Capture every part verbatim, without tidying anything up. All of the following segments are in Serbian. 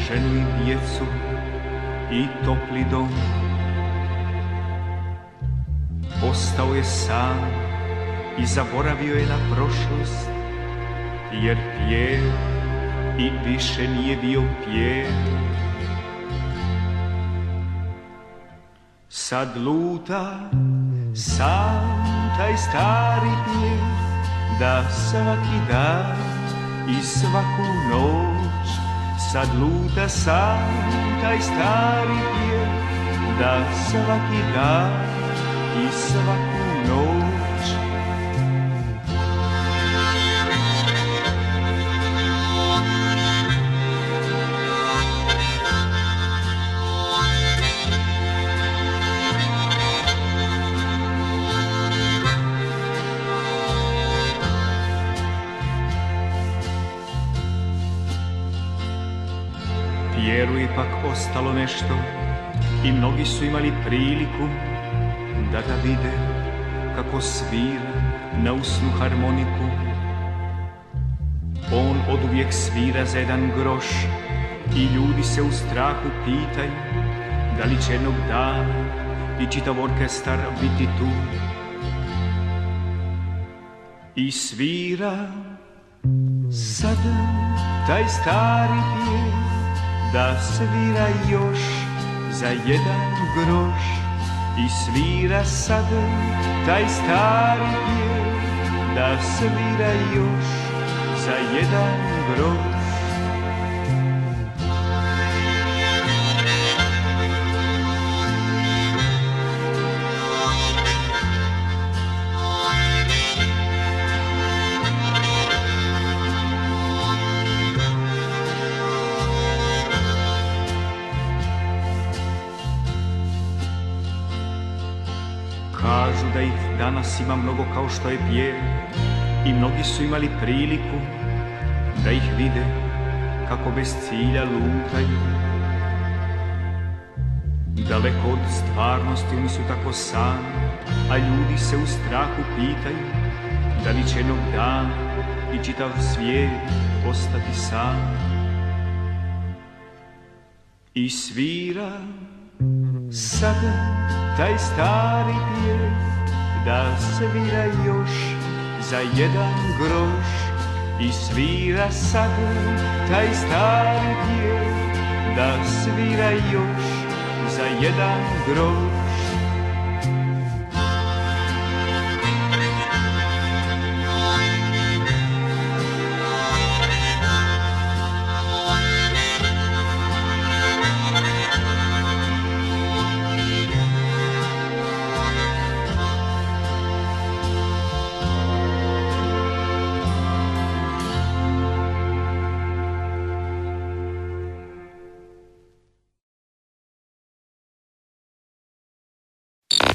ženu i djecu i topli dom. Ostao je sam i zaboravio je na prošlost, jer Pjer i više nije bio Pjer. Sad luta sam taj stari Pjer, da svaki dan i svaku noć. Sad luta sam taj stari Pjer, da svaki dan i svaku noć. Pjeru je pak ostalo nešto i mnogi su imali priliku da ga vide kako svira na usnu harmoniku. On oduvijek svira za jedan groš i ljudi se u strahu pitaju da li će jednog dana i čitav orkestar biti tu. I svira sada taj stari Pjer, da svira još za jedan groš. I svira sada taj stari Pjer, da svira još za jedan groš. Kažu da ih danas ima mnogo kao što je Pjer, i mnogi su imali priliku da ih vide kako bez cilja lutaju. Daleko od stvarnosti oni su tako sami, a ljudi se u strahu pitaju da li će jednog dana i čitav svijet ostati sam. I svira sada taj stari Pjer, da svira još za jedan groš. I svira sada taj stari Pjer, da svira još za jedan groš.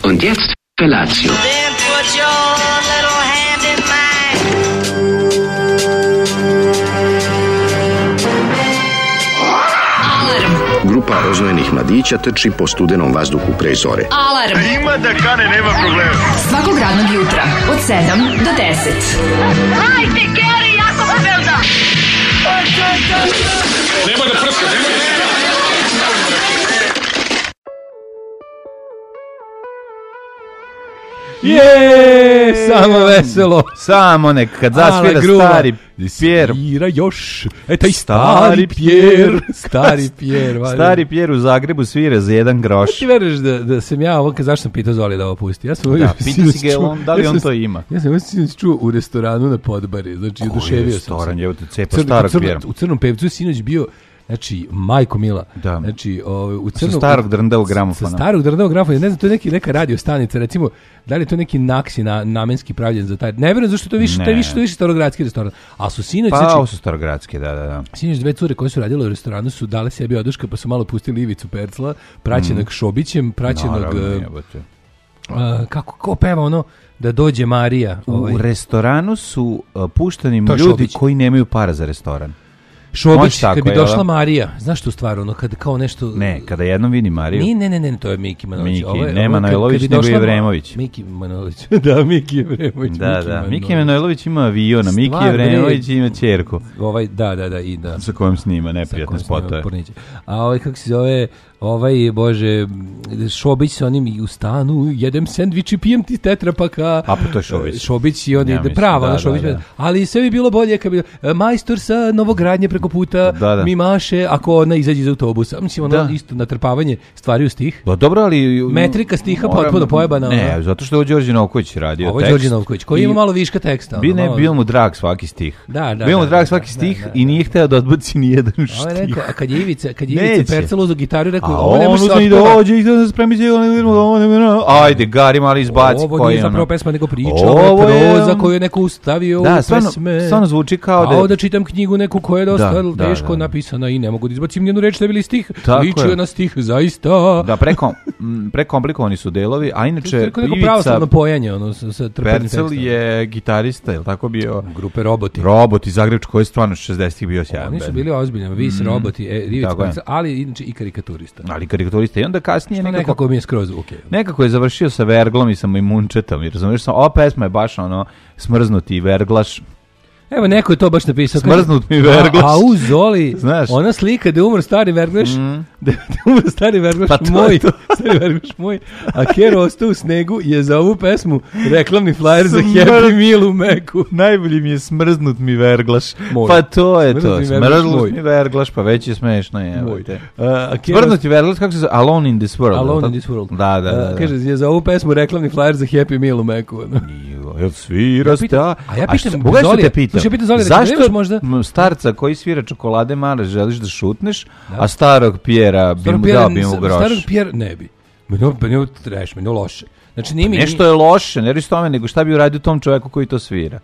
Und jetzt Felatio. Then put your little hand in mine. Alarm. Grupa roznojenih mladića trči po studenom vazduhu pre zore. Alarm. Ima da kane, nema problema. Svakog radnog jutra od sedam do deset. Hajde, Geri, jako se velda. Nema da prska, nema da prska. Je, samo veselo. Samo nek kad zasvira stari Pjer. Svira još. E, taj stari Pjer. Stari Pjer. Stari Pjer u Zagrebu svira za jedan groš. Ti veruješ da, da sam ja ovo, zašto sam pitao Zoli da ovo pusti? Ja sam da, pita si ga on, da li on to ima. Ja sam ovo sinoć čuo u restoranu na Podbari. Znači, oduševio sam se. Restoran, je u te cepa starog Pjera. U Crnom pevcu sinoć bio, znači, majko mila. Da. Znači, o, u Crnom... Sa starog drndavog gramofona. Sa starog drndavog gramofona. Ne znam, to je neki, neka radio stanica, recimo, da li je to neki naksi na, namenski pravljen za taj... Ne verujem, zašto to više, to je više, to je više starogradski restoran. A su sinoć... Pa, znači, ovo su starogradski, da, da, da. Sinoć dve cure koje su radile u restoranu su dale sebi oduška, pa su malo pustili Ivicu Percla, praćenog mm. Šobićem, praćenog... Naravno, uh, kako, ko peva ono... Da dođe Marija. U ovaj. restoranu su uh, pušteni To ljudi Šobić. koji nemaju para za restoran. Šobić, tako, kad bi jel došla da? Marija, znaš tu stvar, ono, kad kao nešto... Ne, kada jednom vidi Mariju. Ni, ne, ne, ne, to je Miki Manojlović. Miki, Ovo je- ne ovo je kad- Manojlović, kad bi nego došla- Jevremović. Miki Manojlović, da, Miki Jevremović. Da, da, Miki Manojlović ima aviona, Miki Stvar, Jevremović bre. ima ćerku Ovaj, da, da, da, i da. sa kojom snima Sa neprijatne kojom snima spotove. porniće. A ovaj, kako se zove, ovaj, bože, Šobić sa onim i u stanu, jedem sendvič i pijem ti tetrapaka. A, pa to je Šobić. Šobić i on Ja je mislim, prava, da, da, Šobić. da, da. Ali sve bi bilo bolje kad bi e, majstor sa Novogradnje preko puta Da, da. mi maše ako ona izađe iz autobusa. Mislim, ono Da. isto natrpavanje stvari u stih. Da, dobro, ali... Metrika stiha moram- potpuno pojebana, Ne, ono. zato što je ovo Đorđe Novković radio Ovo je tekst. Đorđe Novković, koji i- ima malo viška teksta. Bi ono, ne, malo- bio mu drag svaki stih. Da, da, Bio mu da, drag da, svaki da, stih da, da. i nije hteo da odbaci ni jedan Ovo je stih. rekao, a kad je Ivica, kad je Neće. Ivica Percel uzeo gitaru i rekao, A ovo ne on može se uzme i otpeva. dođe i da se spremi se, ajde, Gari mali izbaci Ovo koji nije ono. zapravo pesma, nego priča, Ovo ovo je je- proza koju je neko ustavio Da, u stvarno, pesme. stvarno zvuči kao da... A ovdje čitam knjigu neku koja je dosta Da, da, teško da. napisana i ne mogu da izbacim njenu reč, ne bili stih. Tako Ličio je. na stih, zaista. Da, preko, m, prekomplikovani su delovi, a To je inače neko neko Ivica pravoslavno pojanje, ono, sa, sa trpenim Percel tekstom. je gitarista, je li tako bio? Grupe Roboti. Robot iz Zagrebača koji je stvarno šezdesetih bio sjajan. Oni su bend. bili ozbiljni, Vis, Mm. Roboti, e, Ivica Tako je. Percel, ali inače i karikaturista. Ali karikaturista. I onda kasnije Što nekako, nekako mi je skroz ok. nekako je završio sa Verglom i sa Majmunčetom. I razumiješ, ova pesma je baš ono smrznuti Verglaš. Evo, neko je to baš napisao. kaže, Smrznut mi Verglaš. A, a u Zoli, Znaš. ona slika da je umro stari Verglaš, Mm. da je umro stari Verglaš Pa to je moj, to. stari Verglaš moj, a Kero ostao u snegu je za ovu pesmu reklamni flyer za Smr- Happy Meal u Meku. Najbolji mi je smrznut mi Verglaš. Moj. Pa to je Smrznut to. mi Verglaš Smrznut moj. mi Verglaš, pa već je smešno. Je, Moj. te. A, a Kero Smrznut mi Verglaš, kako se zove? Alone in this world. Alone jel in this world. Da, da, da. A, kaže, je za ovu pesmu reklamni flyer za Happy Meal u Meku. ono. Jo, jel svira Ja pitam- sta? a ja pitam šta- pogledaj što Zolija, te pitam. slušaj, ja pitam Zolija, rekao, Zašto nemaš možda- m, starca koji svira čokolade male želiš da šutneš, a starog Pjera bi Starog mu Pjera- dao bi mu groš? Starog Pjera ne bi. Meni ovo meni ovo trash, meni ovo loše. Znači, nije mi... Nešto je loše, ne reći tome, nego šta bi uradio tom čoveku koji to svira?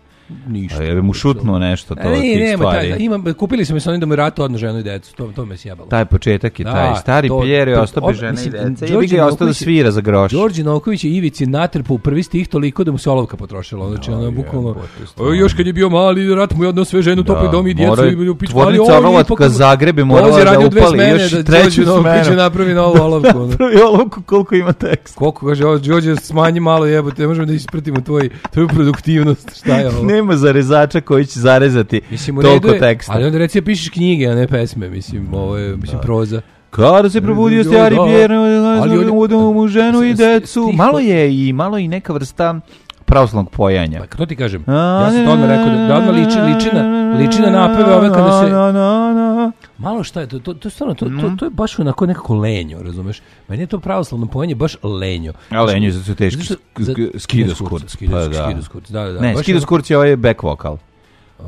Ništa. A je bi mu šutnuo nešto to E, od nije, tih nema, taj, stvari. ima, kupili su mi sa onim da mu ratu odno ženu i decu, to, to me sjebalo. Taj početak je Da, taj. Stari to- Pjer je to- ostao ob- bez žene i mislim, dece. I Đorđe bi ga je ostao da Novković je- svira za groš. Đorđe Novković je Ivici natrpao u prvi stih toliko da mu se olovka potrošila. Znači, ono, bukvalno, o, još kad je bio mali, rat mu je odno sve ženu, topli dom i djecu. mora- i bili u pičku, tvornica ali on je Orlovatka ipak- Zagreb je morala Dolazi da radio dve upali smene još i da treću Đorđe Novković smenu. napravi novu olovku. ono. Prvi olovku koliko ima tekst. Koliko kaže, ovo Đorđe smanji malo jebote, ne možemo da ispratimo tvoj, tvoju produktivnost. Šta je ovo? Nema zarezača koji će zarezati Mislim, u redu toliko je, teksta. ali onda reci pišeš knjige, a ne pesme, mislim, ovo je, mislim, proza. Kada se probudio Da, stari da. Pjer, Ali ovdje- udao mu ženu i s- decu. stih- Malo je i malo i neka vrsta pravoslavnog pojanja. Pa to ti kažem, ja sam to odmah rekao, da, da odmah liči, liči na, liči na napeve ove kada se... Na, na, na. Malo šta je, to, to, to, stvarno, to, to, to je baš onako nekako lenjo, razumeš? Meni je to pravoslavno pojanje baš lenjo. A lenjo je zato su teški Zato što- za- skidoskurc. Skidoskurc, Pa da. skidoskurc, da, da. Ne, baš skidoskurc je ovaj back vokal.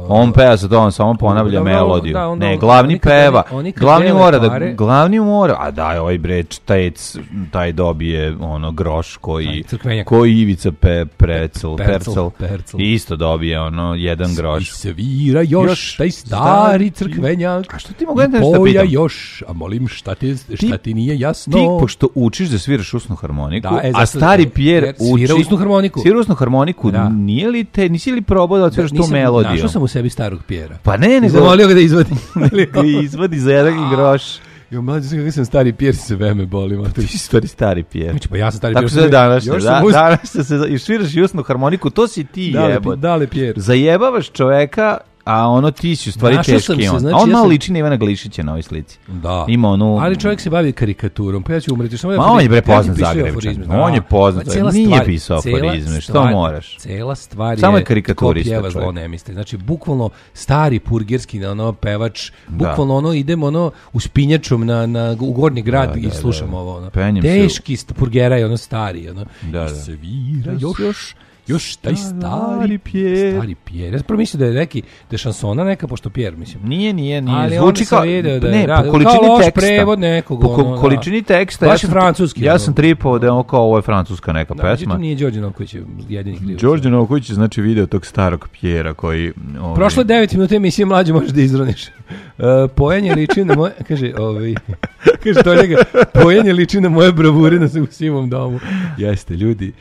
On peva sa to, on samo ponavlja Dobro, melodiju. da, onda Ne, on- glavni oni kad peva. oni- oni kad Glavni dele mora da pare- glavni mora, a daj ovaj bre čtec, taj dobije ono groš koji Taj crkvenjak. koji Ivica pe, precel, Percel, percel, percel. I isto dobije ono jedan I groš. svira još, Još taj stari stari crkvenjak. A što ti mogu nešto I da poja pitam? još, a molim šta ti, šta ti nije jasno. Ti, pošto učiš da sviraš usnu harmoniku, Da, e, a zato- stari Pjer Pjer svira uči... usnu harmoniku. Svira usnu harmoniku, Da. nije li te, nisi li probao da odsviraš tu Nisam- melodiju? Našao sam u sebi starog Pjera. Pa ne, I nego... zamolio ga da izvadi. nego izvadi za jedan groš. Jo, mlađe, sam kako sam stari Pjer, se veme boli. Ti si stvari stari Pjer. Znači, pa ja sam stari Tako Pjer. se danas, još da, sam uz... danas se i sviraš i usnu harmoniku, to si ti Dale, jebot. dale Pjer. Zajebavaš čoveka, a ono ti si u stvari Našao sam teški se, on. znači, a on ja malo sam- liči na Ivana Glišića na ovoj slici. Da. Ima onu... Ali čovjek se bavi karikaturom, pa ja ću umreti. Samo da Ma on je bre ja ti poznat pišem Zagrebčan. aforizme, On je poznat, Pa cijela nije stvar- pisao cijela aforizme, što stvar- moraš? Cela stvar Samo je je karikaturista ko pjeva zlo čovjek. ne misli. Znači, bukvalno stari purgerski ono, pevač, Da. bukvalno ono, idemo ono, uspinjačom na, na, u Gornji grad Da, i da, slušamo da. ovo. Ono. Penjem se u- Teški st- purgeraj, ono stari. Ono. Da, I da. svira još, još, još taj stari, Stari Pjer. stari Pjer. Ja sam prvo mislio da je neki, da je šansona neka, pošto Pjer, mislim. Nije, nije, nije. Ali Zvuči onda sam kao... video da je ne, rad- po količini kao loš teksta. prevod nekog, Po ko- ono, da. količini teksta. Baš je sam- francuski, Ja ono. sam tripao da je ovo kao ovo je francuska neka Da, pesma. međutim nije Đorđe Novković jedini kriv. Đorđe Novković je znači video tog starog Pjera koji... Ovaj, Prošlo devet minuta emisije, mlađe možeš da izroniš. Uh, pojanje liči na moje... Kaže, ovaj... Kaže to njega, pojanje liči na moje bravure na u sivom domu. Jeste, ljudi.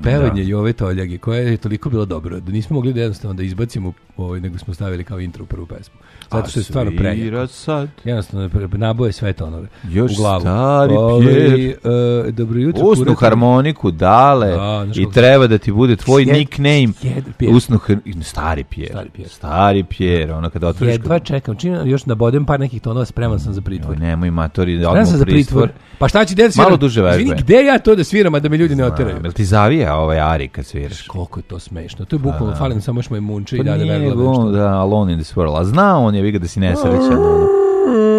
pevanje Jove Toljage, koja je toliko bilo dobro, da nismo mogli da jednostavno da izbacimo ovaj, nego smo stavili kao intro u prvu pesmu. Zato što je stvarno prejako. Sad. Jednostavno, naboje sve tonove još u glavu. Stari Ove, Pjer. Uh, dobro jutro. Usnu kurati. harmoniku dale Da, i treba da ti bude tvoj Jed, nickname. Jed, Pjer. Usnu har- Stari Pjer. Stari Pjer. Stari Pjer. Ono kada otvoriš... Jedva čekam. Čim još nabodem par nekih tonova, spreman sam za pritvor. Joj, nemoj matori, da Spreman odmah sam za pritvor. pritvor. Pa šta će djeti sviram? Malo duže vežbe. Izvini, gde ja to da sviram, a da me ljudi ne oteraju? Jel ti zavija ovaj Ari kad sviraš? Koliko je to smešno. To je bukvalno, fali nam samo još moj munče i Pa da ne nije vergla on, nešto. da, Alone in this world. A zna on je, vi ga da si nesrećan. Ono.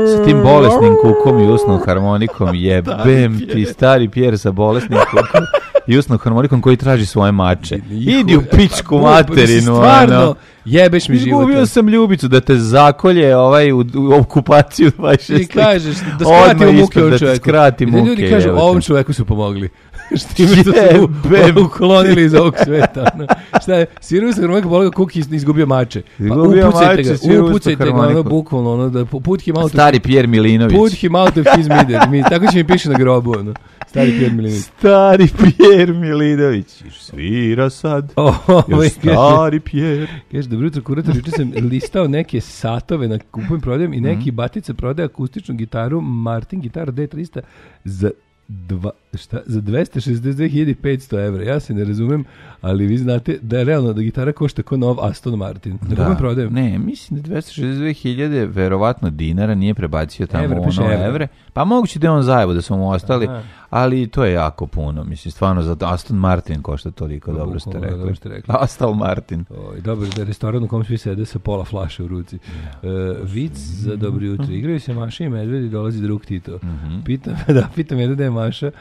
Sa tim bolesnim kukom i usnom harmonikom, jebem ti stari Pjer sa bolesnim kukom i usnom harmonikom koji traži svoje mače. Idi u pičku materinu. Stvarno, ono. jebeš mi život. Izgubio sam ljubicu da te zakolje ovaj, u, u okupaciju dvadeset šest. Ti kažeš da skratimo muke ovom Da čoveku. ti skrati I da muke. ljudi kažu, jebote. ovom čoveku su pomogli. Štime što Jebem. su uklonili iz ovog sveta. No. Šta je, svirao se harmonika, bolio Kuki i izgubio mače. Pa Izgubio upucajte mače, ga, svirao uz upucajte ga, ono, harmoniku. bukvalno, ono, da put him out Stari Pjer Milinović. Put him out of his mider. Mi, tako će mi piše na grobu, ono. Stari Pjer Milinović. Stari Pjer Milinović. Svira sad. Ovaj, Još stari Pjer. Kaže, dobro jutro, kurator, juče sam listao neke satove na kupujem prodajem i neki batica prodaje akustičnu gitaru Martin Gitara D trista za Dva, šta, za dvesta šezdeset dve hiljade petsto evra. Ja se ne razumem, ali vi znate da je realno da gitara košta kao nov Aston Martin. Da, da. prodajem. Ne, mislim da dvesta šezdeset dve hiljade verovatno dinara nije prebacio tamo Evre, ono evre. evre. Pa moguće da je on zajevo da su mu ostali, Aha. ali to je jako puno. Mislim, stvarno, za Aston Martin košta toliko, Pa, dobro ste bukvalno, rekli. dobro ste rekli. Aston Martin. Oj, dobro, da je restoran u kom svi sede sa pola flaše u ruci. Uh, vic za dobro jutro. Igraju se Maša i Medved i dolazi drug Tito. Mhm. Pitam, da, pitam jedan da je Maša,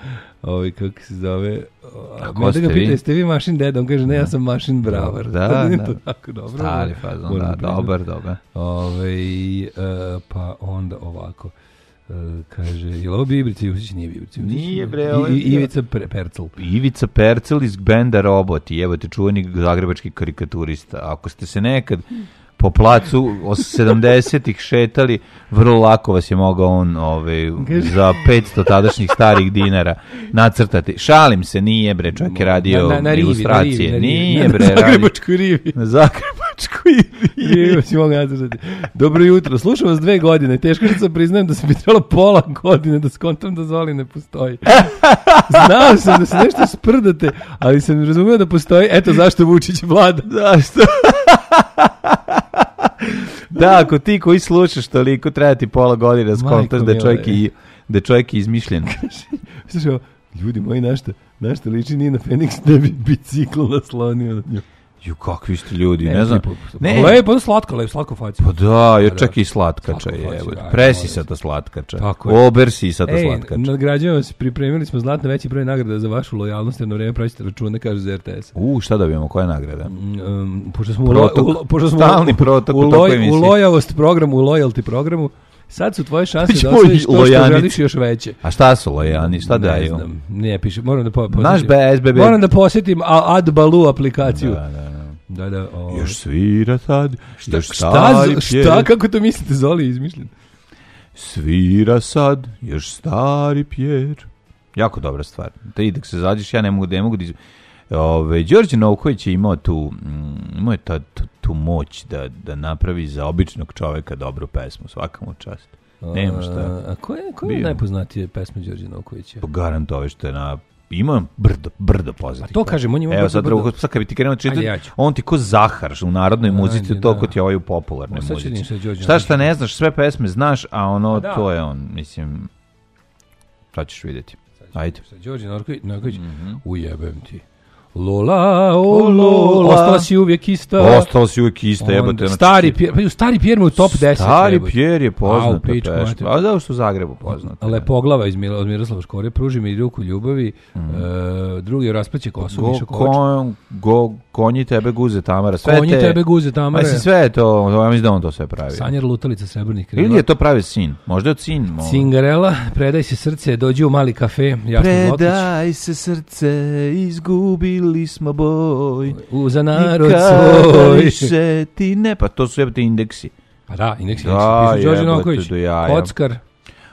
ovaj, kako se zove, A ko Medved ste ga pita, vi? jeste vi Mašin deda? On kaže, ne, ja sam Mašin bravar. Da, Nije da. to tako dobro. Stari fazon, Moram da, priznati. dobar, dobar. Ovaj, uh, pa onda ovako. Uh, kaže, je li ovo bio Ibrica Jusić? Nije bio Ibrica Jusić. Nije, bre, ovo je I, i, bio- Ivica Pre- Percel. Ivica Percel iz benda Roboti, evo te čuveni zagrebački karikaturista. Ako ste se nekad po placu sedamdesetih šetali, vrlo lako vas je mogao on ovaj, za petsto tadašnjih starih dinara nacrtati. Šalim se, nije bre, čovjek je radio Na- na- na rivi, ilustracije. na rivi, na rivi. Nije Na bre, radio. Zagrebačkoj rivi. Na Zagrebačkoj rivi. Rivi si mogu nacrtati. Dobro jutro, slušam vas dve godine. Teško što sam priznajem da sam mi trebalo pola godine da skontam da Zoli ne postoji. Znao sam da se nešto sprdate, ali sam razumio da postoji. Eto zašto Vučić vlada. Zašto? Da, ako ti koji slušaš toliko, treba ti pola godine da skontaš da je čovjek i da je čovjek izmišljen. Slušaj, ljudi moji, našta, našta liči nije na Feniks da bi bicikl naslonio na nju. Ju, kakvi ste ljudi, ne, znam. Ne, lepo, ono slatko, lepo, slatko faci. Pa da, je čak i slatkača Slatko je. faci, da, Presisata slatkača. Tako je. Obersisata Ej, slatkača. nagrađujemo vas, pripremili smo znatno veći broj nagrada za vašu lojalnost, jer na vreme praćite račune, kaže za R T S. U, šta dobijemo, koja nagrada? Um, pošto smo, Protok. u, lo, pošto smo Stalni u, protok u, u loj, tokoj u emisiji. lojavost programu, u loyalty programu, sad su tvoje šanse da Ćemo osvojiš to što lojanice. želiš još veće. A šta su lojani, šta Ne daju? znam, ne piše, moram da po, posjetim. Naš B S B B. Moram da posjetim A- AdBalu aplikaciju. Da, da, da. Da, da. O, Još svira sad, šta, još šta, stari šta, Pjer. kako to mislite, Zoli izmišljen? Svira sad, još stari Pjer. Jako dobra stvar. Da i dok se zađeš, ja ne mogu da ne mogu da iz... Ove, Đorđe Novković je imao tu, mm, imao je ta, tu, tu moć da, da napravi za običnog čoveka dobru pesmu, svaka mu čast. Nema šta. A, a ko je, ko je Bio. najpoznatije pesme Đorđe Novkovića? Po garant ove što je na... Imao brdo, brdo poznatih. A to kažem, on je imao Evo brdo, sad, brdo. drugo, sad kad bi ti krenuo čitati, Ajde, ja ću. on ti ko Zahar u narodnoj Ajde, muzici, da. toliko ti je ovaj u popularnoj O, sad ću muzici. vidim šta je Đorđe Šta šta Novković. ne znaš, sve pesme znaš, a ono, A da. to je on, mislim, šta ćeš vidjeti. Ajde. Šta, Đorđe Novković, Novković, Mhm. ujebem ti. Lola, o O, Lola, Lola. ostala si uvijek ista. Ostalo si uvijek ista, Onda, jebote. znači stari ti- Pjer, pa ju, stari Pjer mu je u top deset. Stari jebote. Pjer je poznata Au, pičku pesma. mater. A da što u Zagrebu poznata. Lepoglava iz Mil- od Miroslava Škore, pruži mi ruku ljubavi, e, drugi je rasplaće kosu, Go, Miša Kovač. kon, go, konji tebe guze Tamara. Sve Konji te, tebe guze Tamare. Mislim, sve je to, ja mislim da on to sve pravi. Sanjar lutalica srebrnih krila. Ili je to pravi sin? Možda je od sin. mo- Cingarela, predaj se srce, dođi u mali kafe, Jasno Zlotić. Predaj se srce, izgubili smo boj. U za narod Nikada svoj. više ti ne, pa to su jebate indeksi. Pa da, indeks, Da, indeks. Piše Đorđe jebote, Novković, do jaja. kockar.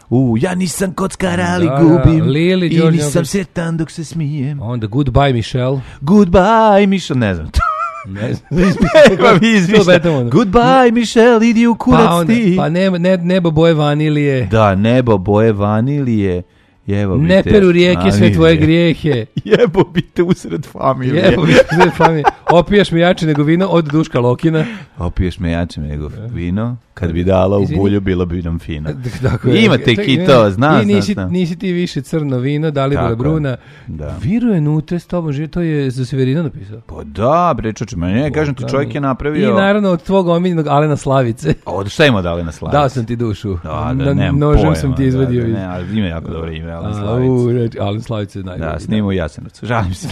U, ja nisam kockar, ali Da, da, gubim. Lili, I Đorđe nisam Novaković. sretan dok se smijem. Onda Goodbye Michelle. Goodbye, Michelle, ne znam. Ne znam. Pa mi izmišlja. Goodbye, Michelle, idi u kurac Pa, onda, ti. pa ne, ne, nebo boje vanilije. Da, nebo boje vanilije. Jevo bi Ne te. peru rijeke sve Vanilije. tvoje grijehe. Jebo bi te usred familije. Jebo bi sve familije. Opiješ mi jače nego vino od Duška Lokina. Opiješ me jače nego vino. Kad bi dala u Izvini. bulju, bilo bi nam fino. Tako je. Imate Čekaj, kitova, zna, I nisi, zna, zna. nisi ti više crno vino, Dalibora Tako je. Bruna. Da. Viruje nutre s tobom, živi, to je za Severina napisao. Pa da, bre, čoče, ma ne, kažem ti, čovjek je napravio... I naravno od tvog omiljenog Alena Slavice. Od šta ima dali na slavici? Dao sam ti dušu. Da, da, Na- nemam nožem pojma, sam ti da, izvadio. da, iz- ne, ali ima jako dobro ime, Alen A, Slavica. u, reč- Alen Slavica je najbolji. Da, snima u Jasenovcu, žalim se.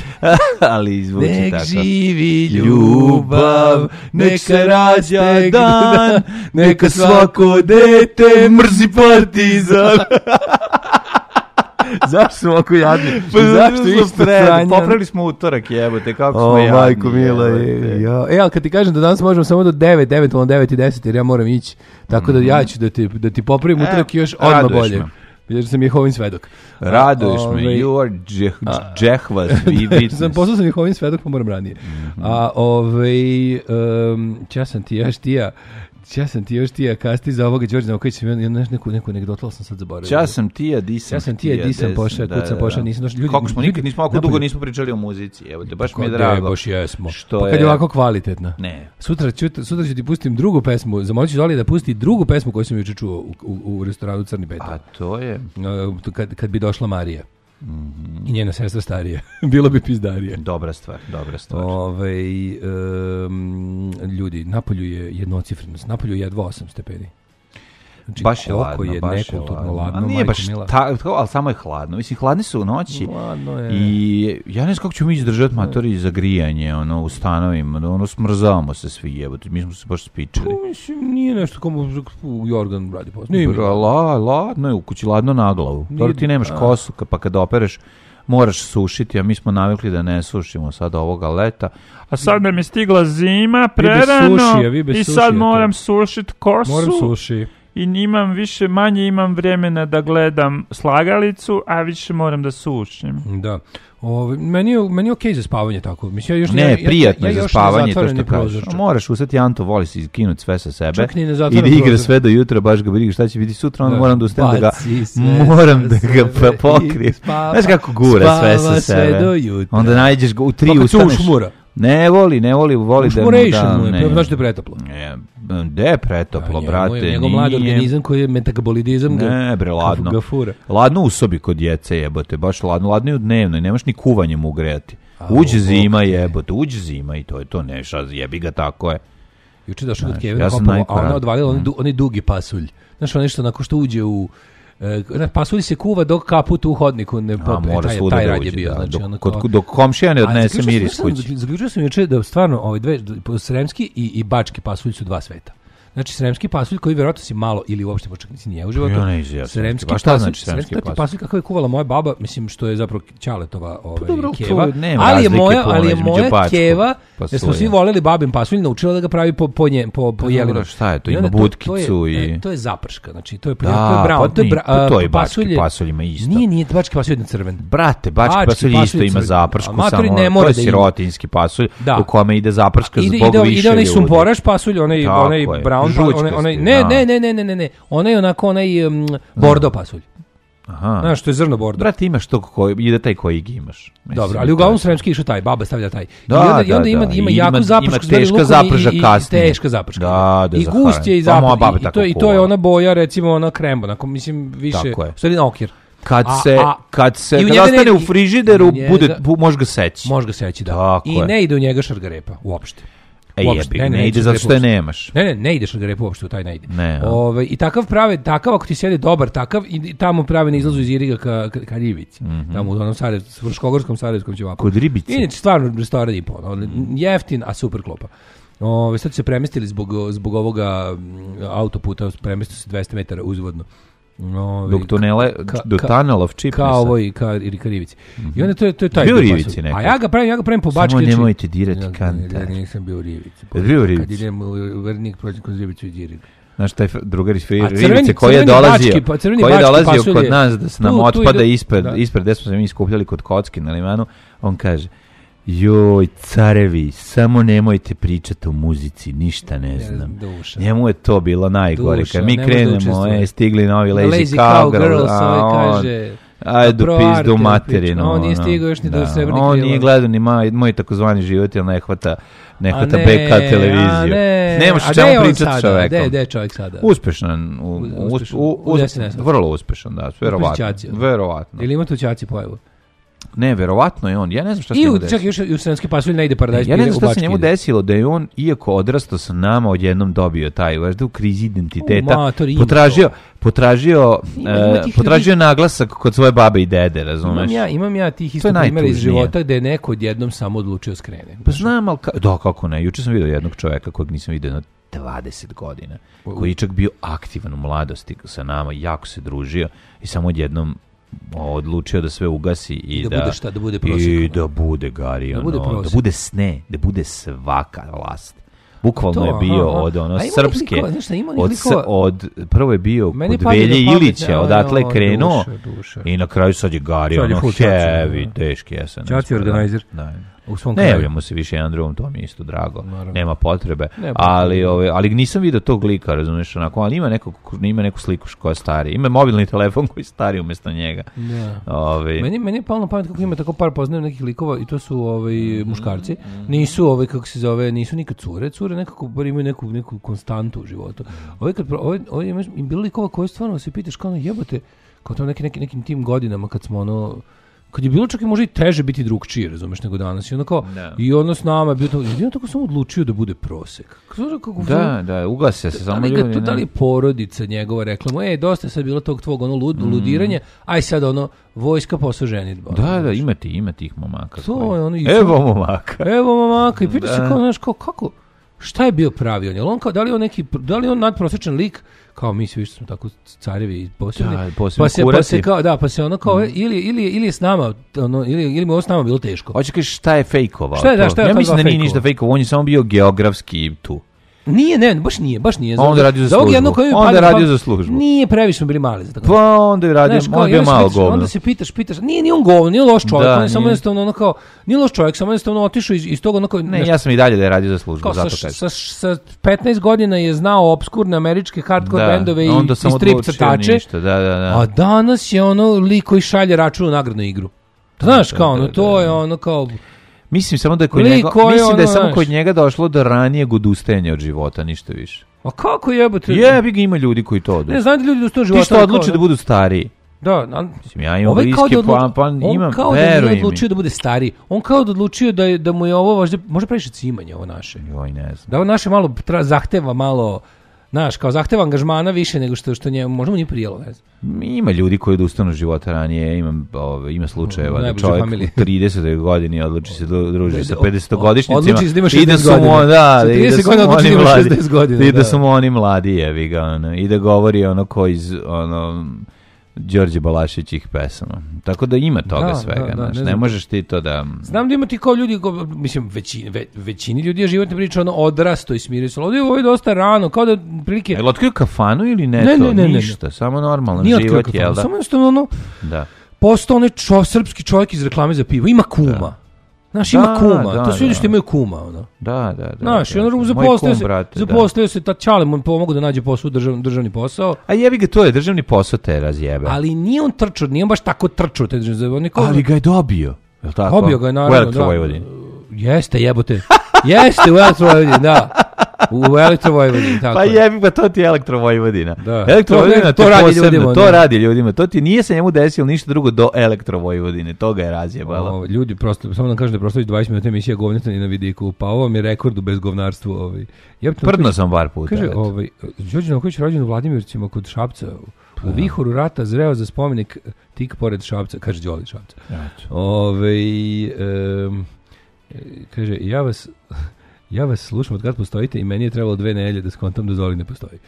Ali zvuči Nek tako. živi Ljubav, nek se rađa dan, neka svako dete mrzi partizan. Zašto smo ovako jadni? Pa Zašto smo isto sredi? sranje? Popravili smo utorak, jebote, kako smo O, jadni. majko mila, jebote. je, ja. E, ali kad ti kažem da danas možemo samo do devet, eventualno devet i deset, jer ja moram ići. Tako da ja ću da ti, da ti popravim E, utorak i još odmah raduješ bolje. me. Jer sam Jehovin svedok. Raduješ me, Ovaj, you are džeh- džehvas, vi witness. sam poslao sam Jehovin svedok, pa moram ranije. A ovaj, um, ča sam ti još tija, ča sam ti još tija kasti za ovoga Đorđe Novakovića, ja nešto neku, neku anegdotu, ali sam sad zaboravio. Ča sam tija, di sam Ja sam tija, di sam des- pošao, da, kud sam da, pošao, da. nisam došao. Ljudi, Kako smo ljudi- nikad nismo ovako napolju- dugo nismo pričali o muzici, evo te, baš mi je Kako drago. je, baš jesmo. Što Pa kad je je- ovako kvalitetna. Ne. Sutra ću, sutra ću ti pustim drugu pesmu, zamolit ću Zoli da pusti drugu pesmu koju sam juče čuo u, u, u restoranu Crni Beton. A to je... Uh, kad, kad bi došla Marija. I njena sestra starija. Bilo bi pizdarije. Dobra stvar, dobra stvar. Ove, um, ljudi, napolju je jednocifrenost. Napolju je jedva osam stepeni. Znači, Baš je koliko ladno, je baš je nekulturno ladno. ladno, A nije majko baš mila. ta, to, ali samo je hladno. Mislim, hladni su u noći. Ladno je. I ja ne znam kako ćemo mi izdržati matori za grijanje, ono, u stanovima, da ono smrzavamo se svi, jebote, mi smo se baš spičili. Pa, mislim, nije nešto komu Jorgan radi posao. Nije mi. Bra, la, ladno je u kući, ladno na glavu. Nije- Dobro, ti nemaš a. kosu, ka- pa kada opereš, moraš sušiti, a mi smo navikli da ne sušimo sada ovoga leta. A sad nam je stigla zima, Vi bez prerano, sušija, vi bez i sušija, sad to. moram sušit kosu. Moram suši. I imam više, manje imam vremena da gledam slagalicu, a više moram da sušim. Da. Ove, meni, je, meni je okej za spavanje tako. Mislim, ja još Ne, ja, ja, prijatno ja, je ja za još spavanje, ne to zatvaram što ni kažeš. prozor, čak. Moraš usati, Anto voli se iskinuti sve sa sebe. Čak ni ne I zatvaram da igra prozor. sve do jutra, baš ga briga šta će biti sutra, onda Da. moram da ustanem da ga, Baci sve moram sa da ga sebe pa i pokrijem. spava- Znaš kako gura sve sa spava sve sebe. do jutra. Onda nađeš ga u tri Pa kad se ustaneš. ušmura. Ne voli, ne voli, voli da mu Ušmuration da... mu je, ne. pre- znači da je pretoplo. Ne, de je pretoplo, A, brate, njegov- Njegov mladi nije. organizam koji je metabolizam ga, Ne, bre, ladno. ga fura. Ladno u sobi kod djece, jebote, baš ladno. Ladno i u dnevnoj, nemaš ni kuvanjem ugrejati. A, Uđe u, zima, bok te. jebote, uđe zima i to je to, ne, šta, jebi ga, tako je. Juče došao kod Znaš, Kevina ja sam Hopovo, a najkorak. ona odvalila Mm. onaj, du, onaj dugi pasulj. Znaš, ono što onako što uđe u... E, ne, pasulj se kuva dok kaput u hodniku ne A, popne. mora Taj, svuda taj da rad je uđe, bio. da, Znači, dok, ono kod, kao- dok komšija ne A, odnese zaključio miris sam- kući. Zaključio sam juče da stvarno ovaj dve, sremski i, i bački pasulj su dva sveta. Znači, sremski pasulj koji vjerojatno si malo ili uopšte počak nisi nije u životu. Ja ne izjavim. Sremski Pa šta pasulj, znači sremski sremski pasulj? pasulj kakav je kuvala moja baba, mislim što je zapravo Ćaletova ovaj, dobro, to keva. nema Ali je razlike moja, puno ali je između moja bačkog keva, jer smo pasulja. svi voleli babin pasulj, naučila da ga pravi po, po, nje, po, po Pa jelinu. dobro, šta je to? I Ima onda butkicu to je, i- e, To je zaprška, znači to je, Da, to je brown. pa to je, nije, bra, pa to je a, bački pasulj je- pasulj, ima isto. Nije, nije, bački pasulj je crven. Brate, bački Bački pasulj pasulj isto je ima crven. zapršku, A matori samo ne to mora je da ima. sirotinski pasulj Da. u kome ide zaprška Ide, zbog ide, više ide onaj ljudi. sumporaš pasulj, onaj, Tako onaj je, brown, žućkasti, onaj, onaj, ne, da. ne, ne, ne, ne, ne, ne, onaj onako, onaj um, bordo pasulj. Aha. Znaš, to je zrno bordo. Brate, imaš to koji ide taj koji ga imaš. Mislim, Dobro, ali uglavnom to je- sremski išao taj, baba stavlja taj. Da, I onda, i da, onda ima, da. ima I jaku ima- zapršku, ima s belim teška lukom zaprža i, i, kasnije. i teška zaprška. Da, da, I za gust je i haranje. Pa moja zapržka. baba I, i, tako to, I to je kuva. ona boja, recimo, ona krembo, onako, mislim, više, Tako je. u stvari na okir. Kad A- se, a- kad se, i u kad njega ostane ne- u frižideru, u njega- bude, bu, može ga seći. Može ga seći, da. Tako I je. ne ide u njega šargarepa, uopšte. E uopšte. jebi, Ne, ne, ne, ne, ide zato što je uopšte. nemaš. Ne, ne, ne ideš na garepu uopšte, u taj ne ide. Ne, a? Ove, I takav prave, takav ako ti sjede dobar takav, i tamo prave na izlazu iz Iriga ka, ka, ka Rivici. Tamo u onom Sarajevskom, Fruškogorskom Sarajevskom ćevapu. Kod Ribice. Inače, stvarno restoran i po, ono, jeftin, a super klopa. Ove, sad su se premestili zbog, zbog ovoga mm, autoputa, premestili se dvesta metara uzvodno. Ove, Dok tunele, ka- do ka- tunnel of cheapness. kao ovo i ka, ili ka Rivici. I onda to je, to je taj Bio u dio Rivici pasulja. nekad? A ja ga pravim, ja ga pravim po Samo bački. znači- nemojte dirati Ja- kantar. Ja nisam bio u Rivici. Jesi bio u Kad Rivici? idem u Vernik, prođem kroz Rivicu i Iriga. Znaš, taj drugar iz crveni- Rivice koji je crveni dolazio, bački, pa crveni koji je bački dolazio pasulj kod je- nas da se nam Tu- tu otpada ide- ispred, da. ispred gde smo se mi skupljali kod kocki na limanu, on kaže, joj, carevi, samo nemojte pričati o muzici, ništa ne znam. Duša. Njemu je to bilo najgore. Duša, Kad mi ne može da krenemo, učestvuje. e, stigli novi Lazy, Lazy Cowgirls, Cowgirls, a ovaj on, kaže... ajde pro pizdu arte materinu. priča. On nije ono. stigao još ni do Da. Srebrnih On krila. nije gledao ni moj, moj takozvani život, jer ne hvata, ne A hvata ne, B K televiziju. a ne. Nemaš A o gde je čemu on pričati s sada? čovekom. Gde je- gde je čovjek sada? Uspešan. U, U- u, uspešan. u, U u, desenesu. vrlo uspešan, da, verovatno. Ćaci, ono. Verovatno. Ili ima tu ćaci pojavu? Ne, verovatno je on. Ja ne znam šta se I njemu u, desilo. čak još i u Sremski pasulj ne ide paradajz. Ja ne znam u šta se Bački njemu ide. desilo, da je on, iako odrastao sa nama, odjednom dobio taj, važda u krizi identiteta, U, mator, ima potražio, to. potražio, Ima- e, ima tih potražio naglasak kod svoje babe i dede, razumeš? Imam ja, imam ja tih To je isto primjera iz najtužnije. života gde je neko odjednom samo odlučio skrene. Pa znam, ali ka... da, kako ne. Juče sam vidio jednog čoveka kojeg nisam vidio na dvadeset godina, koji je čak bio aktivan u mladosti sa nama, jako se družio i samo odjednom odlučio da sve ugasi i, I da da, bude šta, da bude prosek, i ono. da bude gari, Da ono, bude da prosek. bude sne, da bude svaka vlast. Bukvalno To, je bio aha, od ono a ima onih srpske, likova, znaš šta, ima onih od, s- likova- od prvo je bio Meni kod pada Velje na pamet, Ilića, ja, odatle je ja, krenuo duša, duša. i na kraju sad je gari, Sad je ono full čači, heavy, da. teški S N S. Čači organizer. Da. U svom Ne kraju. javljamo se više jedan drugom, to mi je isto drago. Naravno. Nema potrebe. Nema ali, potrebe. ove, ali nisam vidio tog lika, razumiješ, onako, ali ima, nekog, ima neku sliku koja je stari. Ima mobilni telefon koji je stari umjesto njega. Da. Ove, Meni, meni je palo na pamet kako ima tako par poznajem nekih likova i to su ovaj, muškarci. Nisu ovaj, kako se zove, nisu nikad cure. Cure nekako bar imaju neku, neku konstantu u životu. Ovaj kad, pro- ovaj, ovaj, imaš- im bilo likova koji stvarno se pitaš kao ono jebote, kao to neki, neki, nekim tim godinama kad smo ono, kad je bilo čak i može i teže biti drugčije, razumeš, nego danas. I ono kao, Da. i ono s nama je bio to, i on tako samo odlučio da bude prosek. Kako, kako, da, da, ugase se da samo li, ga, ljudi. to, ne. da li porodica njegova rekla mu, e, dosta je sad bilo tog tvog ono lud, ludiranja, aj sad ono, vojska posao ženitba. Da, da, ima ti, ima tih momaka. To koji- je ono i- Evo momaka. Evo mamaka, i pita se Da. kao, znaš, kao, kako, šta je bio pravi on? Jel on kao, da li je on neki, da li je on nadprosječan lik, kao mi svi što smo tako carevi i posebni, Da, posebno pa se, pa kurati. se kao, da, pa se ono kao, ili, ili, ili je s nama, ono, ili, ili mu je ovo s nama bilo teško. Hoće kažeš šta je fejkovao? Šta je, da, to? šta je Ja od ta mislim dva da nije fejkovao? ništa fejkovao, on je samo bio geografski tu. Nije, ne, baš nije, baš nije. Onda je radio za ovog službu. jednog koji mi Onda pada je na radio pamet- za službu. Nije, previše smo bili mali za tako. Pa onda je radio, Znaš, kao, on je bio onda se malo pitaš- govno. Onda se pitaš, pitaš, nije, nije on govno, nije loš čovjek, Da, on je samo nije. jednostavno ono kao, nije loš čovjek, samo jednostavno otišao iz, iz toga ono kao, Ne, znaš, ja sam i dalje da je radio za službu, kao zato sa, kažem. sa, sa petnaest godina je znao obskurne američke hardcore Da, bendove i, onda i sam strip odlučio crtače, ništa, da, da, da. a danas je ono lik koji šalje račun u nagradnu igru. Znaš, Da, kao da, ono, da, to da. je ono kao, Mislim samo da je kod Lik njega, koji mislim da je ono, samo znaš. kod njega došlo do ranijeg odustajanja od života, ništa više. a kako jebote? Jebi ga, ima ljudi koji to Ne, odustaju. znam da ljudi do života. Ti što kao, odluče da budu stariji? Da, ali, Mislim, ja imam ovaj kao bliske, da odlučio, pa, pa on imam, kao da veruj nije mi. odlučio da bude stariji. On kao da odlučio da, je, da mu je ovo možda, možda previše cimanje ovo naše. Joj, ne znam. Da ovo naše malo tra, zahteva malo, znaš, kao zahteva angažmana više nego što, što njemu, možda mu nije prijelo, ne znam. Ima ljudi koji odustanu od života ranije, imam, ove, ima slučajeva da Najbliže čovjek familije. u tridesetoj godini odluči se da druži Da, sa da, pedesetogodišnjacima odluči se da ima i da šezdeset su mu, godina. da, Sa da, i da trideset su godina mu odluči oni da ima mladi, šezdeset godina, i da da. su mu oni mladi, jebi ga, ono, i da govori ono ko iz, ono, Đorđe Balašićih pesama. Tako da ima toga Da, svega, da, da, znaš, ne ne znam. možeš ti to da... Znam da ima ti kao ljudi, ko, mislim, većini, ve, većini ljudi je životna priča ono odrasto i smirio se. ali Ovdje je ovo je dosta rano, kao da prilike... Je li otkrio kafanu ili ne, Ne, to? ne, ne, ne, ne. Ništa, samo normalan Nije otkrio život, kafanu, jel da? samo jednostavno ono, Da. postao onaj čo, srpski čovjek iz reklame za pivo. Ima kuma. Znaš, ima Da, kuma. da, to su ljudi da. što imaju kuma, ono. Da, da, da. Znaš, da, i ono Moj zaposlio kum, se, brate, da. zaposlio se, ta čale mu pomogu da nađe posao, držav, državni posao, A jebi ga, to je državni posao te razjebe. ali nije on trčao, nije on baš tako trčao, te državni, on je kao, Ali ga je dobio. Je li tako? dobio ga je U naravno. Elektrovojvodini. Jeste, jebote. Jeste u Elektrovojvodini, da. U Elektrovojvodini, tako Pa je. jebi, pa to ti je Elektrovojvodina. Da. Elektrovojvodina, To- to, to radi posebno, ljudima, to da. radi ljudima. To ti nije se njemu desilo ništa drugo do Elektrovojvodine. To ga je razjebalo. O, ljudi, prosto, samo nam kažem da je prosto već dvadeset minuta emisija govneta ni na vidiku, pa ovo vam je rekord u bezgovnarstvu. Ovaj. Jebate, Prdno sam par puta. Kaže, eto. ovaj, Đorđe Novković rođen u Vladimircima kod Šapca, u vihoru rata zreo za spomenik tik pored Šapca, kaže Đoli Šapca. Eto. Ove, um, kaže, ja vas, ja vas slušam od kad postojite i meni je trebalo dve nedelje da skontam da Zoli ne postoji.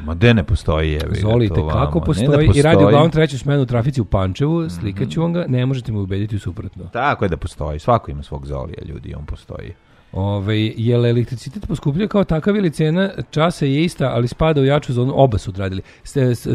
Ma de ne postoji, jebi ga, Zoli to te kako vamo. postoji, Ne da i radi postoji. uglavnom treću smenu u trafici u Pančevu, slikaću vam ga, ne možete me ubediti u suprotno. Tako je da postoji. Svako ima svog Zolija, ljudi, on postoji. Ove, je li elektricitet poskupljuje kao takav ili cena časa je ista, ali spada u jaču zonu, oba su odradili.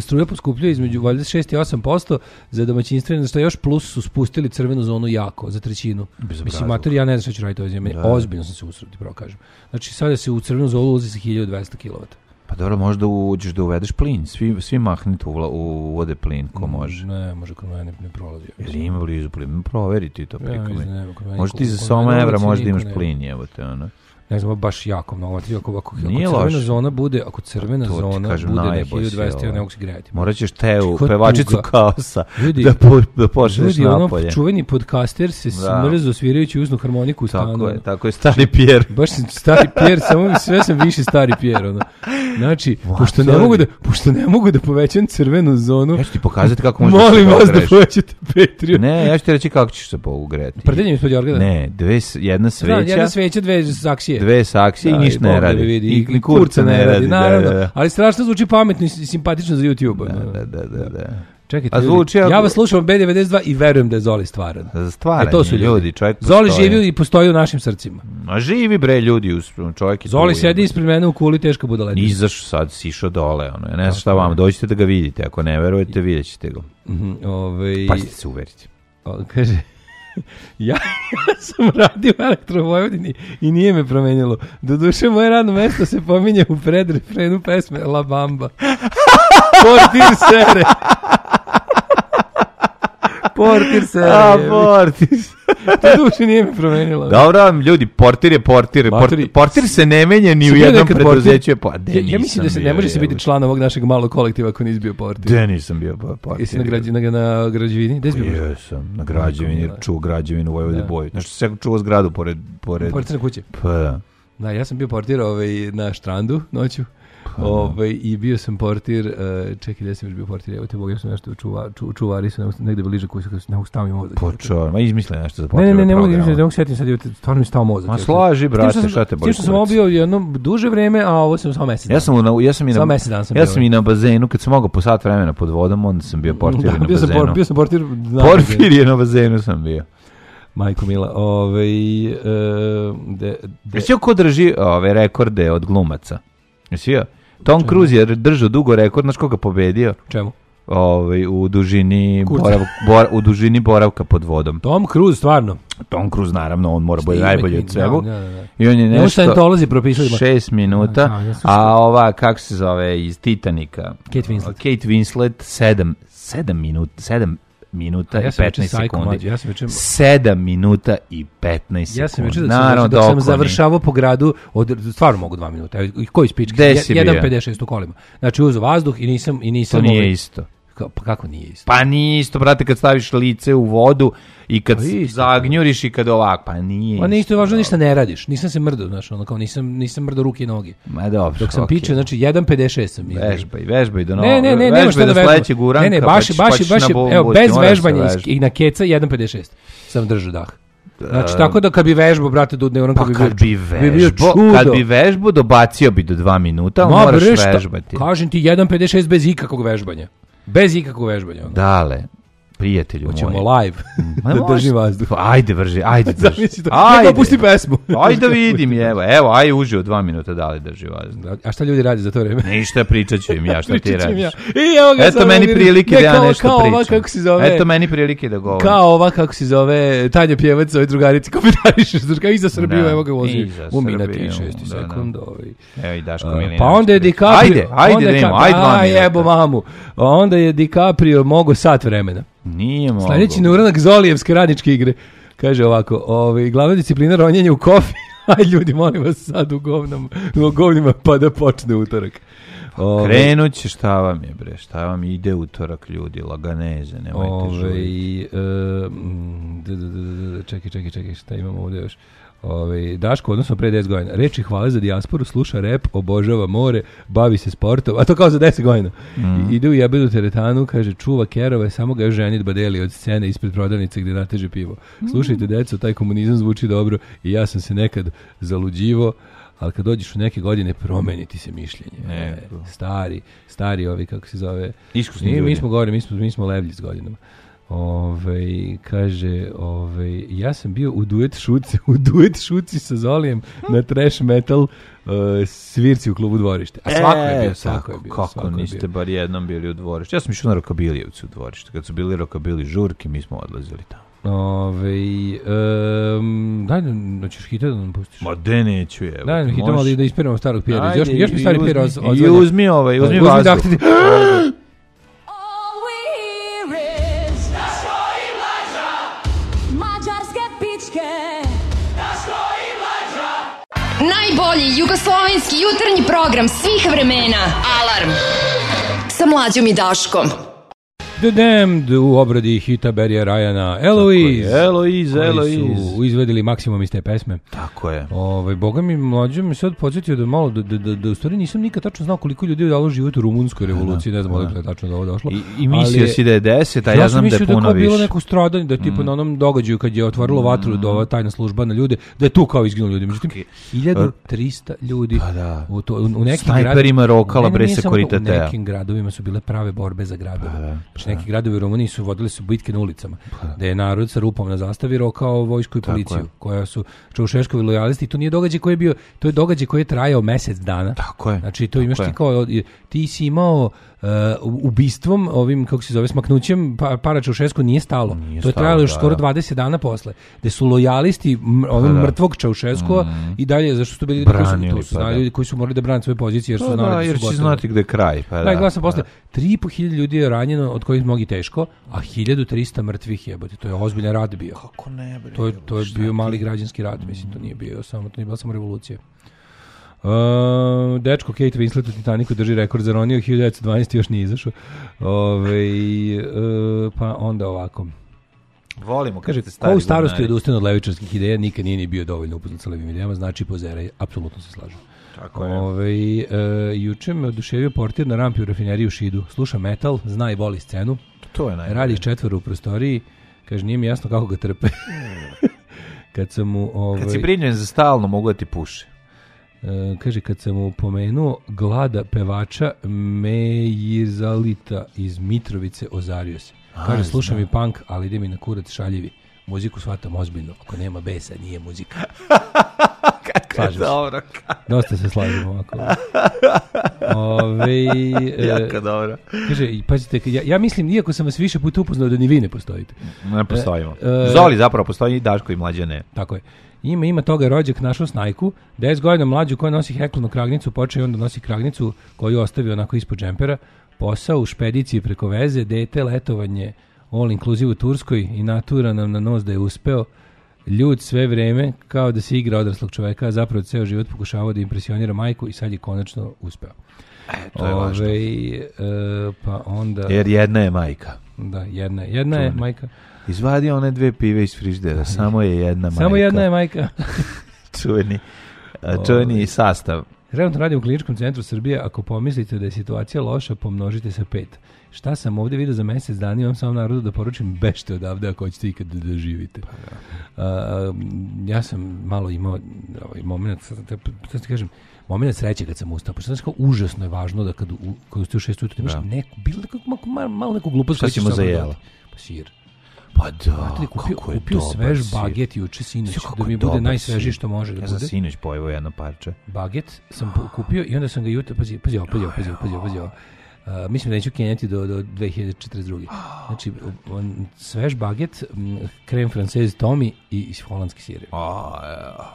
Struja poskupljuje između valjda šest i osam posto za domaćinstvo, što još plus su spustili crvenu zonu jako, za trećinu. Mislim, mater, ja ne znam što ću raditi ovo zemlje. Ozbiljno sam se usrati, pravo kažem. Znači, sada se u crvenu zonu ulazi sa hiljadu dvesta kilovata. Pa dobro, možda uđeš da uvedeš plin. Svi, svi mahnite u, u vode plin, ko može. Ne, može kod mene ne prolazi. Ili ima blizu plin? Proveri ti to. Ja, mislim, možda ti za soma evra možda imaš plin, evo te ono. Ne znam, baš jako mnogo. Ako, ako, ako crvena zona bude, ako crvena to zona kažem, bude na hiljadu dvesta, ja ne mogu se grejati. Morat ćeš Teu, pevačicu kaosa, ljudi, da, po, da pošleš ljudi, napolje. Ono, čuveni podcaster se smrzo svirajući uznu harmoniku u stanu. Tako je, tako je, stari Pierre. Baš sam stari Pierre, samo sve sam više stari Pierre. Ono. Znači, wow, pošto, ne mogu da, pošto ne mogu da povećam crvenu zonu, ja ću ti pokazati kako možeš da se molim vas da povećate Patreon. Ne, ja ću ti reći kako ćeš se pougreti. Prdenjem ispod Jorgada? Ne, dve, jedna sveća. Znam, jedna sveća, dve saksije. Dve saksije i ništa ne radi. Vidi, I, i kurca ne radi, naravno. Da, da. Ali strašno zvuči pametno i simpatično za YouTube. Da, da, da, da. Čekajte, ljudi, ja vas slušam B devedeset dva i verujem da je Zoli stvaran. Stvaran e, to su ljudi. ljudi čovjek postoji. Zoli živi i postoji u našim srcima. A živi bre ljudi, čovjek je Zoli sedi ispred mene u kuli, teška budaletina. Izašao sad, sišao dole. Ono. Ja ne znam šta vam, dođite da ga vidite. Ako ne verujete, vidjet ćete ga. Mm-hmm, ovaj... Pa ćete se uveriti. O, kaže... Ja, ja sam radio u Elektrovojvodini i nije me promenilo. Doduše, moje radno mesto se pominje u predrefrenu pesme La Bamba. Portir sere. Portir sere. A, portir sere. Doduše nije me promenilo. Dobro, ljudi, portir je portir. Portir, portir se ne menja ni u jednom preduzeću. Pa, ja, ja mislim da se ne može se biti član ovog našeg malog kolektiva ako nisi bio portir. De nisam bio portir. Jesi na, građi, na, na građevini? Gde si bio? Jesam, na građevini, jer čuo građevinu u Vojvodi Boju. Znaš što se čuo zgradu pored... pored... Portir na kuće? Pa da. Da, ja sam bio portir ovaj, na Štrandu noću. Ovaj, i bio sam portir, uh, čekaj, gde sam još bio portir, evo te Bog, ja sam nešto čuva, ču, čuvari su negde bliže koji su, ne mogu stavim mozak. Počeo, ma izmisle nešto za portir. Ne, ne, ne, ne mogu izmisliti, ne mogu sjetiti sad, stvarno mi stao mozak. Ma slaži, brate, šta te boli kurac. Tim što sam ovo bio jedno duže vreme, a ovo sam samo mesec dana. Ja sam, na, ja sam, i, na, mesec dana sam ja sam i na bazenu, kad sam mogao po sat vremena pod vodom, onda sam bio portir da, na bio bazenu. Sam, bio sam portir na Porfir je na bazenu sam bio. Majko Mila, ovaj... Uh, de, de... Jesi ko drži ove rekorde od glumaca? Jesi ja? Tom Cruise je držao dugo rekord, znaš koga pobedio? Čemu? Ovaj u dužini boravka, bor, u dužini boravka pod vodom. Tom Cruise stvarno. Tom Cruise naravno, on mora biti najbolji od svega. Da, da, da. I on je nešto propisali šest minuta, da, da, a ova kako se zove iz Titanika? Kate Winslet. Kate Winslet sedam, sedam minuta, sedam minuta ja i petnaest sekundi. Ja sam večer sedam minuta i petnaest sekundi. Ja sam večer da sam, dok sam završavao po gradu, od, stvarno mogu dva minuta. I koji spički? jedan pedeset šest u kolima. Znači uzo vazduh i nisam... I nisam to nije ovaj, isto. Ka, pa kako nije isto? Pa nije isto, brate, kad staviš lice u vodu i kad pa isto, zagnjuriš i kad ovak, pa nije pa isto. Pa važno, ništa ne radiš. Nisam se mrdao, znaš, ono kao nisam, nisam mrdao ruke i noge. Ma dobro, dok sam okay. pičeo, znači jedan pedeset šest sam izgledao. Vežbaj, vežbaj do novog. Ne, ne, ne, vežbaj šta do sledećeg uranka. Ne, ne, baš, pa baš, baš, evo, bez vežbanja i na keca jedan pedeset šest sam držao dah. Znači, uh, tako da kad bi vežbao, brate, do dnevnog, pa kad bi vežbao, kad bi vežbao, dobacio bi do dva minuta, ali moraš vežbati. Kažem ti, jedan pedeset šest bez ikakvog vežbanja. Bez ikakvog vežbanja. Onda. Dale, prijatelju hoćemo moj. Hoćemo live. Da drži vazduh. Ajde, vrži, ajde drži. Ajde, ne pusti pesmu. Ajde da vidim, evo, evo, aj uživo dva minuta, dale drži vazduh. A šta ljudi radi za to vreme? Ništa, pričat ću im ja, šta ti radiš. Ja. I evo ga. Eto meni prilike da ja kao, nešto kao pričam. Ova, kako se zove, Eto meni prilike da govorim. Kao ova, kako se zove, Tanja Pjevac, ovoj drugarici, komentariš, kao i za Srbiju, evo ga vozi. Umi na trideset šest sekund. Evo i Daško Milinović. Pa onda je DiCaprio. Ajde, ajde da imamo, ajde dva minuta. Jebo mamu. Onda je DiCaprio mogo sat vremena. Nije mogo. Sljedeći na uranak Zolijevske radničke igre. Kaže ovako, ovaj, glavna disciplina ronjenje u kofi. Aj ljudi, molim vas sad u, govnom, u govnima pa da počne utorak. Ove, Krenut će, šta vam je bre, šta vam ide utorak ljudi, laganeze, nemojte žuriti. Čekaj, čekaj, čekaj, šta imamo ovdje još? Ove, Daško, odnosno pre deset godina. Reči hvale za dijasporu, sluša rep, obožava more, bavi se sportom, a to kao za deset godina. Mm. Ide u jebedu teretanu, kaže, čuva kerove, samo ga još ženit badeli od scene ispred prodavnice gdje nateže pivo. Mm. Slušajte, deco, taj komunizam zvuči dobro i ja sam se nekad zaluđivo, ali kad dođeš u neke godine, promeniti se mišljenje. Ne, stari, stari ovi, kako se zove. Iskusni mi, ljudi. Mi smo gore, mi smo, mi smo levlji s godinama. Ove, kaže, ove, ja sam bio u duet šuci, u duet šuci sa Zolijem na trash metal uh, svirci u klubu Dvorište. A svako je bio, svako je bio. Kako svako niste je bio. bar jednom bili u Dvorištu? Ja sam išao na Rokabilijevcu u Dvorište. Kad su bili Rokabili žurke, mi smo odlazili tamo. Ove, um, daj, hoćeš hita da nam pustiš? Ma de neću je. Daj nam hita malo da ispiramo starog Pjera. Ajde, Još, još mi stari Pjer odzvanja. I uzmi ovaj, uzmi Uzmi vazduh. dahtiti. Najbolji jugoslovenski jutarnji program svih vremena. Alarm sa Mlađom i Daškom. The Damned u obradi hita Barrya Ryana. Eloise. Eloise, Eloise. Koji su izvedeli maksimum iz te pesme. Tako je. Ovaj boga mi mlađe mi sad podsjetio da malo da da da, da u stvari nisam nikad tačno znao koliko ljudi je dalo život u rumunskoj revoluciji, ne znam odakle je tačno do ovo došlo. I, i mislio si da je deset, a ja, ja znam da je puno da više. Bilo neko stradanje, da tipa mm. na onom događaju kad je otvorilo mm. vatru do ova tajna služba na ljude, da je tu kao izginulo ljudi. Međutim, hiljadu trista ljudi pa da. u, to, u, u nekim snajperima rokala bre Sekuritate. U nekim gradovima su bile prave borbe za gradove. Pa da, pa neki gradovi u Rumuniji su vodili su bitke na ulicama, pa da je narod sa rupom na zastavi rokao vojsku i policiju, koja su Čaušeskovi lojalisti. I to nije događaj koji je bio, to je događaj koji je trajao mesec dana. Tako je. Znači to imaš ti kao, ti si imao uh, ubistvom, ovim, kako se zove, smaknućem, pa, para Čaušesku nije stalo. Nije to je trajalo još da, skoro dvadeset dana posle. Gde su lojalisti ovim da. mrtvog Čaušeskova mm. i dalje, zašto su bili ljudi koji su, to su pa ljudi koji su morali da brane svoje pozicije, jer su pa znali da, da su jer gotovi. će znati gde je kraj. Pa da, da, glasam posle. tri i po hiljade ljudi je ranjeno, od kojih mnogi teško, a hiljadu trista mrtvih jebote. To je ozbiljan rad bio. Kako ne bre? To je, to je bio mali građanski rad, mislim, to nije bio samo, to nije bila samo revolucija. Uh, dečko Kate Winslet u Titanicu drži rekord za ronio, hiljadu devetsto dvanaeste još nije izašao. Ove, uh, pa onda ovako. Volimo kad kaže, ste stari. Ko u starosti odustane od levičarskih ideja, nikad nije ni bio dovoljno upoznat sa levim idejama, znači pozeraj, apsolutno se slažem. Tako je. Ove, uh, juče me oduševio portir na rampi u rafineriji u Šidu. Sluša metal, zna i voli scenu. To je najbolje. Radi četvoro u prostoriji, kaže, nije mi jasno kako ga trpe. Kad sam mu... Ovaj, kad si brinjen za stalno, mogu da ti puše. Uh, kaže, kad sam mu pomenuo glada pevača Mejizalita iz Mitrovice, ozario se. Kaže, A, slušam i punk, ali ide mi na kurac šaljivi. Muziku shvatam ozbiljno. Ako nema besa, nije muzika. Kako je dobro. Dosta se slažemo ovako. Ove, jako dobro. Kaže, pazite, ja, ja mislim, iako sam vas više puta upoznao da ni vi ne postojite. Ne postojimo. E, Zoli zapravo postoji, Daško i Mlađe ne. Tako je. Ima, ima toga rođak našao snajku, deset godina mlađu koja nosi heklonu kragnicu, počeo i onda nosi kragnicu koju ostavi onako ispod džempera, posao u špediciji preko veze, dete, letovanje, all inclusive u Turskoj i natura nam na nos da je uspeo, ljud sve vreme kao da se igra odraslog čoveka, a zapravo ceo život pokušavao da impresionira majku i sad je konačno uspeo. E, to je važno. Ove, e, pa onda... Jer jedna je majka. Da, jedna, jedna je majka. Izvadi one dve pive iz frižidera, samo je jedna majka. Samo jedna je majka. čuveni, čuveni sastav. Trenutno radim u Kliničkom centru Srbije. Ako pomislite da je situacija loša, pomnožite sa pet. Šta sam ovdje vidio za mjesec dana, imam samo narodu da poručim, bežte odavde ako hoćete ikad da, da živite. Pa, da. Uh, ja sam malo imao ovaj moment, sad ti kažem, moment sreće kad sam ustao, pošto znači kao užasno je važno da kad, u, kad ustaju u šest ujutru, imaš neku, bilo malo, malo neku glupost. Šta ćemo za jelo? Pa sir. Pa da, kupio, kako je kupio dobar svež sir. Baget juče sinoć, da mi bude najsvežiji što može da ja bude. Ja sam sinoć pojevao jedno parče. Baget sam kupio i onda sam ga jutro, pazi, pazi, pazi, pazi, pazi, pazi, Uh, mislim da neću kenjati do, do dve hiljade četrdeset druge. Znači, on, svež baget, krem francez Tomi i holandski sir.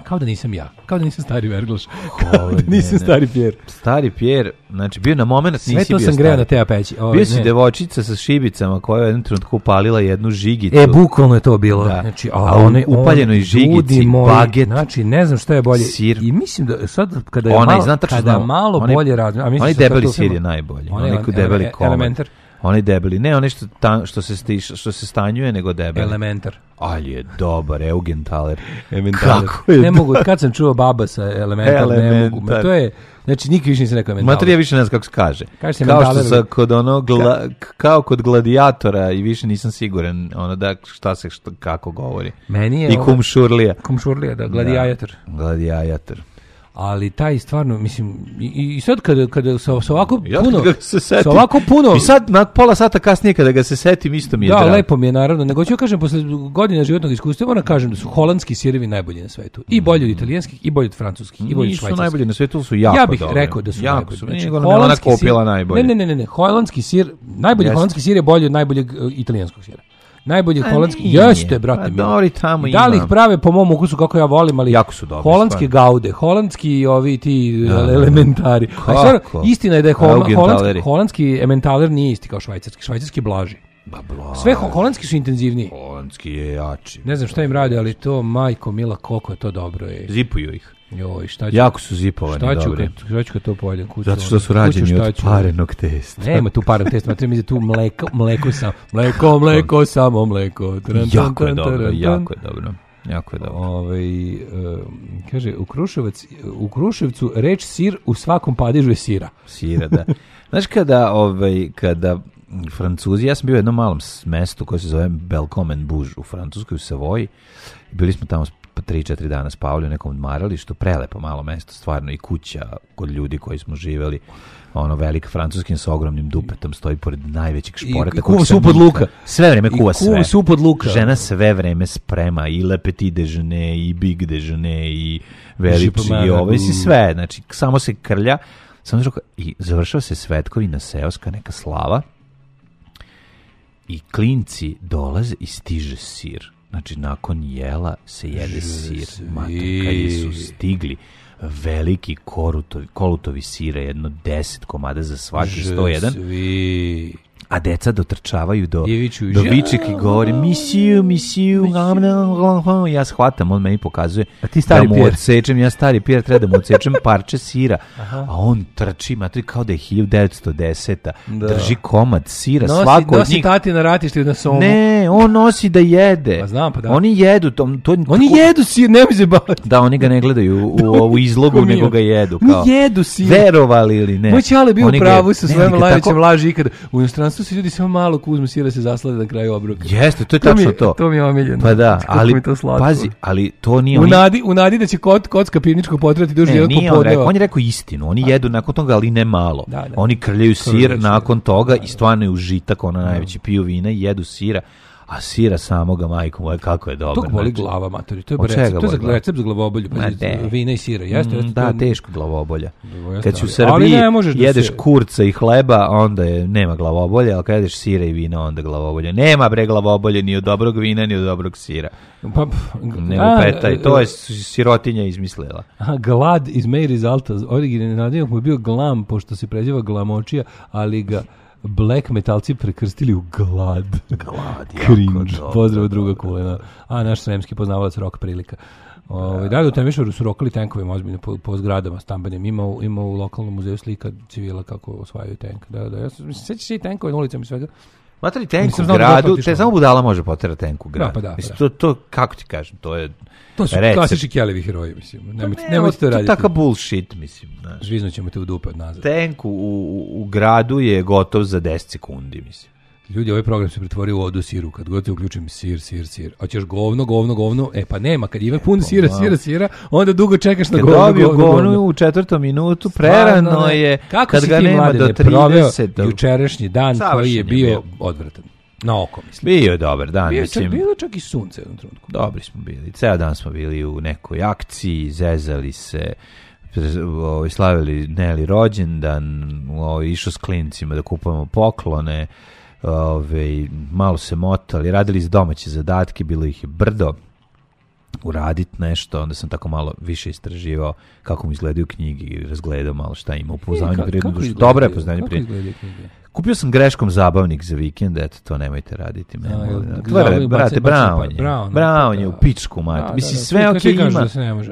Kao da nisam ja. Kao da nisam stari Verglaš. Kao da nisam ne, stari Pjer. Stari Pjer, znači bio na moment nisi bio stari. Sve to sam greo na te peći. Ove, bio si ne. Devočica sa šibicama koja je u jednom trenutku upalila jednu žigicu. E, bukvalno je to bilo. Da. Znači, a on upaljenoj žigici, moji, baget, znači, ne znam šta je bolje. Sir. I mislim da sad, kada je Onaj, malo, kada znam, malo onaj, bolje razmišljam. Onaj debeli sir je najbolji. Onaj debeli komad. Elementar. Onaj debeli, ne onaj što, ta, što, se, sti, što se stanjuje, nego debeli. Elementar. Ali je dobar, Eugenthaler. Kako je ne mogu, kad sam čuo baba sa Elementar, Elementar. Ne mogu. Ma to je, znači nikad više nisam rekao Elementaler. Mater, ja više ne znam kako se kaže. kaže kao što sam kod ono, gla, kao kod gladijatora i više nisam siguran ono da šta se, šta, kako govori. Meni je I kum šurlija. Kum šurlija, da, gladijator. Da, gladijator. ali taj stvarno, mislim, i, i sad kada, kada sa, sa ovako Ja puno, kada ga se setim, sa ovako puno... I sad na pola sata kasnije kada ga se setim, isto mi je da, drago. Da, lepo mi je naravno, nego ću kažem, posle godina životnog iskustva, moram kažem da su holandski sirevi najbolji na svetu. I bolji od italijanskih, i bolji od francuskih, i bolji od švajcarskih. Nisu najbolji na svetu, su jako Ja bih dobri. rekao da su jako najbolji. Su, znači, nije ona kopila najbolje. Ne, ne, ne, ne, holandski sir, najbolji yes. holandski sir je bolji od najboljeg uh, italijanskog sira. Najbolji holandski, jeste, brate. Dobri tamo ima. Da li ih prave po mom ukusu kako ja volim, ali jako su dobri. Holandske stvarno. Gaude, holandski ovi ti da, elementari. Stvarno, istina je da je hol, holandski, holandski ementaler nije isti kao švajcarski. Švajcarski je blaži. Ba, bla. Sve ho, holandski su intenzivniji. Holandski je jači. Ne znam šta im rade, ali to, majko mila, koliko je to dobro. Je. Zipuju ih. Joj, šta ću, jako su zipovani, šta ću dobri. Kad, šta ću kad to pojedem? Kuću, zato što su rađeni od parenog testa. Nema tu parenog testa, treba mi za tu mleko, mleko samo. Mleko, mleko, samo mleko. Tran, jako je dobro, tran, jako je dobro. Jako je dobro. Ove, uh, kaže, u, Kruševac, u Kruševcu reč sir u svakom padežu je sira. Sira, da. Znaš kada, ovaj, kada Francuzi, ja sam bio u jednom malom mestu koje se zove Belcomen Bouge u Francuskoj, u Savoji. Bili smo tamo tri četiri dana spavali u nekom odmaralištu, prelepo malo mesto, stvarno i kuća kod ljudi koji smo živeli, ono velik francuskin sa ogromnim dupetom stoji pored najvećeg šporeta. I, i kuva su pod luka. Sve vreme kuva sve. I kuva su pod luka. Žena sve vreme sprema i le petit déjeuner, i big déjeuner, i veliči, i ovo, i sve, znači samo se krlja, samo žuka, i završava se svetkovina seoska, neka slava, i klinci dolaze i stiže sir. Znači, nakon jela se jede sir. Mater, kad su stigli veliki korutovi, kolutovi sira, jedno deset komada za svaki, sto jedan. A deca dotrčavaju do, do viček i govori misiju, misiju, ja shvatam, on meni pokazuje a ti stari da mu pijer. Odsečem, ja stari pijer, treba da mu odsečem parče sira, aha. A on trči, matri kao da je hiljadu devetsto deseta. Da. Drži komad sira, nosi, svako nosi od njih. Nosi tati na ratišti na somu. Ne, on nosi da jede. Pa znam, pa da. Oni jedu. To, to, oni tako, jedu sir, ne mi se bavati. Da, oni ga ne gledaju u, u, u izlogu, nego ga jedu. Kao, oni jedu sir. Verovali ili ne. Moj čale bio u pravu sa svojom najvećem laži ikada. U inostranstvu se ljudi samo malo uzmu sira se zaslade na kraju obroka. Jeste, to je to tačno mi, to. To mi je omiljeno. Pa da, ali pazi, ali to nije... U nadi, u nadi da će kot, kocka pivničkog potrati duže jednog popodneva. On, rekao, on je rekao istinu, oni jedu nakon toga, ali ne malo. Da, da. Oni krljaju sir Krljeći, nakon toga da, da. I stvarno je užitak, ono najveći piju vina i jedu sira. A sira samoga, majko moja, kako je dobro. To boli glava, matori. To je recept, to je za recept za glavobolju. Vina i sira. Jeste, jeste, da, to... teško glavobolja. Jeste, kad si u Srbiji jedeš se... kurca i hleba, onda je, nema glavobolja, ali kad jedeš sira i vina, onda glavobolja. Nema bre glavobolje ni od dobrog vina, ni od dobrog sira. Pa, ne upetaj, to je sirotinja izmislila. Aha, glad iz May Resulta. Originalni nadimak mu je bio glam, pošto se preziva glamočija, ali ga... Black metalci prekrstili u glad. Glad, Cringe. Pozdrav druga kulena. A naš sremski poznavalac rock prilika. Ove, da li u Temišvaru su rokali tenkovima ozbiljno po, po zgradama stambenim. Ima, ima u lokalnom muzeju slika civila kako osvajaju tank. Da, da, ja se sećam se i tenkove na ulicama i svega. Matri tank u gradu, te samo budala može poterati tank u gradu. Da, pa da, mislim, to, to, kako ti kažem, to je to su recept. Klasični Kellevi heroji, mislim. Nemojte, ne, nemojte to raditi. To je takav bullshit, mislim. Zvizno ćemo te u dupe od nazad. Tank u, u, u gradu je gotov za deset sekundi, mislim. Ljudi, ovaj program se pretvorio u odu siru. Kad god te uključim sir, sir, sir. A ćeš govno, govno, govno. E pa nema, kad ima pun sira, sira, sira, onda dugo čekaš na kad govno, govno, govno, govno. U četvrtom minutu prerano Stvarno, je, kako kad ga nema do trideset. Jučerašnji dan Savršen koji je bio, bio odvratan. Na oko, mislim. Bio je dobar dan. Bio mislim. je bilo čak i sunce u jednom trenutku. Dobri smo bili. Ceo dan smo bili u nekoj akciji, zezali se, ovaj, slavili Neli rođendan, ovaj, išao s klincima da kupujemo poklone, ovaj, malo se motali, radili iz domaće zadatke, bilo ih je brdo, uraditi nešto, onda sam tako malo više istraživao kako mu izgledaju knjige i razgledao malo šta ima u pouznanju prirodnu dušu. Dobro je pouznanje prirodnu. Kupio sam greškom zabavnik za vikend, eto, to nemojte raditi. Me, A, Tvore, brate, Brown je. Brown, Brown je u pičku, mati. Mislim, sve ok ima.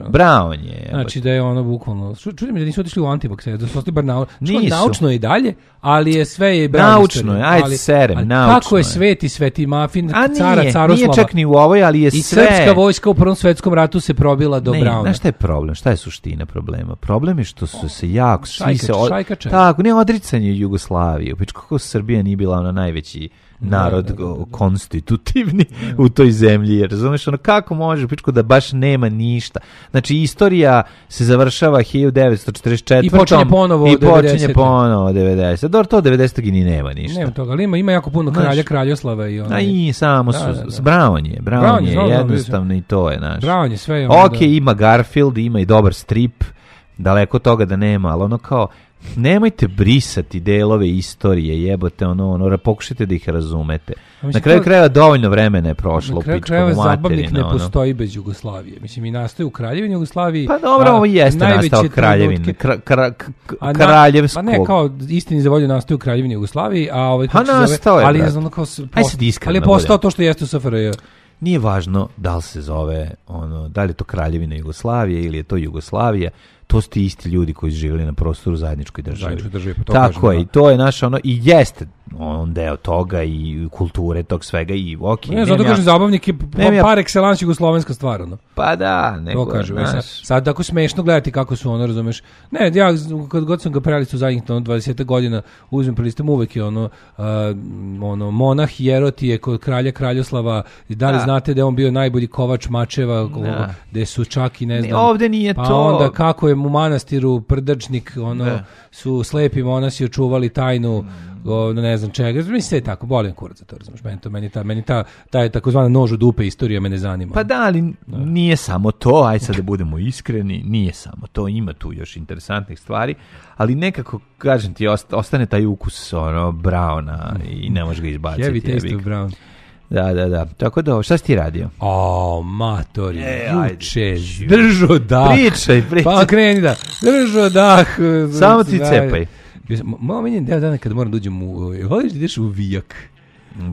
Brown je. Znači da je ono bukvalno... Čudim mi da nisu otišli u Antivax, da su ostali bar naučno i dalje, ali je sve je Brown. Naučno je, ajde serem, naučno. Kako je sveti, sveti mafin, cara Caroslava. Nije čak ni u ovoj, ali je sve... I srpska vojska u Prvom svetskom ratu se probila do Browna. Znaš šta je problem? Šta je suština problema? Problem je što su se jako... Šajkače. Tako, ne odricanje Jugoslavije. Kako Srbija nije bila ona najveći, narod Da, da, da, da. konstitutivni u toj zemlji, jer razumeš, ono, kako može pičko da baš nema ništa. Znači, istorija se završava hiljadu devetsto četrdeset četvrte. I počinje ponovo i od devedesete. počinje ponovo devedesete. Dobro, to devedesetog i ni nema ništa. Nema toga, ali ima, ima jako puno kralja, Znaš, kraljoslava i ono. A i samo Da, su, da, da. Brown je, Brown, Brown je, je znam, znam, jednostavno i to je, naš. Brown je sve. Ono, Ok, da. ima Garfield, ima i dobar strip, daleko toga da nema, ali ono kao, nemojte brisati delove istorije, jebote, ono, ono, pokušajte da ih razumete. mislim, Na kraju to- krajeva dovoljno vremena je prošlo Na u kraju pičku krajeva zabavnik materinu. ne ono. postoji bez Jugoslavije. Mislim, i nastoji u Kraljevini Jugoslaviji. Pa dobro, a ovo jeste najveće nastao kraljevine, trenutke- kra, kra, k- A na- kraljevskog. Pa ne, kao istini za volju nastoji u Kraljevini Jugoslaviji, a ovaj Pa kako se zove, nastao je, ali je brate. ono kao s- Aj post- sad iskreno ali je postao budem. to što jeste u S F R J. Nije važno da li se zove, ono, da li je to Kraljevina Jugoslavije ili je to Jugoslavija, to su ti isti ljudi koji su živjeli na prostoru zajedničkoj državi. Zajedničkoj državi, pa to Tako kažem, je, da. i to je naš ono, i jeste on deo toga i kulture tog svega i ok. Ne, zato nemam kažem, ja- zabavnik je nemam ja- par excellence jugoslovenska stvar, ono. Pa da, nego, To kažem, znaš, sad, sad tako smešno gledati kako su ono, razumeš. Ne, ja kad god sam ga prelistao u zadnjih ono, dvadeset godina, uzmem prelistam uvek je ono, uh, ono monah Jerotije kod kralja Kraljoslava, i da li Da. znate da je on bio najbolji kovač mačeva, Da. gde su čak i ne Ne, znam. ovde nije pa to. onda kako je u manastiru Prdačnik, ono, Da. su slepi monasi očuvali tajnu, ono, ne znam čega. Mislim, sve je tako, bolim kurac za to, razumeš. Meni to, meni ta, meni ta, ta je takozvana nož u dupe istorija me ne zanima. Pa da, ali nije samo to, aj sad da budemo iskreni, nije samo to, ima tu još interesantnih stvari, ali nekako, kažem ti, ost- ostane taj ukus ono, Browna i ne možeš ga izbaciti. Heavy taste jebi of ga. Brown. Da, da, da. Tako da, šta si ti radio? O, matori, E, juče, ajde. držo dah. Pričaj, pričaj. Pa kreni da, držo dah. Samo ti cepaj. Malo meni je deo dana kada moram da uđem u, voliš da ideš u Vijak?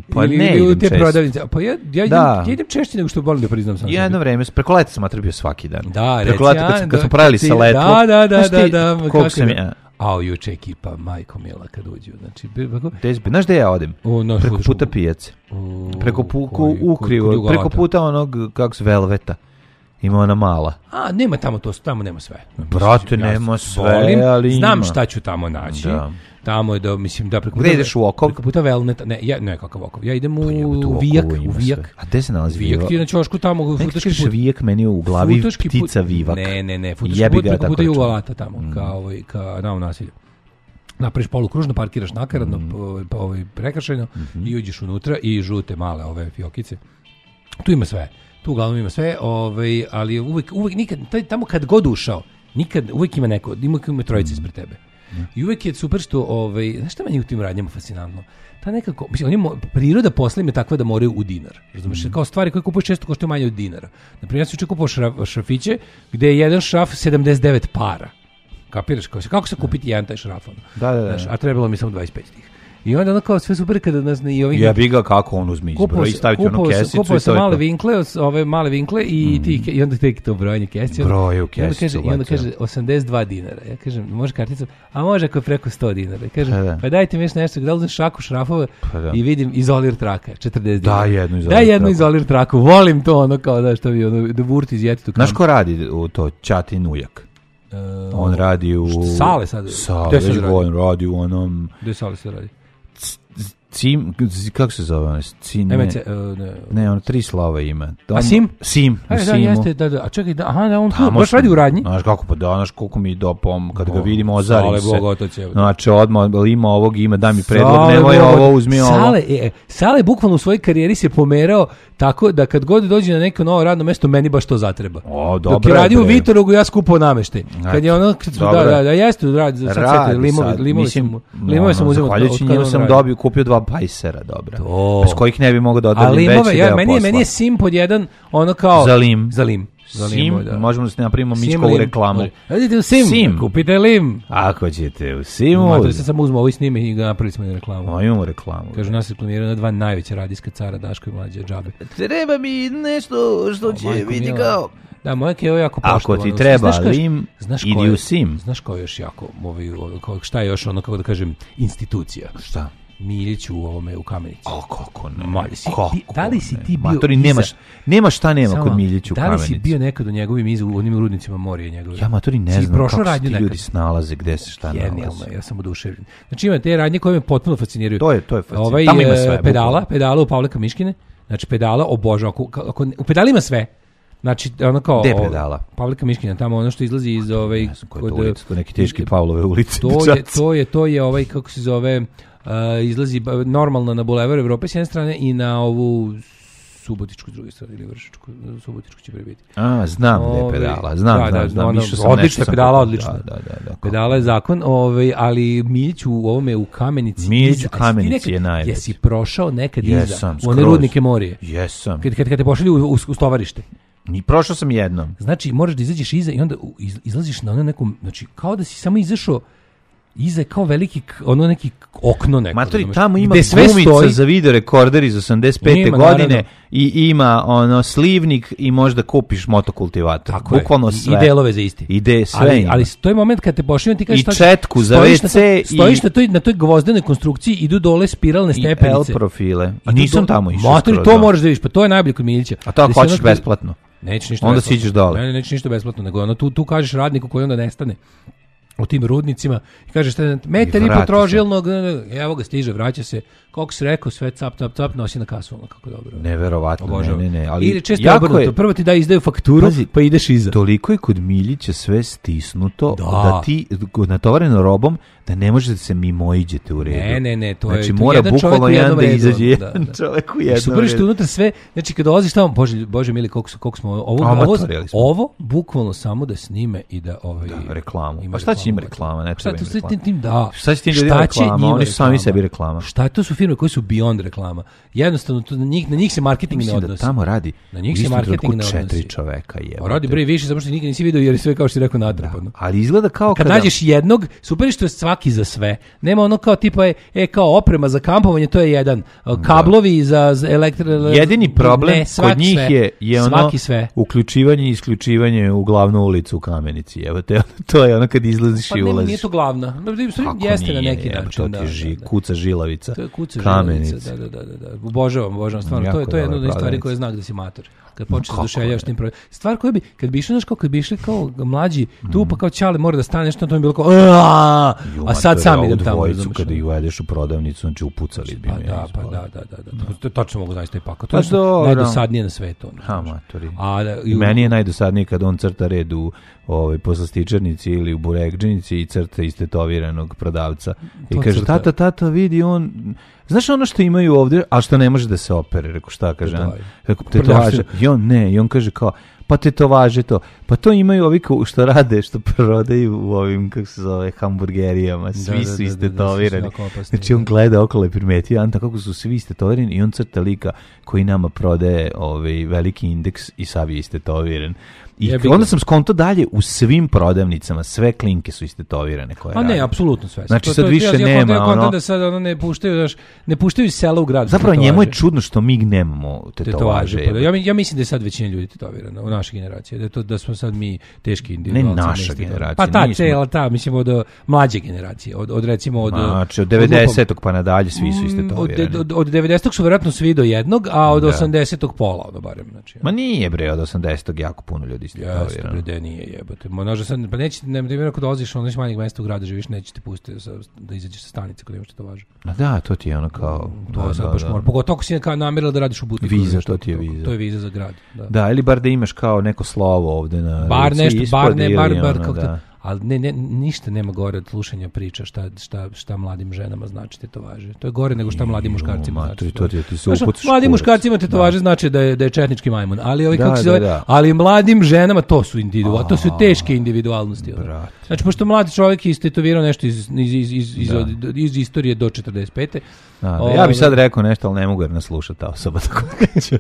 Pa Ili- ne ili u idem te često. prodavnice. Pa ja, ja, idem, Da. ja idem češće nego što volim da priznam sam. Jedno vreme, preko leta sam atrbio svaki dan. Da, preko reci, leta kad, a, sam- da, kad smo pravili kad si- sa letvom. Da, da, da, Znaš ti da, da, koliko kako sam da. ja... A, juče ekipa, majko mila, kad uđu. Znači, bi- kako? Gde zbi- Znaš gde ja odem? O, no, Preko slušaj, puta pijace. u- Preko pu, koji- ku, ukrivo, kod- kod preko Jugovalata. puta onog, kako se, Velveta. Ima ona mala. A, nema tamo to, tamo nema sve. Brate, Ja nema se sve, volim, ali znam ima. šta ću tamo naći. Da. Tamo je da, mislim, da preko Gde ideš u Okov? Preko puta Velneta, ne, ja, ne, kakav Okov. Ja idem u, Pa jebote, u Vijak, Okovu u ima Vijak. sve. A gde se nalazi Vijak Vijak? ti je na ćošku tamo, Neki futaški kažeš put. Vijak, meni je u glavi Futaški put- ptica Vivak. Ne, ne, ne, futaški Jebi put ga, preko tako puta računam. Jugovalata tamo, Mm. ka, ovaj, ka na nasilju. Napraviš polukružno, parkiraš nakaradno, Mm. po, po, ovaj, prekršajno Mhm. i uđeš unutra i žute male ove fiokice. Tu ima sve. Tu uglavnom ima sve, ovaj, ali uvek, uvek nikad, taj, tamo kad god ušao, nikad, uvek ima neko, ima, ima trojica ispred tebe. I uvek je super što, ovaj, znaš šta meni u tim radnjama fascinantno? Ta nekako, mislim, on je, mo- priroda posla im je takva da moraju u dinar. Razumeš, kao stvari koje kupuješ često koštaju manje od dinara. Naprimjer, ja sam juče kupovao šraf, šrafiće, gde je jedan šraf sedamdeset devet para. Kapiraš, kako se, kako se kupiti jedan taj šraf? Ono? Da, da, da. Znaš, a trebalo mi samo dvadeset pet tih. I onda ono kao sve super kada nas ne i ovih... Jebi ga kako on uzme izbro i staviti onu kesicu Kupao i to sam je male to. vinkle, os- ove male vinkle i ti i onda tek to brojanje kesice. Broje u I onda kesicu, kaže, i onda bacio. kaže osamdeset dva dinara. Ja kažem, može karticom? A može ako je preko sto dinara. Ja kažem, Pa da. pa dajte mi još nešto, da uzmem šaku šrafova Pa da. i vidim izolir traka, četrdeset dinara. Da, jednu izolir Daj jednu traku. izolir traku, volim to ono kao da što vi ono da burti izjeti tu Znaš kam. ko radi u to? Ćatin ujak. E, On radi u... Šta, Sale sad? Sale, Gde sad već radi? on radi u onom... Gde Sale se radi? Cim, kako se zove ono? Cim, ne, M C, e, ne. ne, ono tri slova ima. A Sim? Sim, u E, da, Simu. jeste, da, da. A čekaj, da, aha, da, on tu, Tamo baš smo- radi u radnji? Znaš kako, pa da, znaš koliko mi dopom, kad ga Bo, vidimo, ozarim Sale se. Bogotac je. Znači, odmah ima ovog, ima, daj mi predlog, Sale nemoj Bogotac. ovo, uzmi ovo. Sale, e, Sale bukvalno u svojoj karijeri se pomerao tako da kad god dođe na neko novo radno mesto, meni baš to zatreba. O, Dok dobro je je, radio u bre. Vitorogu, ja skupao nameštaj. Kad je ono, kad smo, da, Dobro je. da, da, jeste, radi, sad Radi sjeti, limovi, sad, limovi mislim, sam, mu- limove sam ono, uzimao. zahvaljujući od kada njemu on sam radi. dobio, kupio dva pajsera, dobra. To. Bez kojih ne bi mogao da A odavljam limove, veći ja, deo meni, je, posla. meni je Sim pod jedan, ono kao... Za lim. Za lim. Za Sim, limove, da. možemo da se napravimo Sim, Mičkovu lim. reklamu. Može. Idite u Sim, Sim. kupite lim. Ako ćete u Simu, Matori se samo uzmo ovo i snime i ga napravili smo i reklamu. o, imamo reklamu. Kažu, nas reklamiraju na dva najveća radijska cara, Daško i Mlađe, džabe. Treba mi nešto što će majko biti mila. kao... Da, moja je ovo jako Ako poštovano. ti treba Znaš kaš- lim, znaš idi ko je- u Sim. Znaš kao još jako, ovaj, kao, šta je još ono, kako da kažem, institucija. Šta? Miljiću u ovome u Kamenici. O, kako ne. Ma, si, kako ti, da li si ne. ti bio Matori, iza... nemaš, nema šta nema Samo, kod Miljića u da Kamenici. li si bio nekad u njegovim iza, u onim rudnicima Morije njegove? Ja, matori, ne si znam kako se radnju ti nekad? ljudi snalaze, gde se šta nalaze. Genijalno, ja sam oduševljen. Znači ima te radnje koje me potpuno fasciniraju. To je, to je fascinirano. Ovaj, Tamo ima sve. pedala, bukvalno. pedala u Pavlika Miškine. Znači pedala obožavam. Ako, ako, u pedali ima sve. Znači ono kao Gde pedala? Pavlika Miškina, tamo ono što izlazi iz ovaj Ne znam koja je to ulica, to neki teški Pavlove ulice. To je to je to je ovaj kako se zove uh, izlazi normalno na Bulevar Evrope s jedne strane i na ovu Subotičku s druge strane ili Vršačku, Subotičku će prebiti. A, znam gde je pedala. Znam, da, znam, da, znam. ono, Išao sam, odlična nešto sam pedala, pokupio. odlična. Da, da, da, da, Pedala je zakon, ovaj, ali Miljić u ovome u Kamenici. Miljić iza- u Kamenici jesi ti je nekad- najveći. Jesi prošao nekad Jesam, iza u one skroz. rudnike Morije? Jesam. Kad, kad, kad te pošalju u, u, u stovarište. Ni prošao sam jednom. Znači, moraš da izađeš iza i onda u- iz, izlaziš na ono nekom, znači, kao da si samo izašao iza je kao veliki, k- ono neki k- okno neko. Matori, razumeš, tamo ima gde sve gumica stoji. za video rekorder iz osamdeset pete Ima, godine naravno. i ima ono slivnik i možda kupiš motokultivator. Tako je. Bukvalno I- sve. I delove za isti. Ide sve. Ali, ima. ali to je moment kad te pošalju ti kažeš I šta- četku za stojiš na ve ce toj- i- stojiš na toj na toj gvozdenoj konstrukciji, idu dole spiralne I stepenice. L profile. A I nisam do- tamo išao. Matori, skroz, to da. moraš da vidiš, pa to je najbolje kod Miljića. A to ako Da si hoćeš ono- besplatno. Neće ništa Onda besplatno. siđeš dole. Ne, ne, neće ništa besplatno, nego ono, tu, tu kažeš radniku koji onda nestane u tim rudnicima i kažeš šta, metar i vrati po trožilnog, evo ga stiže, vraća se, koliko si rekao, sve cap, cap, cap, nosi na kasu, ono kako dobro. Neverovatno, ne, Obožavam. ne, ne. Ali Ili često jako obrnuto, je, prvo ti da izdaju fakturu, Pazi, pa ideš iza. toliko je kod Miljića sve stisnuto Da. da, ti natovareno robom da ne možete se mimoiđete u redu. Ne, ne, ne, to je znači, to je mora jedan čovjek bukvalno u jedan jednom da redu, izađe da, jedan da. čovjek u I jednom super što redu. unutra sve, znači kad dolaziš tamo, bože, bože mili, koliko, su, koliko smo ovo, ovo, Amatori, ali smo. ovo bukvalno samo da snime i da ovaj Da, reklamu. ima Pa šta će im reklamu, reklama, ne šta treba to im sve reklama. tim, tim da. Šta će tim ljudima Šta će reklama? njima Oni su sami reklama? sebi reklama. Šta to su firme koje su beyond reklama? Jednostavno to na njih na njih se marketing ne Mislim da odnosi. tamo radi Na njih u se istom marketing trenutku ne odnosi. četiri čoveka je. A radi bre više zato što nikad nisi video jer je sve kao što si rekao natrpano. Ali izgleda kao Kad kada... nađeš jednog, super je što je svaki za sve. Nema ono kao tipa je, e kao oprema za kampovanje, to je jedan. Kablovi za, za elektro... Jedini problem ne, svaki kod njih sve. je, je ono Svaki sve. uključivanje i isključivanje u glavnu ulicu u Kamenici. Evo te, to je ono kad izlaziš Pa i ne, ulaziš. nije to glavna. Kako Jeste nije, na neki jebe, način. To Da, ti je ži, da, da. kuca žilavica. To je kuca Kamenice. železnica, da, da, da, da. Obožavam, obožavam stvarno. Jako To je to je jedna od dobra stvari prodavnica. koja znak da si mator. Kad Ma počneš da kako oduševljavaš ne. tim projektom. Stvar koja bi kad bi išli znaš kao kad bi išli kao mlađi, tu pa kao ćale mora da stane nešto, to mi je bilo kao "Aaaa!" Ju, a sad mater, sam ovu idem tamo. dvojicu razumeš, kada ono. ih uvedeš u prodavnicu, znači upucali bi Pa me. da, pa ispod. da, da, da, da. To, to tačno mogu zaista i pakao. To Pa je dobro. najdosadnije na svetu. ono, Ha, znaš. matori. A da, i I u- meni je najdosadnije kad on crta red u ovaj, poslastičarnici ili u burekdžinici i crta istetoviranog prodavca. I To kaže, crta. tata, tata, vidi on... Znaš ono što imaju ovdje, a što ne može da se opere? Rekao, šta kaže? Tetovaže. Rekao, tetovaže. I on ne, i on kaže kao, pa tetovaže to. Pa to imaju ovi ko- što rade, što prodaju u ovim, kako se zove, hamburgerijama. Svi da, su da, da, da, istetovirani. svi su jako opasni, Znači on da. gleda okolo i primetio, Anta, kako su svi istetovirani i on crta lika koji nama prodaje ovaj veliki indeks i sav je istetoviran. I Jebi ga. onda sam skonto dalje u svim prodavnicama, sve klinke su istetovirane koje A ne, rade. apsolutno sve. Znači, To- sad to- više ja- ja nema, kontam- ja kontam ono- da sad ono ne puštaju, znaš, ne puštaju iz sela u grad. Zapravo tetovaže. njemu je čudno što mi nemamo tetovaže. Tetovaže. Pa da, ja, mi- ja mislim da je sad većina ljudi tetovirana u našoj generaciji. Da, je to, da smo sad mi teški individualci. naša istetovirani. generacija, Pa ta, mi smo- cela ta, mislim od uh, mlađe generacije. Od, od recimo od... Znači, od od devedesetog pa nadalje svi su Mm, istetovirani. Od, od, od devedesetog su verovatno svi do jednog, a od Da. osamdesetog pola, ono barem. Znači, Ma nije bre, od osamdesetog jako puno ljudi jeste, istetovirano. bre, de nije jebote. Ma nože sad, pa neće, ne, ne, ako dolaziš ono iz manjeg mesta u gradu, živiš, neće te pustiti sa, da izađeš sa stanice kod imaš tetovažu. A da, to ti je ono kao... To da, je sad da, baš da. mora. Pogotovo ako si kao namerila da radiš u butiku. Viza, nešto, to ti je to- viza. To je viza za grad. Da. Da, ili bar da imaš kao neko slovo ovde na Bar ruci nešto, ispod bar ne, ili bar, bar, ono, kako da. to, ali ne, ne, ništa nema gore od slušanja priča šta, šta, šta mladim ženama znači tetovaže. To je gore nego šta mladim Ju, muškarcima matori, znači. to ti- ti se Znaš, upucaš mladim kurac. muškarcima tetovaže znači da je, da je četnički majmun, ali ovi Da, kako se da, zove, da. ali mladim ženama to su individualnosti, to su teške individualnosti. ono. brate. Znači, pošto mladi čovjek je istetovirao nešto iz, iz, iz, iz, iz, Da. od- iz istorije do četrdeset pete. Da, da, Ove- ja bih sad rekao nešto, ali ne mogu jer nas sluša ta osoba. Tako da ću.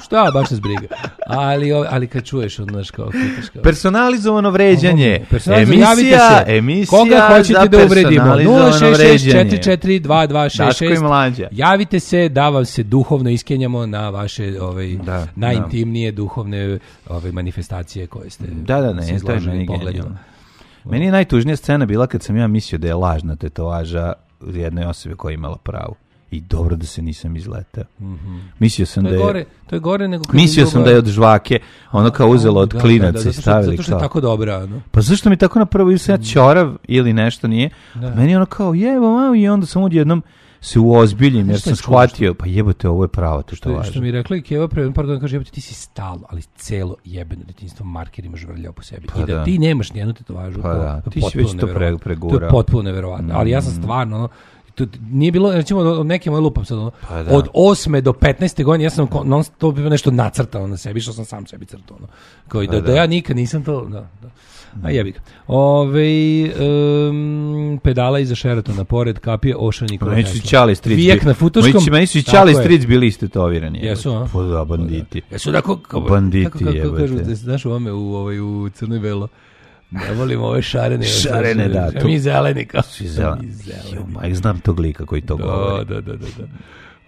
Šta, baš nas briga. Ali, ove- ali kad čuješ, ono, znaš, kao, pitaš kao... Personalizovano vređanje. Personalizam, javite Emisija, se. emisija Koga hoćete za da uvredimo? nula personalizovano šest šest vređanje. četiri četiri dva dva šest Daško i šest. Mlađa. Javite se da vam se duhovno iskenjamo na vaše ovaj, Da, najintimnije duhovne ovaj, manifestacije koje ste Da, da, ne, se to je izložili meni pogledima. genijalno. Meni je najtužnija scena bila kad sam ja mislio da je lažna tetovaža jednoj osobi koja je imala pravo. I dobro da se nisam izletao. Mm-hmm. Mislio sam to je da je... Gore, to je gore nego... Mislio sam da je od žvake, ono kao uzelo od klinaca i stavili. Zato što je tako dobra, no? Pa zašto mi tako napravo ili sam ja ćorav ili nešto nije? Da. Meni je ono kao, jebo, malo, i onda sam odjednom se uozbiljim, jer sam shvatio, pa jebote, ovo je pravo, to što važno. Što mi je rekla i Keva pre par godina, kaže, jebote, ti si stalno, ali celo jebeno detinjstvo markerima žvrljao po sebi. Pa I da, da ti nemaš nijednu tetovažu. Pa da, ti si već to pre, pregurao. To je potpuno neverovatno, ali ja sam stvarno, ono, to nije bilo, recimo, od neke moje lupam sad, ono, pa da. od osme do petnaeste godine ja sam non stop nešto nacrtao na sebi, što sam sam sebi crtao, ono. Kao i da, pa da. da ja nikad nisam to, da, da. A jebi ga. Ove, um, pedala iza Sheratona, pored kapije Ošanikova Meni su Ćale stric Vijek na Futoškom. Meni su Ćale stric bili istetovirani. Jesu, a? Pa da, banditi. Jesu da, kako, banditi, kako, kako, kako kažu, jebate. znaš u ovome, u, ovaj, u Crnoj Velo. Ne volimo ove šarene. Šarene, da. To... Mi zeleni kao. Svi zeleni. Jo, majk, znam tog lika koji to da, govori. Da, da, da, da.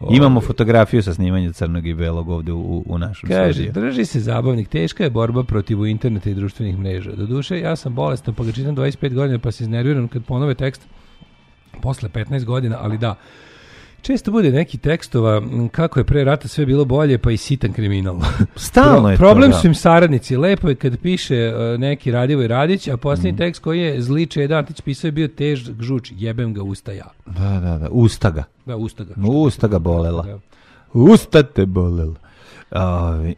Imamo fotografiju sa snimanja crnog i belog ovde u, u našem Kaže, studiju. drži se zabavnik, teška je borba protiv interneta i društvenih mreža. Doduše, ja sam bolestan, pa ga čitam dvadeset pet godina, pa se iznerviram kad ponove tekst posle petnaest godina, ali da. Često bude neki tekstova kako je pre rata sve bilo bolje, pa i sitan kriminal. Stalno Pro, je problem to, da. su im saradnici. Lepo je kad piše uh, neki Radivoj Radić, a posljednji mm. tekst koji je zli Čeda Antić pisao je bio težak žuč. Jebem ga usta ja. Da, da, da. Usta ga. Da, usta ga. Usta ga bolela. Usta te bolela. Ovi.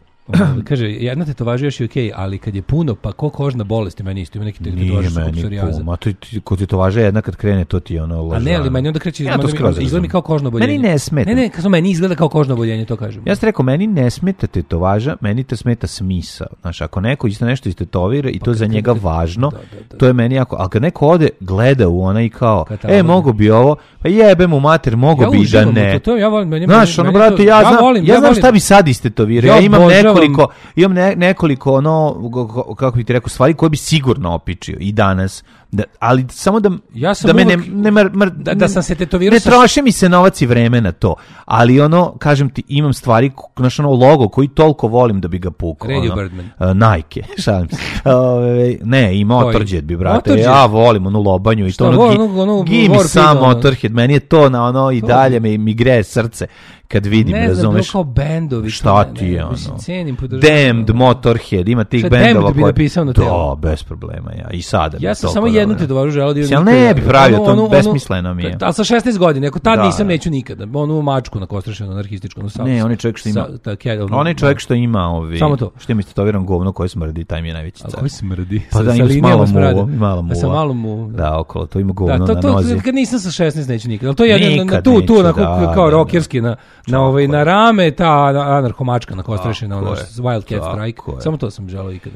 Kaže, jedna tetovaža još je okej, okay, ali kad je puno, pa ko kožna bolest, meni isto ima neki tetovaža sa psorijaza. Ma to kod tetovaža jedna kad krene, to ti je ono lažano. A ne, ali meni onda kreće, ja izgleda mi kao kožno oboljenje. Meni ne smeta. Ne, ne, kažem, meni izgleda kao kožno oboljenje, to kažem. Ja sam rekao, meni ne smeta tetovaža, meni te smeta smisao. Znaš, ako neko isto nešto istetovira i pa to za njega kad, važno, da, da, da. To je meni jako, ali kad neko ode, gleda u ona i kao, katalog. E, mogo bi ovo, pa jebe mu mater, mogo ja bi da ne. To, to, ja volim, meni, znaš, ono, brate, ja, ja, znam, volim, ja, ja znam šta bi sad istetovirao. Ja, ja imam božavam. nekoliko, imam ne, nekoliko, ono, kako bih ti rekao, stvari koje bi sigurno opičio i danas. Da, ali samo da ja sam da me uvek, ne, ne mr, mr, da, da sam se tetovirao ne troši mi se novac i vreme na to, ali ono kažem ti imam stvari znaš ono logo koji toliko volim da bi ga pukao Radio ono, Birdman uh, Nike šalim se Ove, ne i Motorhead bi brate Motorhead? Ja volim onu lobanju i to ono, ono, ono give me some Motorhead meni je to na ono i dalje mi, mi greje srce kad vidim, ne razumeš? Ne znam, kao bendovi. Šta ti je ono? Mislim, cenim, podržavam. Damned, Motorhead, ima tih šta bendova koji... bi napisao na telo? Da, bez problema, ja. I sada. Ja sam samo jednu tetovažu želeo da... Sjel ne bi pravio, to ono, besmisleno mi je. Ali sa šesnaest godina, ako tad da, nisam, neću nikada. Onu mačku nakostrašenu, anarhističku. No, ne, onaj čovjek što ima... Sa, ta, onaj čovjek što ima ovi... Samo to. Što ima istetoviran govno koje smrdi, taj mi je najveći car. A koji smrdi? Pa da, ima malo muva. Malo muva. Sa malo muva. Da, okolo, to ima govno na nozi. Kad nisam sa šesnaest neću nikada. Ali to je tu, tu, kao rokerski, na rame, ta anarhomačka nakostrašena, ona Wildcat Strike. Samo to sam želeo ikada.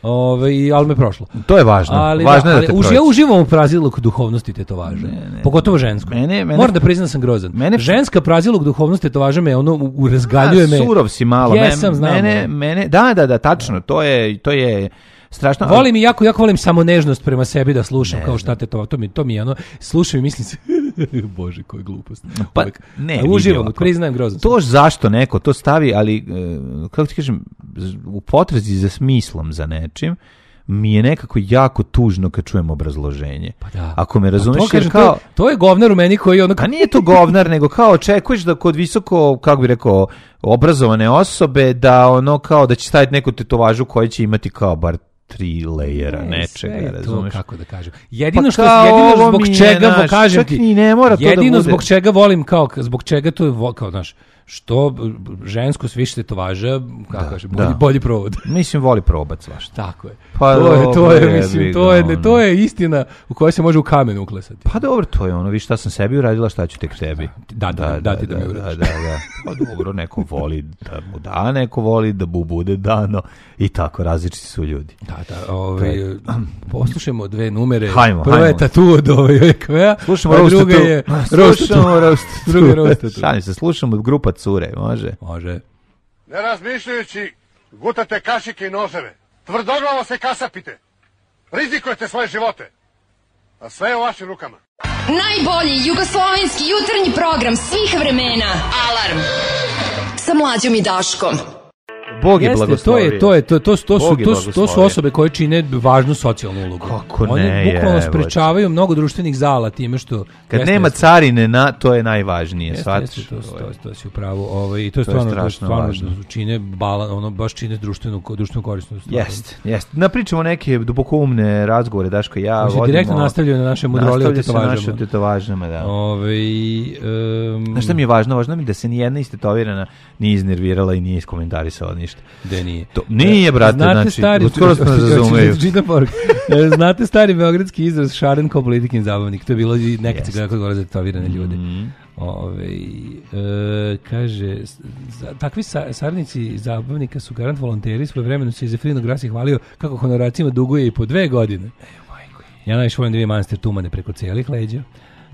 Ove, ali me prošlo. To je važno. Ali, važno da, je da te ali, ja uživam u praziluk duhovnosti tetovaže. Ne, ne, pogotovo žensku. Mene, mene, moram da priznam da sam grozan. Mene, ženska praziluk duhovnosti tetovaže me ono u razgaljuje me. Surov si malo. Jesam, znam. Mene, mene, da, da, da, tačno. To je, to je strašno. Volim i jako, jako volim samo nežnost prema sebi da slušam ne, kao šta te to, to mi, to mi je ono, slušam i mislim se, bože, koja glupost. Pa, ne, uživam, priznajem grozno. To zašto neko to stavi, ali, kako ti kažem, u potrazi za smislom za nečim, mi je nekako jako tužno kad čujem obrazloženje. Pa da. Ako me razumeš, to, kažem, kao... to, je, to je govnar u meni koji ono... A nije to govnar, nego kao očekuješ da kod visoko, kako bi rekao, obrazovane osobe, da ono kao da će staviti neku tetovažu koja će imati kao bar tri lejera ne, nečega, razumeš? Kako da kažem. Jedino pa što jedino zbog čega naš, kažem ti, ne mora to jedino da bude. Zbog čega volim kao zbog čega to je kao znaš, što žensko s više tetovaža, kako da, kaže, bolji, bolji provod. Mislim voli probat svašta. Tako je. Pa to je to je je, mislim to je ne, to je istina u kojoj se može u kamen uklesati. Pa dobro, to je ono, vi šta sam sebi uradila, šta ću tek tebi. Da, da, da, da, ti da, da mi uradiš. Da, da, da. Pa dobro, neko voli da mu da, neko voli da mu bude dano i tako, različiti su ljudi. Da, da, ovaj poslušajmo dve numere. Hajmo, prva hajmo. je Tatu od ovaj Kvea, slušamo a druga je slušamo Roast. Druga je Roast. Šalim se, slušamo grupa Cure, može? Može. Ne razmišljajući, gutate kašike i noževe. Tvrdoglavo se kasapite. Rizikujete svoje živote. A sve je u vašim rukama. Najbolji jugoslovenski jutarnji program svih vremena. Alarm. Sa Mlađom i Daškom. Bog je Jeste, blagoslovio. To je to je to to to su Bog je to, su- to su blagoslovio. osobe koje čine važnu socijalnu ulogu. Kako ne, One bukvalno jebote. sprečavaju mnogo društvenih zala time što Kad jeste, nema jeste. carine na, to je najvažnije, Jeste, shvatiš? jeste, to, to, Ovo je- to, to si u pravu. Ovaj, i to je To je stvarno, strašno stvarno važno. čine balan, ono baš čine društvenu društvenu korisnu stvar. Jeste, jeste. Napričamo neke dubokoumne razgovore, Daško i ja Koji se vodimo. direktno nastavljaju na naše mudrolije o Nastavlja se tetovažama. naše o tetovažama, da. Ovaj um, Znaš šta mi je važno? Važno mi je da se nijedna istetovirana nije iznervirala i nije iskomentarisala ništa. Da nije. To, nije, brate, Znate znači, stari, skoro smo nas razumeju. Čitam poruku. E, Znate stari beogradski izraz šaren kao politikin zabavnik. To je bilo i nekad se gleda kod gore za tetovirane ljude. Mhm. Ove, e, kaže, s- za, takvi sa, saradnici zabavnika su garant volonteri, svoje vremenu se Zefirino Grasi hvalio kako honoracima duguje i po dve godine. Ja najviše volim da vidim manastir Tumane preko cijelih leđa.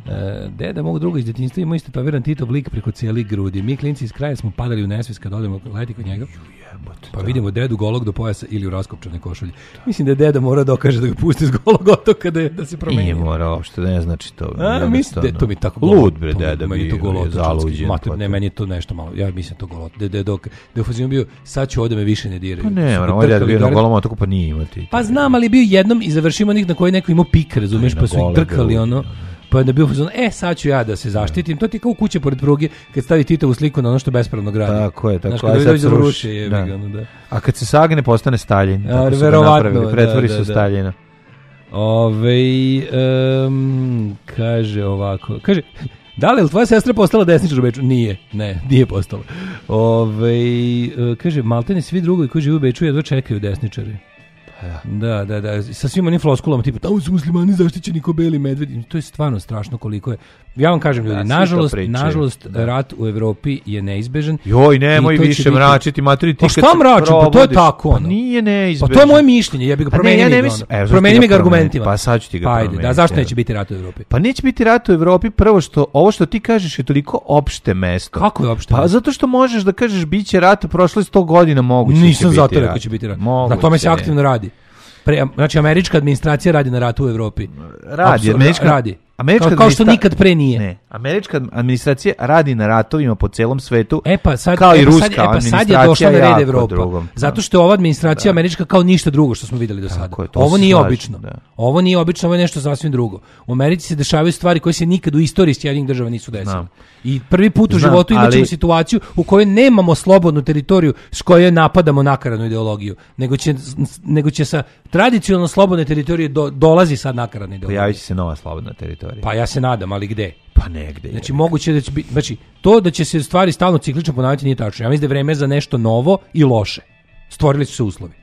E, deda mog druga iz djetinjstva ima isto tetoviran Titov lik preko cijelih grudi. Mi klinci iz kraja smo padali u nesvijest kad odemo leti kod njega. Pa vidimo dedu golog do pojasa ili u raskopčanoj košulji. Mislim da je deda mora dokaže da ga pusti s golog otoka da, je- da se promeni. Nije morao, uopšte ne znači to. A, mislim da je to mi tako Lud, bre, to mi- deda meni je to bio, je golotočanski. zaluđen. Mater, pa ne, to- meni je to nešto malo. Ja mislim to golot. Da je dok da je u fazonu bio sad ću ovde me više ne diraju. Pa Su ne, ga moram, ovaj deda trkali bio na gore. golom otoku, pa nije imati. Pa znam, ali je bio jednom i završimo onih na koji neko imao pik, razumeš, Na pa su ih gole trkali grudi, ono. Pa je bio u fazonu, e sad ću ja da se zaštitim. To ti je kao u kuće pored pruge kad stavi Titovu sliku na ono što bespravno gradi. Tako je, tako Znaš, je. kada Aj, vi sad dođe se da ruši, ruši, jebi da. ga, ono, da. A kad se sagne, postane Stalin. A, Tako su ga verovatno, napravili, pretvori da, se da, u da. Staljina. Ove, um, kaže ovako, kaže, da li je tvoja sestra postala desničar u Beču? Nije, ne, nije postala. Ove, e, kaže, maltene svi drugovi koji žive u Beču jedva čekaju desničari. Da, da, da, sa svim onim floskulama tipa tamo su muslimani zaštićeni ko beli medvedi. To je stvarno strašno koliko je. Ja vam kažem ljudi, Da, svi to nažalost, pričaju. nažalost Da. rat u Evropi je neizbežan. Joj, nemoj I to će više biti- mračiti, materi, ti Pa kad šta se mračim? Pa to je probudiš- tako, Pa ono. nije Pa neizbežno. to je moje mišljenje, ja bih ga Pa ne, promenio. ja ne mi ga mislim- ono. evo, zašto Promeni ti mi ga ga promeniti? argumentima. Pa sad ću ti ga Pa ajde, promeniti, da, zašto evo. neće biti rat u Evropi? Pa neće biti rat u Evropi, prvo što, ovo što ti kažeš je toliko opšte mesto. Kako je opšte Pa mesto? zato što možeš da kažeš bit će rat, prošlo je sto godina, moguće će Nisam biti zato rat. rekao će biti rat. Moguće. Na tome se aktivno radi. Pre, znači, američka administracija radi na ratu u Evropi. Radi, Apsu- američka, radi. Američka kao, kao što administra- nikad pre nije. Ne, američka administracija radi na ratovima po celom svetu. E pa sad, kao e i pa ruska sad, e pa sad je administracija došla na jako red Evropa. drugom. Zato što je ova administracija američka kao ništa drugo što smo videli do sada. je, to Ovo se nije slažem, obično. da. Ovo nije obično, ovo je nešto sasvim drugo. U Americi se dešavaju stvari koje se nikad u istoriji Sjedinjenih država nisu desile. Znam. I prvi put u Znam, životu imat ćemo ali- situaciju u kojoj nemamo slobodnu teritoriju s kojoj napadamo nakaradnu ideologiju, nego će, nego će sa tradicionalno slobodne teritorije do, dolazi sad nakaradna ideologija. Pojavit će se nova slobodna teritorija. Pa ja se nadam, ali gde? Pa negde. Znači je. moguće je da će biti, znači to da će se stvari stalno ciklično ponavljati nije tačno. Ja mislim da je vreme za nešto novo i loše. Stvorili su se uslovi.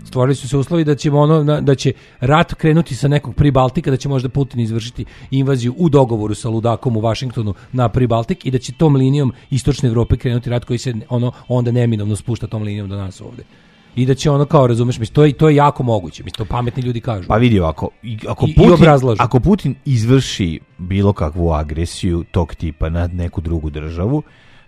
Stvorili su se uslovi da ćemo ono na- da će rat krenuti sa nekog Pribaltika, da će možda Putin izvršiti invaziju u dogovoru sa ludakom u Vašingtonu na Pribaltik i da će tom linijom istočne Evrope krenuti rat koji se ono onda neminovno spušta tom linijom do nas ovde. I da će ono kao razumeš, mislim to je to je jako moguće. Mislim to pametni ljudi kažu. Pa vidi ovako, i- ako I- i Putin, obrazlažu. ako Putin izvrši bilo kakvu agresiju tog tipa nad neku drugu državu,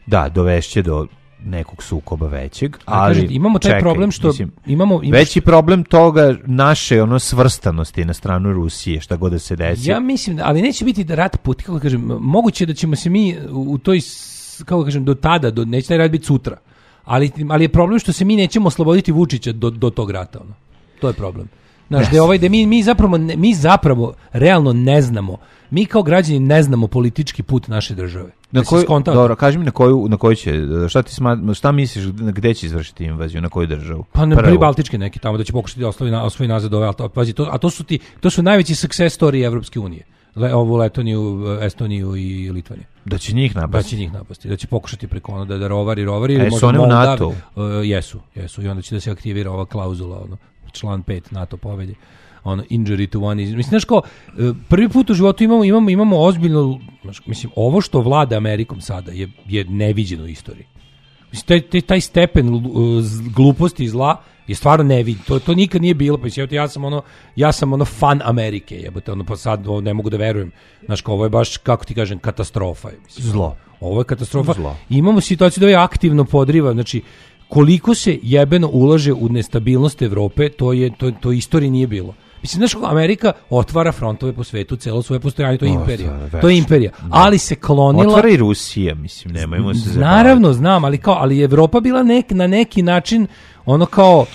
da, dovešće do nekog sukoba većeg, ali kažem, imamo taj čekaj, problem što mislim, imamo, imaš- veći problem toga naše ono svrstanosti na stranu Rusije, šta god da se desi. Ja mislim, da, ali neće biti da rat put, kako kažem, moguće je da ćemo se mi u u toj, s- kako kažem, do tada, do, neće taj rat biti sutra, ali, ali je problem što se mi nećemo osloboditi Vučića do, do tog rata, ono. To je problem. Znaš, da je ovaj, da mi, mi zapravo, ne- mi zapravo realno ne znamo, mi kao građani ne znamo politički put naše države. Na Da si koju, skontao? dobro, kaži mi na koju, na koju će, šta ti sma, šta misliš, gde će izvršiti invaziju, na koju državu? Pa na Prvu. pribaltičke neki tamo da će pokušati da osvoji, na, osvoji nazad ove, ali to, pazi, to, a to su ti, to su najveći success story Evropske unije. Le, ovu Letoniju, Estoniju i Litvaniju. Da će njih Da napasti. će njih napasti, da će pokušati preko ono da, da rovari, rovari. ili A jesu možda one u Moldavi. NATO-u? E, jesu, jesu. I onda će da se aktivira ova klauzula, ono, član pet NATO povelje. Ono, injury to one is... Mislim, znaš kao, e, prvi put u životu imamo, imamo, imamo ozbiljno, znaš, mislim, ovo što vlada Amerikom sada je, je neviđeno u istoriji. Mislim, taj, taj, taj stepen uh, z- gluposti i zla je stvarno neviđen. To, to nikad nije bilo. Pa mislim, ja sam ono, ja sam ono fan Amerike, jebote, ono, pa sad ovo ne mogu da verujem. Znaš, kao, ovo je baš, kako ti kažem, katastrofa. je, Mislim, Zlo. Ovo je katastrofa. Zlo. I imamo situaciju da je aktivno podriva, znači, koliko se jebeno ulaže u nestabilnost Evrope, to je to to u istoriji nije bilo. Mislim, znaš, Amerika otvara frontove po svetu, celo svoje postojanje, to je O, imperija. to je To je imperija. Ali se klonila... Otvara i Rusija, mislim, nemojmo se zabavati. Naravno, znam, ali kao, ali je Evropa bila nek, na neki način, ono kao,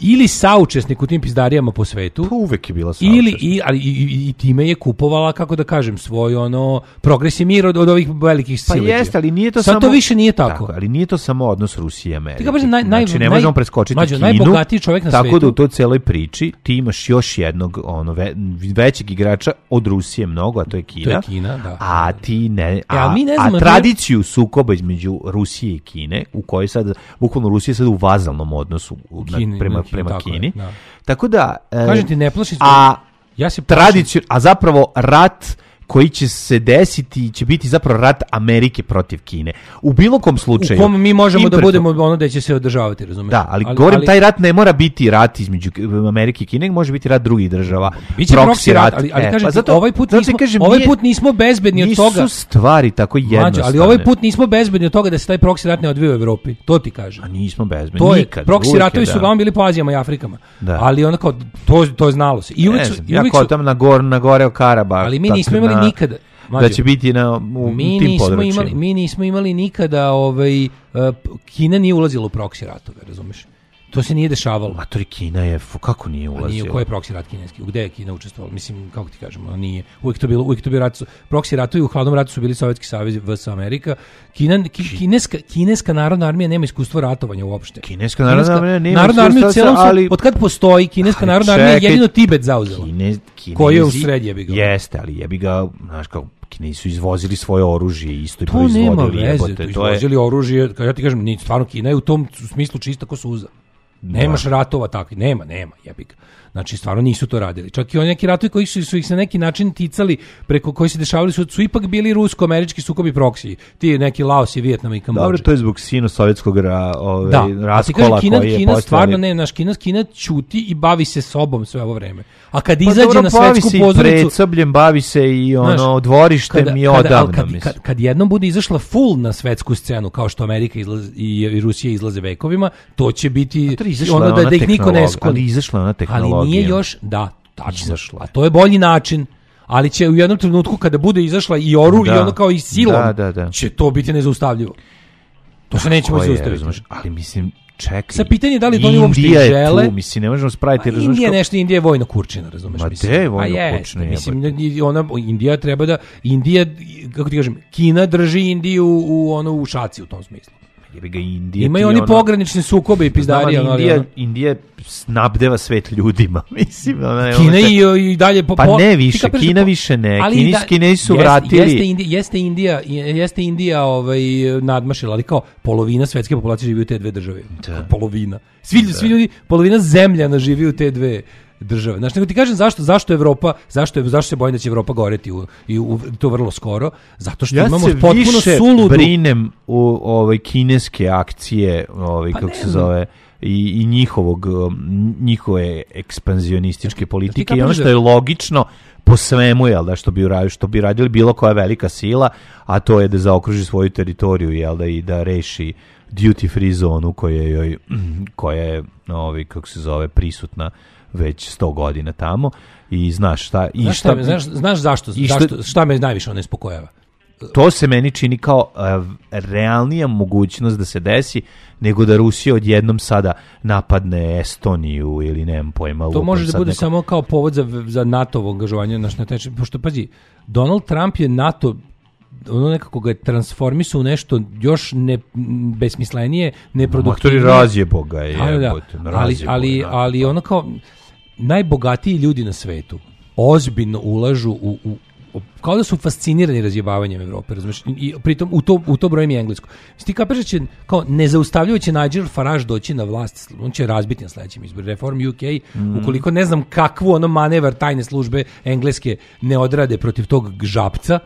ili saučesnik u tim pizdarijama po svetu, Pa uvek je bila saučesnik. ili i, ali, i, i, i time je kupovala, kako da kažem, svoj ono progres i mir od, od ovih velikih Pa sileđija. jeste, ali nije to Sad samo... to više nije tako. Ali nije to samo odnos Rusije i Amerike. Ti kao kažem, naj- naj- znači, ne naj- možemo preskočiti Mlađo, Kinu. najbogatiji čovjek na tako svetu. da u toj celoj priči ti imaš još jednog ono, ve, većeg igrača od Rusije mnogo, a to je Kina. To je Kina, da. A ti ne... A, ali mi ne znamo, a to je- tradiciju sukoba između Rusije i Kine, u kojoj sad, bukvalno Rusija je sad u vazalnom odnosu u- na- Kini, prema, na Kini, prema tako je, Kini. da. Tako da... e, Kažem ti, ne plaši se- A Ja se plašim- tradiciju, a zapravo rat koji će se desiti će biti zapravo rat Amerike protiv Kine. U bilo kom slučaju. U kom mi možemo da imperfo- budemo ono da će se održavati, razumiješ? Da, ali, govorim, taj rat ne mora biti rat između Amerike i Kine, može biti rat drugih država. Biće proxy rat, ali, ali E, kažem pa ti, zato- ovaj put zato ti nismo, kažem, ovaj nije- put nismo bezbedni od nisu toga. stvari tako jednostavne. Mlađo, ali ovaj put nismo bezbedni od toga da se taj proxy rat ne odvija u Evropi. To ti kažem. A nismo bezbedni, To je, nikad. proxy uvijek je, ratovi su da. uglavnom bili po Azijama i Afrikama. Da. Ali ono kao, to, to je znalo se. I uvek Ne su, znam, i ja uvek kao su, tamo na, gor, na gore o Karabah. ali mi tako nismo imali na- nikada. Da Mlađo, će biti na, u, mi u tim nismo područjima. imali, mi nismo imali nikada ovaj, uh, Kina nije ulazila u proxy ratove, razumeš? To se nije dešavalo. Matori, Kina je, f- kako nije A nije, ulazila? ko je proxy rat kineski? Gde je Kina učestvovala? Mislim, kako ti kažemo, nije. Uvijek to bilo, uvijek to bio rat. su- Proxy ratovi u hladnom ratu su bili Sovjetski savez V S Amerika. Kina, ki, kineska, kineska narodna armija nema iskustva ratovanja uopšte. Kineska narodna armija nema narodna armija u iskustva, celom ali- ali, od kad postoji kineska Ali narodna armija čekaj, jedino Tibet zauzela. Kine, Kinezi, Koji je u sred jebi ga. Jeste, ali jebi ga, znaš kao, Kinezi su izvozili svoje oružje, isto i To nema proizvodili, veze, jebote, to to je... izvozili oružje, kao ja ti kažem, ni stvarno Kina je u tom smislu čista ko suza. Nemaš ratova takvi, nema, nema, jebi ga. Znači, stvarno nisu to radili. Čak i oni neki ratovi koji su, su ih se na neki način ticali, preko koji se dešavali, su, su ipak bili rusko-američki sukobi proksiji. Ti neki Laos i Vijetnam i Kambodža. Dobro, to je zbog sino-sovjetskog ra, ovaj, Da, a ti raskola kažem, Kina, koji je Kina postojao. stvarno ne, naš Kina, Kina ćuti i bavi se sobom sve ovo vreme. A kad Pa izađe dobro, na bavi svetsku se i pozornicu, predsobljem, bavi se i ono, znaš, dvorištem kada- i kada- odavno, ali kad, mislim. kad, kad jednom bude izašla full na svetsku scenu, kao što Amerika izlazi, i, i Rusija izlaze vekovima, to će biti To je izašla ono da, ona da ih niko ne tehnologija, skloni. ali izašla ona tehnologija. Ali nije još, da, tačno. Izašla je. A to je bolji način. Ali će u jednom trenutku kada bude izašla i oru Da. i ono kao i silom, Da, da, da. će to biti nezaustavljivo. To se neće Ko moći je, zaustaviti. razumeš, ali mislim, čekaj. Sa pitanje je da li to oni uopšte Indija je žele. tu, mislim, ne možemo spraviti, Pa razumeš, Indija je kao- nešto, Indija je vojna kurčina, razumeš? Ma mislim. gde je vojna Pa jeste, kurčina, mislim, jebote? i ona, Indija treba da, Indija, kako ti kažem, Kina drži Indiju u, ono, u šaci u tom smislu. Jebi ga, Indija Imaju ti oni ono- pogranične sukobe i pizdarije. Znam, ono, ali ali Indija, ono. Indija snabdeva svet ljudima, mislim. Ona je Kina ono- i, i dalje po, Pa po- ne ti više, kapiraš Kina da po- više ne. ali Kinis- da- Kinezi su jeste- vratili- Jeste Indija, jeste Indija, jeste Indija ovaj, nadmašila, ali kao polovina svetske populacije živi u te dve države. Da. Polovina. Svi, svi ljudi, polovina zemljana živi u te dve države. Znači, nego ti kažem zašto, zašto Evropa, zašto, je, zašto se bojim da će Evropa goreti u, i u, to vrlo skoro? Zato što Ja imamo se potpuno više suludu. brinem u ovaj kineske akcije, ovaj Pa kako ne se znam. zove, i, i njihovog um, njihove ekspanzionističke politike i kapiraš ono što da- je logično po svemu, jel da, što bi uradili, što bi radili bilo koja velika sila, a to je da zaokruži svoju teritoriju, jel da, i da reši duty free zonu koja je joj, koja je ovaj kako se zove prisutna već sto godina tamo i znaš šta i Znaš, šta, me- znaš, znaš zašto, i šta- zašto, šta me najviše ono ispokojava? to se meni čini kao uh, realnija mogućnost da se desi nego da Rusija odjednom sada napadne Estoniju ili nemam pojma. To lupam može da sad bude neko- samo kao povod za, za NATO-ovo angažovanje naš na tečaj. Pošto, pazi, Donald Trump je NATO ono nekako ga je transformisao u nešto još ne, besmislenije, neproduktivnije. Matori razjebo ga je. Da, da, da. jebote, Ali, razjebo ali, je, da. ali ono kao najbogatiji ljudi na svetu ozbiljno ulažu u, u u- kao da su fascinirani razjebavanjem Evrope, razumeš? I, i pritom u to, u to brojem i englesko. Mislim, ti kapiraš da će, kao nezaustavljivo će Nigel Farage doći na vlast, on će razbiti na sledećem izboru. Reform U K, Mm. ukoliko ne znam kakvu ono manevar tajne službe engleske ne odrade protiv tog žapca,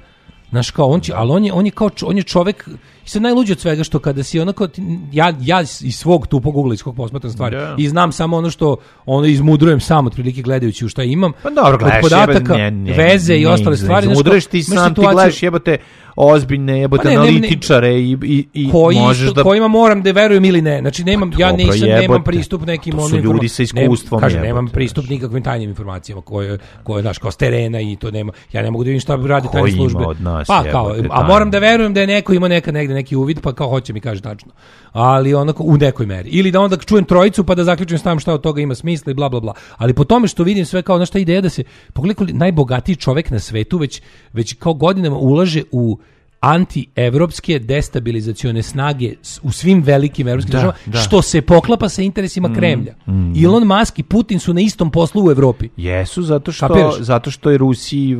znaš, kao on će, ali on je, on je kao čo- on je čovek I sad najluđe od svega što kada si onako, ja, ja iz svog tupog ugla, iz kog posmatram stvari, da. i znam samo ono što ono izmudrujem sam otprilike gledajući u šta imam, pa dobro, gledaš, od podataka, jebe, ne, ne, veze ne, i ostale ne, stvari. Izmudruješ ti sam, ti gledaš jebote ozbiljne, jebote pa ne, analitičare ne, ne, i, i, i koji možeš isto, da... kojima moram da verujem ili ne. Znači, nemam, pa, ja dobro, nisam, jebote. nemam pristup nekim... To su ljudi sa iskustvom. Kažem, jebote, nemam pristup znači. nikakvim tajnim informacijama koje, koje, znaš, kao s terena i to nema. Ja ne mogu da vidim šta radi tajne službe. Od nas, pa, kao, jebote, a moram da verujem da je neko ima neka negde neki uvid, pa kao hoće mi kaže tačno. Ali onako u nekoj meri. Ili da onda čujem trojicu pa da zaključim stavim šta od toga ima smisla i bla bla bla. Ali po tome što vidim sve kao na šta ideja da se pogledaj najbogatiji čovjek na svetu već već kao godinama ulaže u anti-evropske destabilizacione snage u svim velikim evropskim da, državama, da. što se poklapa sa interesima mm, Kremlja. Mm. Elon Musk i Putin su na istom poslu u Evropi. Jesu, zato što, Kapiraš? zato što je Rusiji,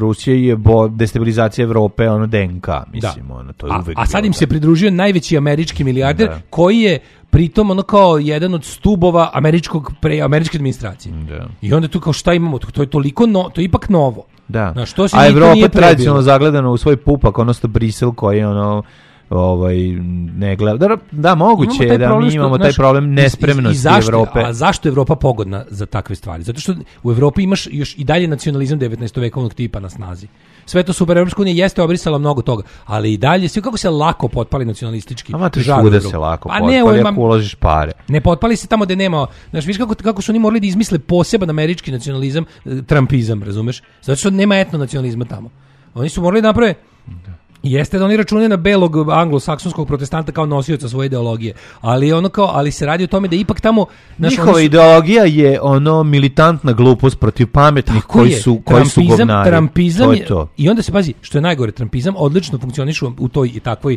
Rusija je bo, destabilizacija Evrope, ono D N K, mislim, da. ono, to je a, uvek a sad bilo im se pridružio najveći američki milijarder, da. koji je pritom ono kao jedan od stubova američkog pre, američke administracije. Da. I onda tu kao šta imamo, to je toliko no, to je ipak novo. Da. Znaš, to se a Evropa tradicionalno prebilo. zagledano u svoj pupak, odnosno Brisel koji je ono ovaj ne gleda. Da, da moguće je da mi što, imamo taj problem nespremnosti i, i zašto, Evrope. A zašto je Evropa pogodna za takve stvari? Zato što u Evropi imaš još i dalje nacionalizam devetnaestovekovnog tipa na snazi. Sve to super, Evropska unija jeste obrisala mnogo toga, ali i dalje sve kako se lako potpali nacionalistički. Ama ti svuda se lako pa potpali ako uložiš pare. Ne potpali se tamo gde nema, znaš, viš kako, kako su oni morali da izmisle poseban američki nacionalizam, trumpizam, razumeš? Zato što nema etno nacionalizma tamo. Oni su morali da naprave. Jeste da oni računaju na belog anglosaksonskog protestanta kao nosioca svoje ideologije, ali ono kao, ali se radi o tome da ipak tamo naš, njihova su, ideologija je ono militantna glupost protiv pametnih koji je, su koji su govnari. Trampizam to je to. I onda se pazi, što je najgore, trampizam odlično funkcioniše u toj i takvoj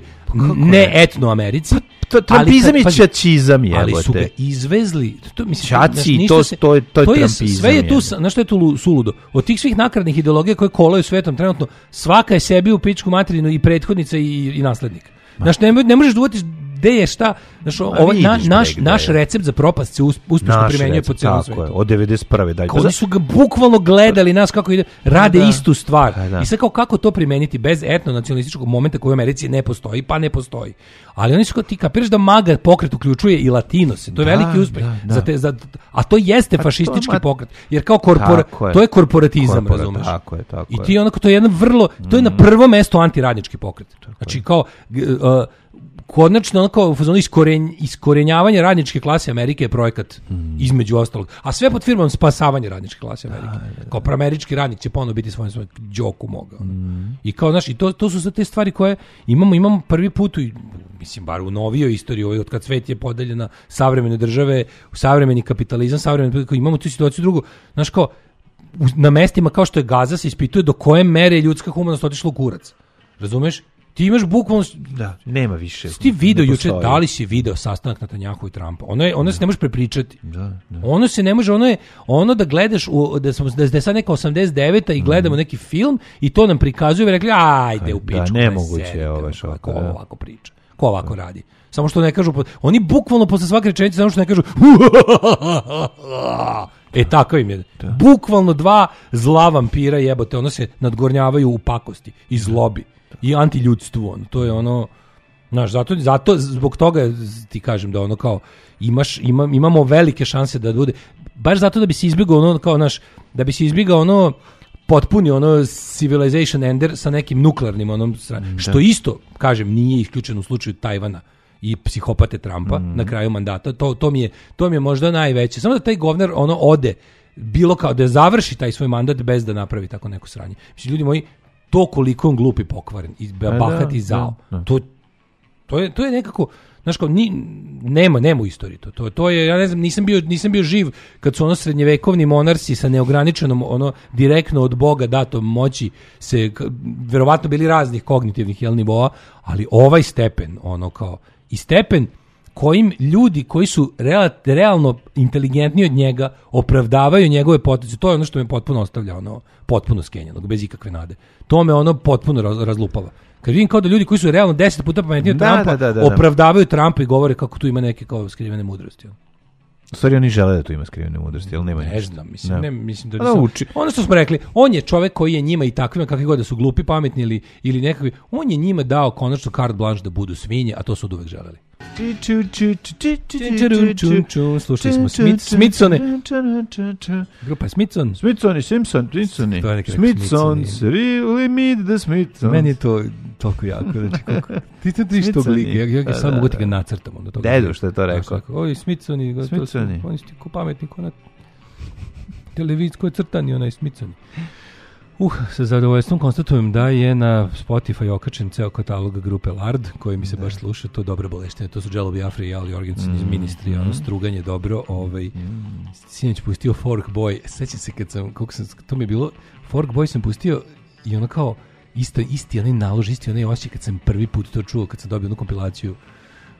ne etno Americi. To trampizam i čačizam je. Ali su ga izvezli. To mislim Čaci, to se, to je to je to trampizam. Je, sve je tu, na što je tu suludo. Od tih svih nakaradnih ideologija koje kolaju svetom trenutno, svaka je sebi u pičku materinu i prethodnica i, i naslednik. Znaš, ne, ne možeš da uvatiš gde je šta, znaš, ovaj, na, naš, naš recept za propast se uspešno primenjuje po celom svetu. Tako je, od devedeset prve dalje. Oni su ga bukvalno gledali nas kako ide, rade da. istu stvar. Da. I sad kao kako to primeniti bez etno-nacionalističkog momenta koji u Americi ne postoji, pa ne postoji. Ali oni su kao ti kapiraš da MAGA pokret uključuje i Latinose. To je da, veliki uspeh. Da, da. Za te, za, a to jeste pa fašistički to, pokret. Jer kao korpora, to je korporatizam, Korporat, razumeš? Tako je, tako I ti onako, to je jedan vrlo, to je na prvo mesto antiradnički pokret. Znači kao... Uh, konačno onako u fazonu iskoren, iskorenjavanje radničke klase Amerike je projekat mm. između ostalog. A sve pod firmom spasavanje radničke klase Amerike. Da, da, da. Kao proamerički radnik će ponovo biti svojim svojim džoku mogao. Mm. I kao, znaš, i to, to su sve te stvari koje imamo, imamo prvi put u, mislim, bar u novijoj istoriji, od kad svet je podeljena savremene države, savremeni kapitalizam, savremeni, imamo tu situaciju drugu, znaš, kao, na mestima kao što je Gaza se ispituje do koje mere je ljudska humanost otišla u kurac. Razumeš? Ti imaš bukvalno... Da, nema više. Ti video juče, da li si video sastanak Netanjahu i Trumpa? Ono, je, ono da. se ne može prepričati. Da, da. Ono se ne može, ono je ono da gledaš, u, da, sam, da je sad neka osamdeset deveta i gledamo mm. neki film i to nam prikazuju i rekli, ajde u pičku. Da, nemoguće je ovo što ko ovako priča. Ko ovako radi. Samo što ne kažu, oni bukvalno posle svake rečenice, samo što ne kažu e, tako im je. Da. Bukvalno dva zla vampira jebote, ono se nadgornjavaju u pakosti i zlobi. I antiljudstvu, ono, to je ono, znaš, zato, zato, zbog toga ti kažem da ono kao, imaš, ima, imamo velike šanse da bude, baš zato da bi se izbjegao ono, kao, naš, da bi se izbjegao ono, potpuni ono civilization ender sa nekim nuklearnim onom, da. Što isto, kažem, nije isključeno u slučaju Tajvana i psihopate Trumpa mm. na kraju mandata, to, to, mi je, to mi je možda najveće, samo da taj govner ono ode, bilo kao da završi taj svoj mandat bez da napravi tako neko sranje. Mislim, ljudi moji, to koliko on glup i pokvaren i bahat i zao. Da, da. To, to, je, to je nekako, znaš kao, ni, nema, nema u istoriji to. To, to je, ja ne znam, nisam bio, nisam bio živ kad su ono srednjevekovni monarsi sa neograničenom, ono, direktno od Boga datom moći se, verovatno bili raznih kognitivnih jel, nivoa, ali ovaj stepen, ono kao, i stepen kojim ljudi koji su real, realno inteligentniji od njega opravdavaju njegove poteze, to je ono što me potpuno ostavlja, ono, potpuno skenjanog, bez ikakve nade. To me ono potpuno raz, razlupava. Kad vidim kao da ljudi koji su realno deset puta pametniji od da, Trumpa da, da, da, opravdavaju Trumpa i govore kako tu ima neke kao skrivene mudrosti. U stvari oni žele da tu ima skrivene mudrosti, ali nema ne ništa. znam, mislim, ne, mislim da, da uči. Ono što smo rekli, on je čovek koji je njima i takvima, kakvi god da su glupi, pametni ili, ili nekakvi, on je njima dao konačno carte blanche da budu svinje, a to su od uvek želeli. Slušali smo Smithsone. Grupa Smithson. Smithsoni, Simpson, Simpsoni. Smithsons, really meet the Smithsons. Meni je to toliko jako. Znači, kako, ti to ti što gligi, ja, ja sam mogu ti ga nacrtam. Dedu što je to rekao. Ovi Smithsoni, Smithsoni. Oni su ti ko pametni, ko na televiziji, ko je crtani, onaj Smithsoni. Uh, sa zadovoljstvom konstatujem da je na Spotify okačen ceo katalog grupe Lard, koji mi se baš sluša, to je dobra boleštine, to su Jello Biafra i Al Jorgensen mm, iz Ministry, mm. ono struganje dobro, ovaj, mm. sinoć pustio Fork Boy, sećam se kad sam, koliko sam, to mi je bilo, Fork Boy sam pustio i ono kao, isto, isti onaj nalož, isti onaj osjećaj kad sam prvi put to čuo, kad sam dobio onu kompilaciju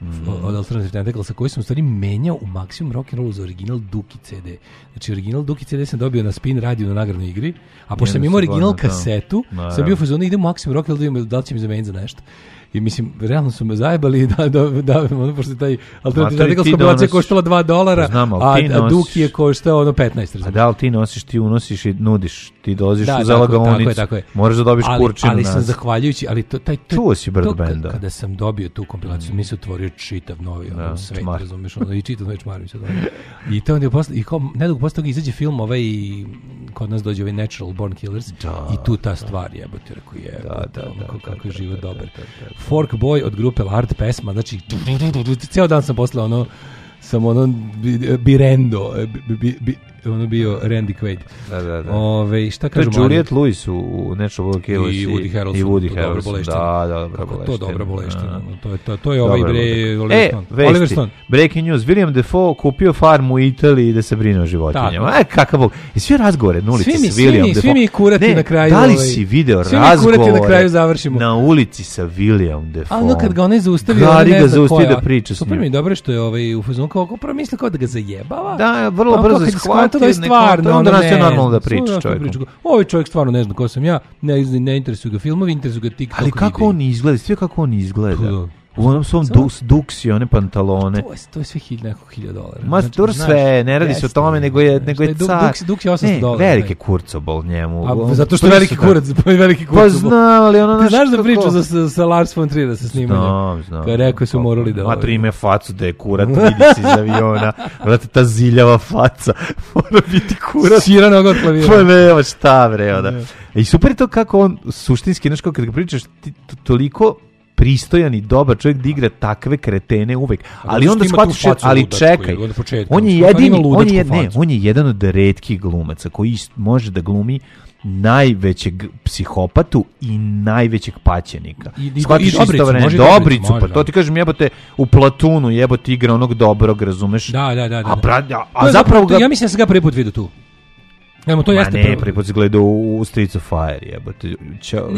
Mm. od Alternative Tentaclesa, koji sam u stvari menjao u maksimum rock'n'rollu za original Duki ce de. Znači, original Duki ce de sam dobio na Spin radio na nagradnoj igri, a pošto sam imao original kasetu, no, sam bio u fazonu, idem u maksimum rock'n'roll da vidim da li će mi zameniti za nešto. I mislim, realno su me zajebali da, da, da, ono, pošto taj Alternative Tentacles kompilacija koštala dva dolara, znam, a, a Duki je koštao ono petnaest. A da li ti nosiš, ti unosiš i nudiš, ti dolaziš da, u zalagaonicu, moraš da dobiš ali, kurčinu. Ali sam zahvaljujući, ali to, taj, taj, čuo si Bird Banda. Kada sam dobio tu kompilaciju, mm. mi se otvorio čitav novi ono, da, svet, razumiješ, ono, i čitav novi čmarim se. I to onda je posle, i kao, nedugo posle toga izađe film ovaj, kod nas dođe ovaj Natural Born Killers, da, i tu ta da. stvar jebote, rekao je, da, da, da, kako, kako je život dobar. Fork Boy od grupe Lard pesma, znači ceo dan sam posle ono sam ono birendo bi, bi, bi, ono bio Randy Quaid. Da, da, da. Ove, šta kažu to je Juliette Lewis u Natural Born Killers i Woody Harrelson. I Woody Harrelson. Da, da, dobra boleština. To dobra boleština. To je to, to je ovaj bre Oliver Stone. E, Oliver Stone. Breaking news. William Dafoe kupio farmu u Italiji da se brine o životinjama. Aj, kakav bog. I svi razgovore na ulici s William Dafoe. Svi mi kurati ne, na kraju. Da li si video svi razgovore? Svi mi kurati na kraju završimo. Na ulici sa William Dafoe. A ono kad ga onaj zaustavi, on ne zna koja. Da priča super mi dobro što je ovaj u fazonu kao prvo misli kao da ga zajebava. Da, vrlo brzo shvatio da je stvarno. Onda nas je normalno da priča čovjekom. Ovaj čovjek stvarno ne zna ko sam ja, ne, ne interesuju ga filmovi, interesuju ga TikTok. Ali kako videi. On izgleda, sve kako on izgleda. U onom svom dus, duksi, one pantalone. To je, to je sve hilj, neko hilja dolara. Ma znači, dobro sve, ne radi jest, se o tome, nego je, nego je car. Duks, duks je osamsto dolara. Veliki kurcobol njemu. A, zato što je veliki kurac, veliki kurcobol. Pa znam, ali ono... Ti znaš da priču za, sa Lars von Triera sa snimanjem? Znam, znam. Kada rekao su morali da... Matri ime facu da je kurat, vidi se iz aviona. Vrati, ta ziljava faca. Mora biti kurat. Sira noga od klavira. Pa nema šta, bre, onda. I super je to kako on suštinski, znaš, kada ga pričaš, ti toliko... pristojan i dobar čovjek da igra takve kretene uvek. Ali onda shvatiš, ali čekaj. On je jedini, on je, ne, on je jedan od retkih glumaca koji može da glumi najvećeg psihopatu i najvećeg paćenika. I, i, Shvatiš i dobricu, može dobricu, može, pa to ti kažem, jebote, u Platunu jebote igra onog dobrog, razumeš? Da, da, da. da. A, bra, a, a zapravo ga... Ja mislim da sam ga prvi put vidio tu. Nemo, to Ma jeste ne, prvo. prvi put si gledao u Streets of Fire, jebote.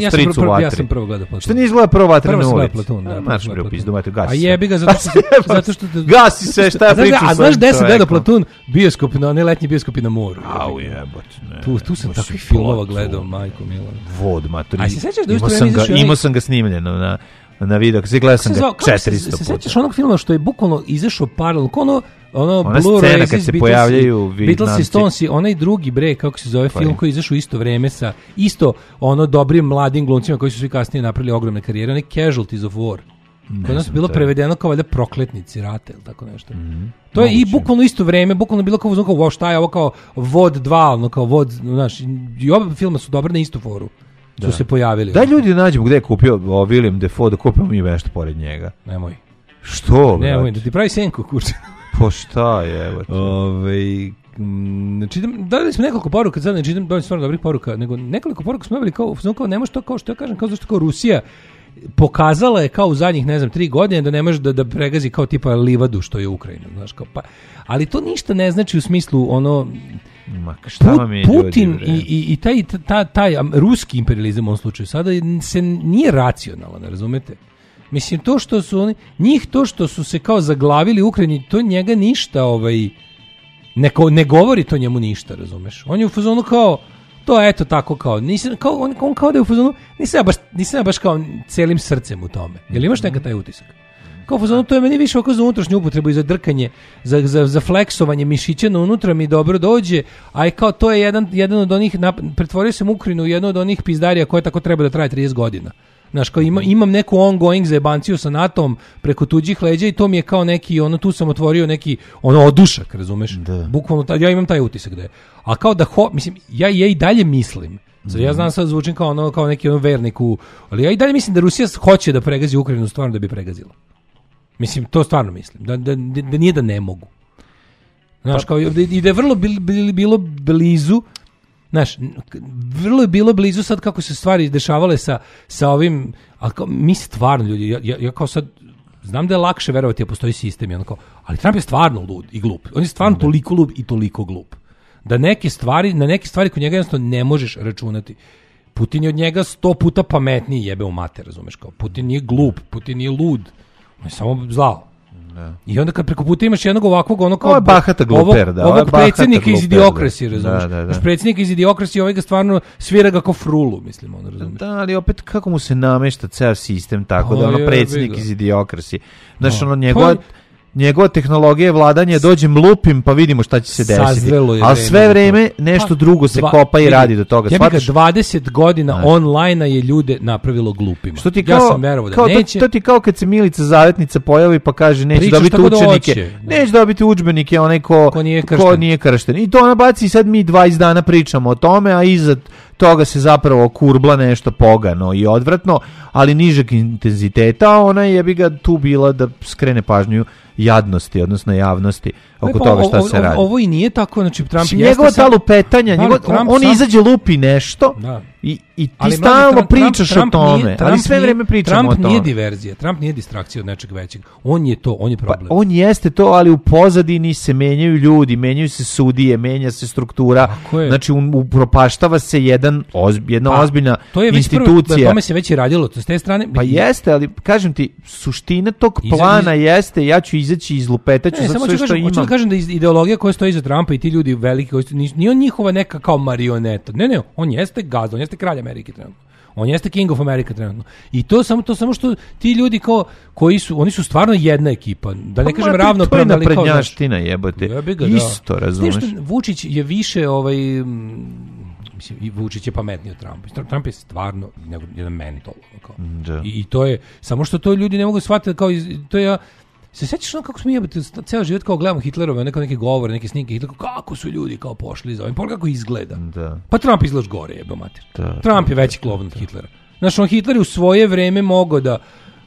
Ja sam prvo, prvo, ja sam prvo gledao Platun. Što nije izgleda prvo Vatre na ulici? Platun, da. Marš bre, upizdu, mate, gasi. A jebi ga, zato što... zato što gasi se, šta ja pričam sa... A znaš gde sam gledao Platun? Bioskop, na ne letnji bioskopi na moru. Au jebote, ne. Tu, tu sam takvih filmova gledao, majko milo. Vod, matori. A se sećaš da isto vreme izašao... Imao sam ga snimljeno na... na video, kako se gledao sam ga četiristo puta. Se sećaš onog filma što je bukvalno izašao paralelno, ono, ono ona Blue scena kad se pojavljaju Beatles i Stones, onaj drugi bre, kako se zove, film koji je izašao isto vreme sa isto ono dobrim mladim glumcima koji su svi kasnije napravili ogromne karijere, onaj Casualties of War. Kod nas je bilo prevedeno kao valjda prokletnici rata ili tako nešto. Mm-hmm. To je Moguće. I bukvalno isto vreme, bukvalno bilo kao, kao wow, šta je ovo kao Vod dva, ono kao Vod, znaš, i oba filma su dobre na istu foru. Da. Su se pojavili. Daj ljudi nađemo gde je kupio o, William Dafoe, da kupimo mi nešto pored njega. Nemoj. Što? Nemoj, da ti pravi senku, kurče. Po šta je, evo te. Ove, m, čitam, dali smo nekoliko poruka, sad ne čitam dovoljno stvarno dobrih poruka, nego nekoliko poruka smo imali kao, kao ne može to kao što ja kažem, kao zašto kao Rusija pokazala je kao u zadnjih, ne znam, tri godine da ne može da, da pregazi kao tipa livadu što je Ukrajina, znaš, kao pa, ali to ništa ne znači u smislu ono... Ma, šta vam je Putin ljudi, i, i, i taj, taj, taj ruski imperializam u ovom slučaju sada se nije racionalan, razumete? Mislim, to što su oni, njih to što su se kao zaglavili u Ukrajini, to njega ništa, ovaj, ne, ne govori to njemu ništa, razumeš? On je u fazonu kao, to eto tako kao, nisam, kao on, on kao da je u fazonu, nisam ja baš, nisam ja baš kao celim srcem u tome. Jel imaš neka taj utisak? Kao fazonu, to je meni više oko za unutrašnju upotrebu i za drkanje, za, za, za fleksovanje mišića na unutra mi dobro dođe, a i kao to je jedan, jedan od onih, pretvorio sam Ukrajinu u jednu od onih pizdarija koje tako treba da traje trideset godina. Znaš, kao ima, imam neku ongoing zajebanciju sa natom preko tuđih leđa i to mi je kao neki, ono, tu sam otvorio neki, ono, odušak, razumeš? Da. Bukvalno, ja imam taj utisak da je. A kao da, ho, mislim, ja, ja i dalje mislim, sad ja znam sad zvučim kao, ono, kao neki ono vernik u, ali ja i dalje mislim da Rusija hoće da pregazi Ukrajinu stvarno da bi pregazila. Mislim, to stvarno mislim, da, da, da nije da ne mogu. Znaš, kao, i da je vrlo bil, bil, bilo blizu, znaš, vrlo je bilo blizu sad kako se stvari dešavale sa, sa ovim, ali kao, mi stvarno ljudi, ja, ja, ja kao sad, znam da je lakše verovati da postoji sistem, i kao, ali Trump je stvarno lud i glup. On je stvarno toliko lud i toliko glup. Da neke stvari, na neke stvari kod njega jednostavno ne možeš računati. Putin je od njega sto puta pametniji, jebe u mater, razumeš, kao, Putin nije glup, Putin nije lud, on je samo zlao. Da. I onda kad preko puta imaš jednog ovakvog, ono kao... Ovo je bahata gluper, da. Ovog predsjednika iz Idiokrasije, razumiješ? Da, da, da. Predsjednika iz Idiokrasije, ovaj ga stvarno svira ga kao frulu, mislim, ono, razumiješ? Da, ali opet kako mu se namešta ceo sistem tako, o, da ono predsjednik iz Idiokrasije. Znaš, ono, njegova... Pa, njegova tehnologija vladanja, dođem lupim pa vidimo šta će se desiti. Ali sve vreme nešto drugo se dva, kopa i radi do toga. Ja bih ga dvadeset godina online-a je ljude napravilo glupima. Što ti kao, ja sam verovao da kao, neće. To, to ti kao kad se Milica Zavetnica pojavi pa kaže neće Pričaš dobiti učenike. Da neće dobiti udžbenike onaj ko, ko, nije kršten. ko nije kršten. I to ona baci i sad mi dvadeset dana pričamo o tome, a iza toga se zapravo kurbla nešto pogano i odvratno, ali nižeg intenziteta, ona je bi ga tu bila da skrene pažnju jadnosti, odnosno javnosti oko pa, toga šta o, se radi. Ovo i nije tako, znači Trump je njegova ta lupetanja, njegov, on, on sam... izađe lupi nešto da. i, i ti ali stalno Trump, pričaš Trump, o tome, nije, ali sve vreme pričamo Trump o tome. Trump nije diverzija, Trump nije distrakcija od nečeg većeg. On je to, on je problem. Pa, on jeste to, ali u pozadini se menjaju ljudi, menjaju se sudije, menja se struktura, znači upropaštava se jedan ozb, jedna pa, ozbiljna to je institucija. Prvo, tome se već i radilo, to s te strane. Pa jeste, ali kažem ti, suština tog plana iz... jeste, ja ću izaći iz lupetaću za sve što imam. Hoću da kažem da ideologija koja stoji iza Trumpa i ti ljudi veliki, koji nije on njihova neka kao marioneta. Ne, ne, on jeste gazda, on jeste kralj Amerike trenutno. On jeste King of America trenutno. I to samo to samo što ti ljudi kao koji su, oni su stvarno jedna ekipa. Da ne pa kažem ravnopravna, ali kao prednjaština jebote. Ga, isto, da. razumeš? Vučić je više ovaj mislim i Vučić je pametniji od Trumpa. Trump je stvarno nego jedan mentol kao. Da. I, I to je samo što to ljudi ne mogu shvatiti kao iz, to je se sećaš ono kako smo jebati ceo život kao gledamo Hitlerove, neke neke govore, neke snimke Hitlera, kako su ljudi kao pošli za ovim, pa kako izgleda. Da. Pa Trump izgleda gore, jebe mater. Da, Trump je veći klovan od Hitlera. Znaš, on Hitler u svoje vreme mogao da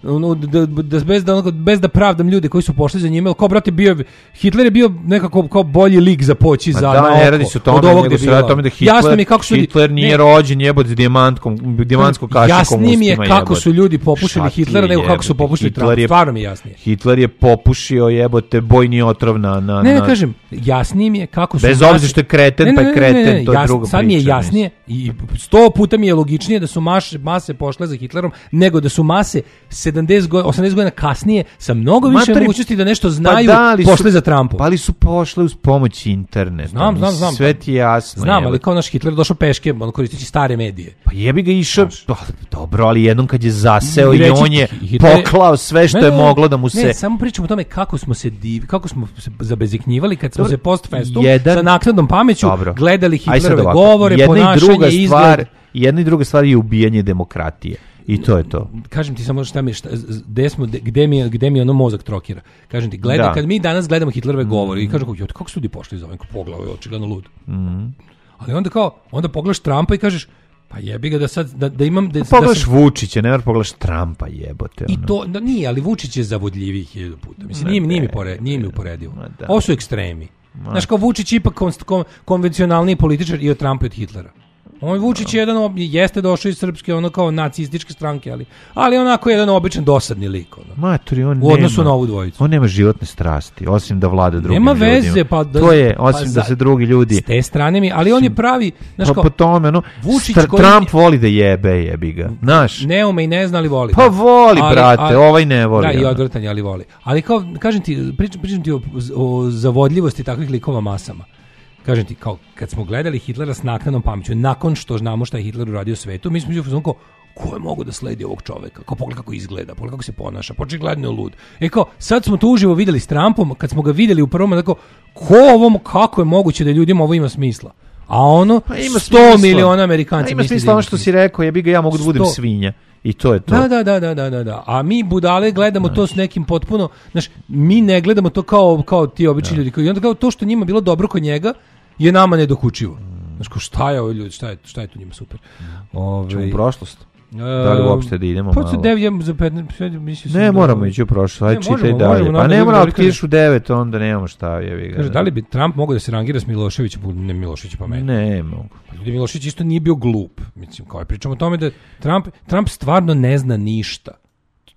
ono, da, da, bez, da, bez da pravdam ljude koji su pošli za njime, kao brate bio Hitler je bio nekako kao bolji lik za poći za da, ne radi se o tome, nego se radi o tome da Hitler, jasno mi kako su Hitler nije ne, rođen jebote s dijamantkom, dijamantskom kašikom. Jasnije mi je kako su ljudi popušili Hitlera nego kako su popušili Trumpa. Stvarno mi je jasnije. Hitler je popušio jebote bojni otrov na na Ne, ne kažem, jasnije mi je kako su bez obzira što je kreten, pa je kreten, to je druga priča. Sad mi je jasnije i sto puta mi je logičnije da su mase pošle za Hitlerom nego da su mase sedamdeset godina, osamdeset godina kasnije sa mnogo više mogućnosti da nešto znaju pa da, pošle su, za Trumpom. Pa ali su pošle uz pomoć interneta. Znam, znam, znam. Sve ti je jasno. Znam, ali kao naš Hitler došao peške, on koristeći stare medije. Pa jebi ga išao, pa, dobro, ali jednom kad je zaseo i on je Hitler, poklao sve što ne, je moglo da mu se... Ne, samo pričamo o tome kako smo se div, kako smo se zabeziknjivali kad smo dobro, se post festum jedan, sa naknadnom pameću dobro, gledali Hitlerove ovako, govore, ponašanje, i izgled. Jedna i druga stvar je ubijanje demokratije. I to je to. Kažem ti samo šta mi šta, gde smo gde mi gde mi ono mozak trokira. Kažem ti, gledaj da. Kad mi danas gledamo Hitlerove mm. govore i kažemo kako kako su ljudi pošli za ovim poglavoj, očigledno lud. Mm. Ali onda kao onda pogledaš Trumpa i kažeš pa jebi ga da sad da, da imam da, da pogledaš sam... Vučića, ne mora pogledaš Trumpa, jebote. Ono. I to da nije, ali Vučić je zavodljiviji hiljadu puta. Mislim ne, nije, nije mi pored, nije mi uporedivo. Ovo su ekstremi. Znaš, kao Vučić ipak kon, kon, konvencionalni političar i od Trumpa i od Hitlera. On Vučić je jedan jeste došao iz srpske ono kao nacističke stranke, ali ali onako jedan običan dosadni lik ono. Maturi, on u odnosu nema, na ovu dvojicu. On nema životne strasti, osim da vlada drugim nema ljudima. Nema veze, pa da, to je osim pa da se drugi ljudi. S te strane mi, ali on je pravi, znaš pa po tome, no, Vučić Str- koji Trump voli da jebe, jebi ga. Znaš? Ne ume i ne zna, ali voli. Pa voli, ali, brate, ali, ovaj ne voli. Da, i odvrtanje, ali voli. Ali kao kažem ti, pričam, pričam ti o, o zavodljivosti takvih likova masama. Kažem ti, kao kad smo gledali Hitlera s naknadnom pameću, nakon što znamo šta je Hitler uradio svetu, mi smo mislili kao, ko je mogu da sledi ovog čoveka, kao pogledaj kako izgleda, pogledaj kako se ponaša, očigledno je lud. E kao, sad smo to uživo vidjeli s Trumpom, kad smo ga vidjeli u prvom, tako, ko ovom, kako je moguće da ljudima ovo ima smisla? A ono, pa ima sto miliona Amerikanci pa ima smisla ono što si rekao, ja bi ga ja mogu da budem sto svinja. I to je to. Da, da, da, da, da, da. A mi budale gledamo znači. to s nekim potpuno, znaš, mi ne gledamo to kao, kao ti obični ljudi. I onda kao to što njima bilo dobro kod njega je nama nedokučivo. Znaš, kao šta je ovo ljudi, šta je, šta je tu njima super. Ove, Čemo u prošlost? Da li uopšte da idemo pa, malo? devet, za petnaest, ne, moramo ići u prošlost, ajde čitaj dalje. Možemo, pa ne mora, ako ideš u devet, onda nemamo šta. Je, kaže, da li bi Trump mogao da se rangira s Miloševićem? Ne, Milošević pa meni. Ne, mogu. Ljudi, Milošević isto nije bio glup. Mislim, kao je pričamo o tome da Trump, Trump stvarno ne zna ništa.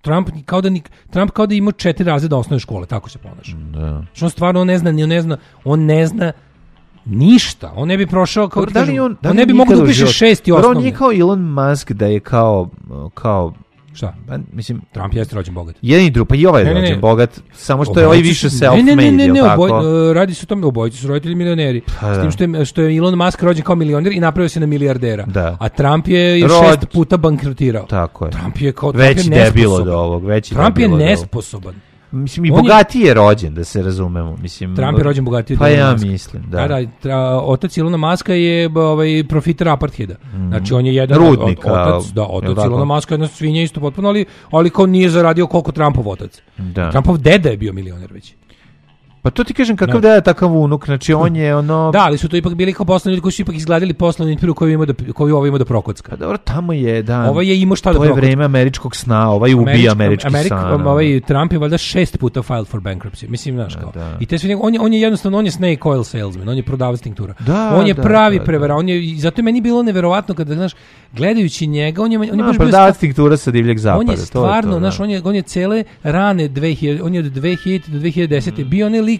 Trump kao da, Trump kao da ima četiri razreda osnovne škole, tako se ponaša. Da. Što on stvarno on ne zna, on ne zna, on ne zna ništa. On ne bi prošao kao da li on, da li on ne bi mogao da upiše šesti osnovne. On nije kao Elon Musk da je kao kao šta? Pa, mislim, Trump jeste rođen bogat. Jedan i drugi, pa i ovaj je rođen bogat, samo što je ovaj više self-made. Ne, ne, ne, ne, oboj, radi se o tome, obojice su roditelji milioneri. Pa, s tim što je, što je Elon Musk rođen kao milioner i napravio se na milijardera. Da. A Trump je Rod... šest puta bankrotirao. Tako je. Trump je kao veći debil od ovog, veći Trump je nesposoban. Mislim, i bogatiji je rođen, da se razumemo. Mislim, Trump je rođen bogatiji od pa ja Muska. mislim, da. Da, da, tra, otac Ilona Muska je ovaj, profiter apartheida. Mm. Znači, on je jedan Rudnika, od, otac, da, otac Ilona Muska je jedna svinja isto potpuno, ali, ali kao nije zaradio koliko Trumpov otac. Da. Trumpov deda je bio milioner već. Pa to ti kažem kakav da je takav unuk, znači on je ono... Da, ali su to ipak bili kao poslovni ljudi koji su ipak izgledali poslovni intervju koji ima da koji ovo ima da prokocka. Pa dobro, tamo je, da. Ovo je imao šta da prokocka. To je vreme američkog sna, ovaj ubija američki Amerik, san. Ovaj Trump je valjda šest puta filed for bankruptcy. Mislim, znaš kao. Da. I te sve, on je, on je jednostavno, on je snake oil salesman, on je prodavac tinktura. Da, on je da, pravi da, prevara, on je, i zato je meni bilo neverovatno kada, znaš, gledajući njega, on je... On je no, prodavac tinktura sa divljeg zapada. On je stvarno, znaš, on je, on je cele rane dve hiljade, on je od dve hiljade do dve hiljade desete mm. bio onaj lik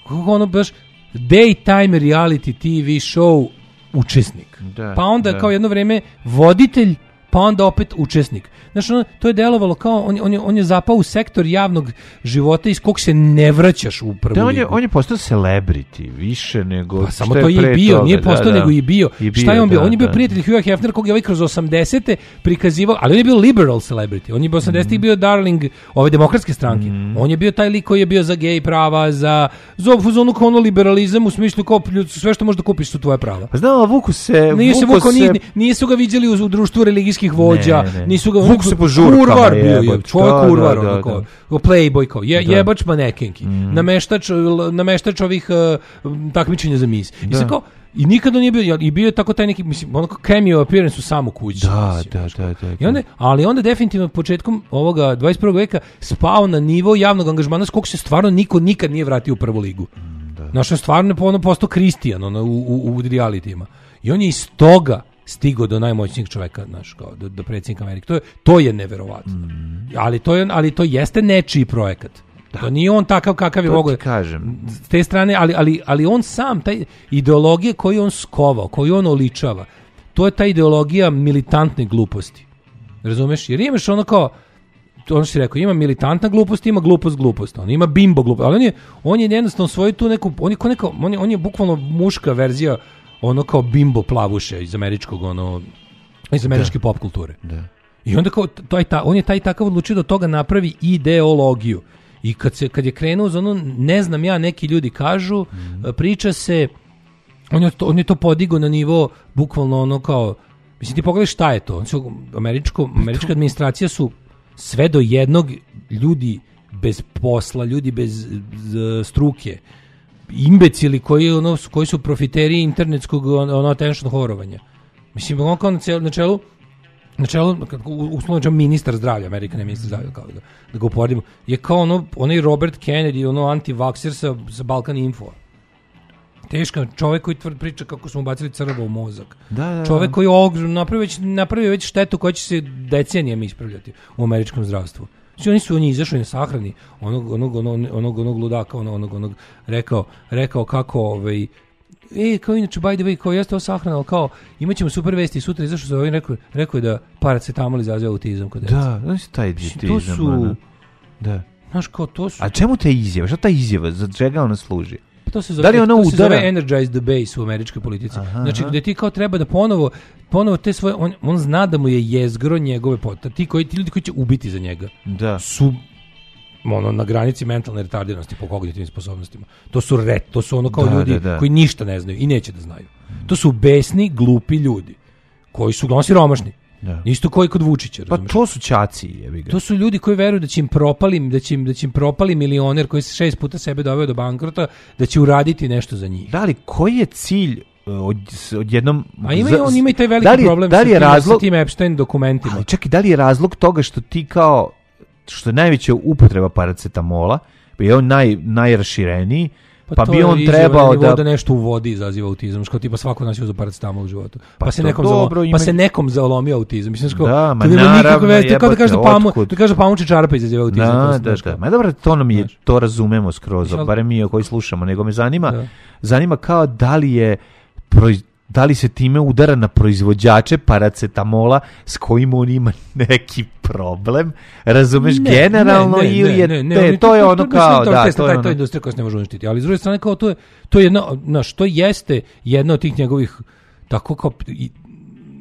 kako ono baš daytime reality T V show učesnik. Da, pa onda da. Kao jedno vreme voditelj, pa onda opet učesnik. Znaš, ono, to je delovalo kao, on, on, je, on je zapao u sektor javnog života iz kog se ne vraćaš u prvu da, on ligu. Je, on je postao celebrity, više nego... Pa samo to je i bio, toga. Nije postao da, nego i bio. I bio. Šta je on bio? Da, on je bio da. prijatelj Hugha Hefnera kog je ovaj kroz osamdesete prikazivao, ali on je bio liberal celebrity. On je bio osamdesetih mm. bio darling ove demokratske stranke. Mm. On je bio taj lik koji je bio za gej prava, za za ono kao ono liberalizam u smislu kao sve što možeš da kupiš su tvoje prava. Pa znao, vuku se... Nije se vuku, se... nisu ga viđali u, u društvu religijskih vođa, ne, ne. nisu ga... Vuku se po žurkama. Kurvar bio je, čovjek da, kurvar, da, da, ono kao, da. playboy kao, je, da. jebač manekenki, mm. nameštač, nameštač ovih uh, takmičenja za mis. I se kao, i nikada nije bio, i bio je tako taj neki, mislim, ono kao cameo appearance u samu kući. Da, mislim, da, da, da, da. I onda, ali onda definitivno početkom ovoga dvadeset prvog veka spao na nivo javnog angažmana s kog se stvarno niko nikad nije vratio u prvu ligu. Mm, da. Znaš, on stvarno je ono postao Kristijan ono, u, u, u realitima. I on je iz toga stigao do najmoćnijeg čoveka, znaš, kao do, do predsjednika Amerike. To je, to je neverovatno. Mm. Ali, to je, ali to jeste nečiji projekat. Da. To nije on takav kakav je mogo. Kažem. S te strane, ali, ali, ali on sam, taj ideologije koju on skovao, koju on oličava, to je ta ideologija militantne gluposti. Razumeš? Jer imaš ono kao, ono što si rekao, ima militantna glupost, ima glupost glupost. On ima bimbo glupost. Ali on je, on je jednostavno svoju tu neku, on je, neka, on je, on je bukvalno muška verzija ono kao bimbo plavuše iz američkog, ono, iz američke da. Pop kulture. Da. I onda kao, taj, ta, on je taj takav odlučio da toga napravi ideologiju. I kad, se, kad je krenuo za ono, ne znam ja, neki ljudi kažu, mm. priča se, on je, to, on je to podigao na nivo, bukvalno ono kao, mislim ti pogledaj šta je to, su, američko, američka administracija su sve do jednog ljudi bez posla, ljudi bez z, struke, imbecili koji, ono, koji su profiteri internetskog ono, attention horovanja. Mislim, on kao na, cel, na čelu, na čelu, uslovno ministar zdravlja, Amerika ne ministar zdravlja, kao da, da ga uporedimo, je kao ono, onaj Robert Kennedy, ono anti-vakser sa, sa Balkan Info. Teška, čovjek koji tvrd priča kako smo bacili crvo u mozak. Da, da, čovjek koji napravio već, napravio već štetu koja će se decenijama ispravljati u američkom zdravstvu. Znači, oni su oni izašli na sahrani onog onog onog onog, onog ludaka, onog onog onog rekao rekao kako ovaj e kao inače by the way kao jeste o sahrana, kao imaćemo super vesti sutra izašao za ovaj rekao rekao je da paracetamol izaziva autizam kod dece. Da, znači taj autizam. To su da. Znaš, kao to su... A čemu te izjava? Šta ta izjava? Za čega ona služi? To to se zove, Da li ona to se udara? zove energize the base u američkoj politici. Aha, znači, aha. gde ti kao treba da ponovo, ponovo te svoje, on, on zna da mu je jezgro njegove potrebe. Ti, koji, ti ljudi koji će ubiti za njega Da. su ono, na granici mentalne retardiranosti po kognitivnim sposobnostima. To su ret, to su ono kao Da, ljudi da, da. koji ništa ne znaju i neće da znaju. To su besni, glupi ljudi koji su uglavnom siromašni. Da. Isto koji kod Vučića, Pa razumeš? to su ćaci, jebi ga. To su ljudi koji veruju da će im propali, da će im, da će im propali milioner koji se šest puta sebe doveo do bankrota, da će uraditi nešto za njih. Da li, koji je cilj uh, od, odjednom... A ima i za- on ima i taj veliki da li je- problem da li je sa, tim, razlog, sa tim Epstein dokumentima. Ali čekaj, da li je razlog toga što ti kao, što je najveća upotreba paracetamola, je on naj, najrašireniji, pa, to bi je on izjava trebao na nivou da... da nešto u vodi izaziva autizam, što tipa svako nas je uzeo paracetamol u životu. Pa, Pa se to nekom dobro, zalo- ima- pa se nekom zalomio autizam. Mislim što Da, ma to nema nikakve naravno, veze, to je kao da kaže da jebote, pamu, otkud? da kaže pamuče čarapa izaziva autizam. to Da, se, da, znaš da. kao. Ma dobro, to nam je, Znaš. to razumemo skroz, Znaš, ali- barem mi koji slušamo, nego me zanima, Da. zanima kao da li je proiz- da li se time udara na proizvođače paracetamola s kojim on ima neki problem, razumeš, Ne, generalno ne, ne, ili je ne, ne, te- oni- to je to- ono to- kao, to- da, to- to je taj- to ono. je industrija koja se ne može uništiti, ali s druge strane kao to je, to je jedno, znaš, to jeste jedna od tih njegovih, tako kao, i-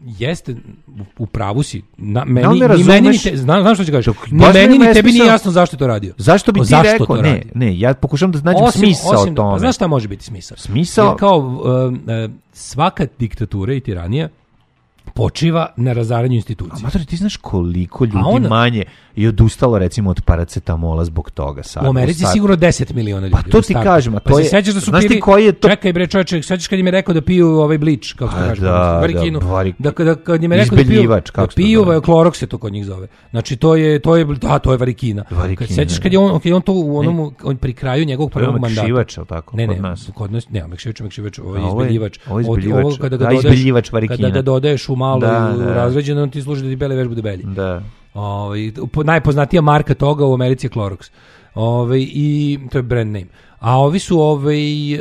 jeste, u- u pravu si, na, meni, ne ni meni, razumeš- ni te, znam, znam što ću kažeš, Dok- ni baš mi meni, je ni tebi nije besmisao- jasno zašto je to radio. Zašto bi ti Zašto rekao? to Ne, radi? ne, ja pokušam da nađem smisao o tome. Pa znaš šta može biti smisao? Smisao- Jer kao um, uh, svaka diktatura i tiranija počiva na razaranju institucija. Mater, ti znaš koliko ljudi ona- manje je odustalo recimo od paracetamola zbog toga sad. U Americi sad. sigurno deset miliona ljudi. Pa to u ti startu. kažem, a Pa to se je- sećaš da su znaš ti pili, koji je to- čekaj bre čoveče, sećaš kad im je rekao da piju ovaj blič, kako se Pa kaže, da, varikinu, da, varik- da, da, kad im je rekao da piju, Izbeljivač, kako da se to piju, zove? klorok se to kod njih zove. Znači to je, to je, da, to je varikina. Varikina, Kad sećaš da. kad je on, kad je on to u onom, on pri kraju njegovog To je prvog mandata. omekšivač, jel tako, Ne, kod ne, nas? kod nas, ne, omekšivač, omekšivač, ovo je A ovo je- izbeljivač. ovo je Od- izbeljivač. ovo kada ga Da, dodaješ, izbeljivač varikina. kada ga dodaješ u malo Da, u da. razređeno, on ti služi da ti bele veš bude belji. Da. Ovaj, po- najpoznatija marka toga u Americi je Clorox. Ovaj, i to je brand name. A ovi su ovaj, e,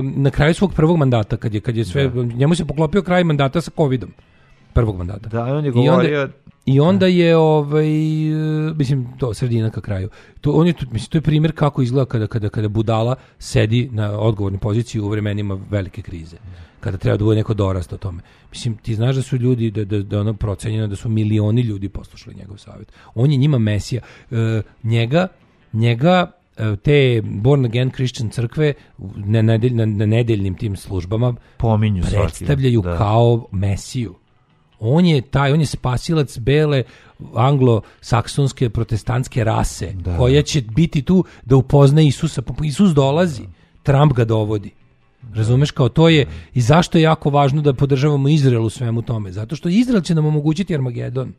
na kraju svog prvog mandata, kad je, kad je sve, njemu se poklopio kraj mandata sa covidom. Prvog mandata. Da, on je I onda- govorio... I onda je ovaj e, mislim to sredina ka kraju. To on je tu, mislim to je primjer kako izgleda kada kada kada budala sedi na odgovornoj poziciji u vremenima velike krize. Kada treba da bude neko dorast o tome. Mislim ti znaš da su ljudi da da da ono procenjeno da su milioni ljudi poslušali njegov savjet. On je njima mesija. E, njega njega e, te born again Christian crkve na, nedelj, na, na nedeljnim tim službama Pominju svaki. predstavljaju Da. kao mesiju. On je taj, on je spasilac bele anglo-saksonske protestantske rase, Da. koja će biti tu da upozna Isusa. Pa Isus dolazi, Trump ga dovodi. Razumeš, kao to je, i zašto je jako važno da podržavamo Izrael u svemu tome? Zato što Izrael će nam omogućiti Armagedon.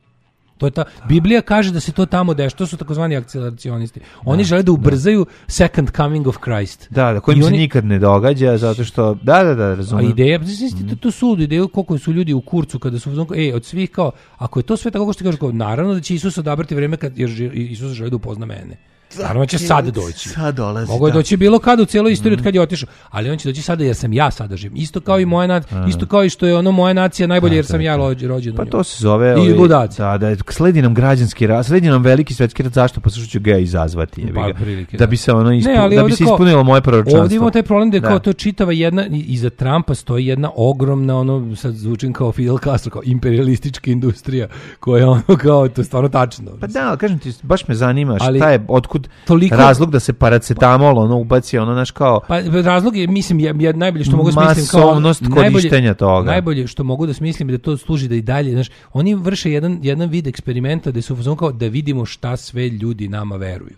To je ta, Biblija kaže da se to tamo dešava, to su takozvani akceleracionisti. Oni žele da ubrzaju second coming of Christ. Da, da, kojim I se oni- nikad ne događa, zato što... Da, da, da, A razumijem. ideja, znači, to, to su ideje koliko su ljudi u kurcu kada su uzmano, ej, od svih kao, ako je to sve tako kako što ti kažeš, kao, naravno da će Isus odabrati vreme kad jer ži- Isus želi da upozna mene. Naravno da će sad doći. Sad dolazi, Mogu je da. doći bilo kad u cijeloj istoriji od kad je otišao, ali on će doći sada jer sam ja sada živim. Isto kao i moja nacija, isto kao i što je ono moja nacija najbolje jer sam ja rođen rođen. u Pa njoj. to se zove... I ovi- ludaci. Da, da, sledi nam građanski rat, sledi nam veliki svetski rat, zašto? Pa što ću ga izazvati, jebi Pa, ga. prilike, da da. bi se ono ispu, Ne, ali da bi ovdje se kao- ispunilo moje proročanstvo. Ovdje imamo taj problem da je Da. kao to čitava jedna, i- iza Trumpa stoji jedna ogromna, ono, sad zvučim kao Fidel Castro, kao imperialistička industrija, koja je ono kao, to je stvarno tačno. Pa da, ali kažem ti, baš me zanima šta Ali je, otkud toliko- razlog da se paracetamol ono ubaci, ono naš kao Pa razlog je, mislim, je, je najbolje što mogu smislim kao masovnost korištenja toga. Najbolje što mogu da smislim je da to služi da i dalje, znaš, oni vrše jedan jedan vid eksperimenta da su u fazonu kao da vidimo šta sve ljudi nama veruju.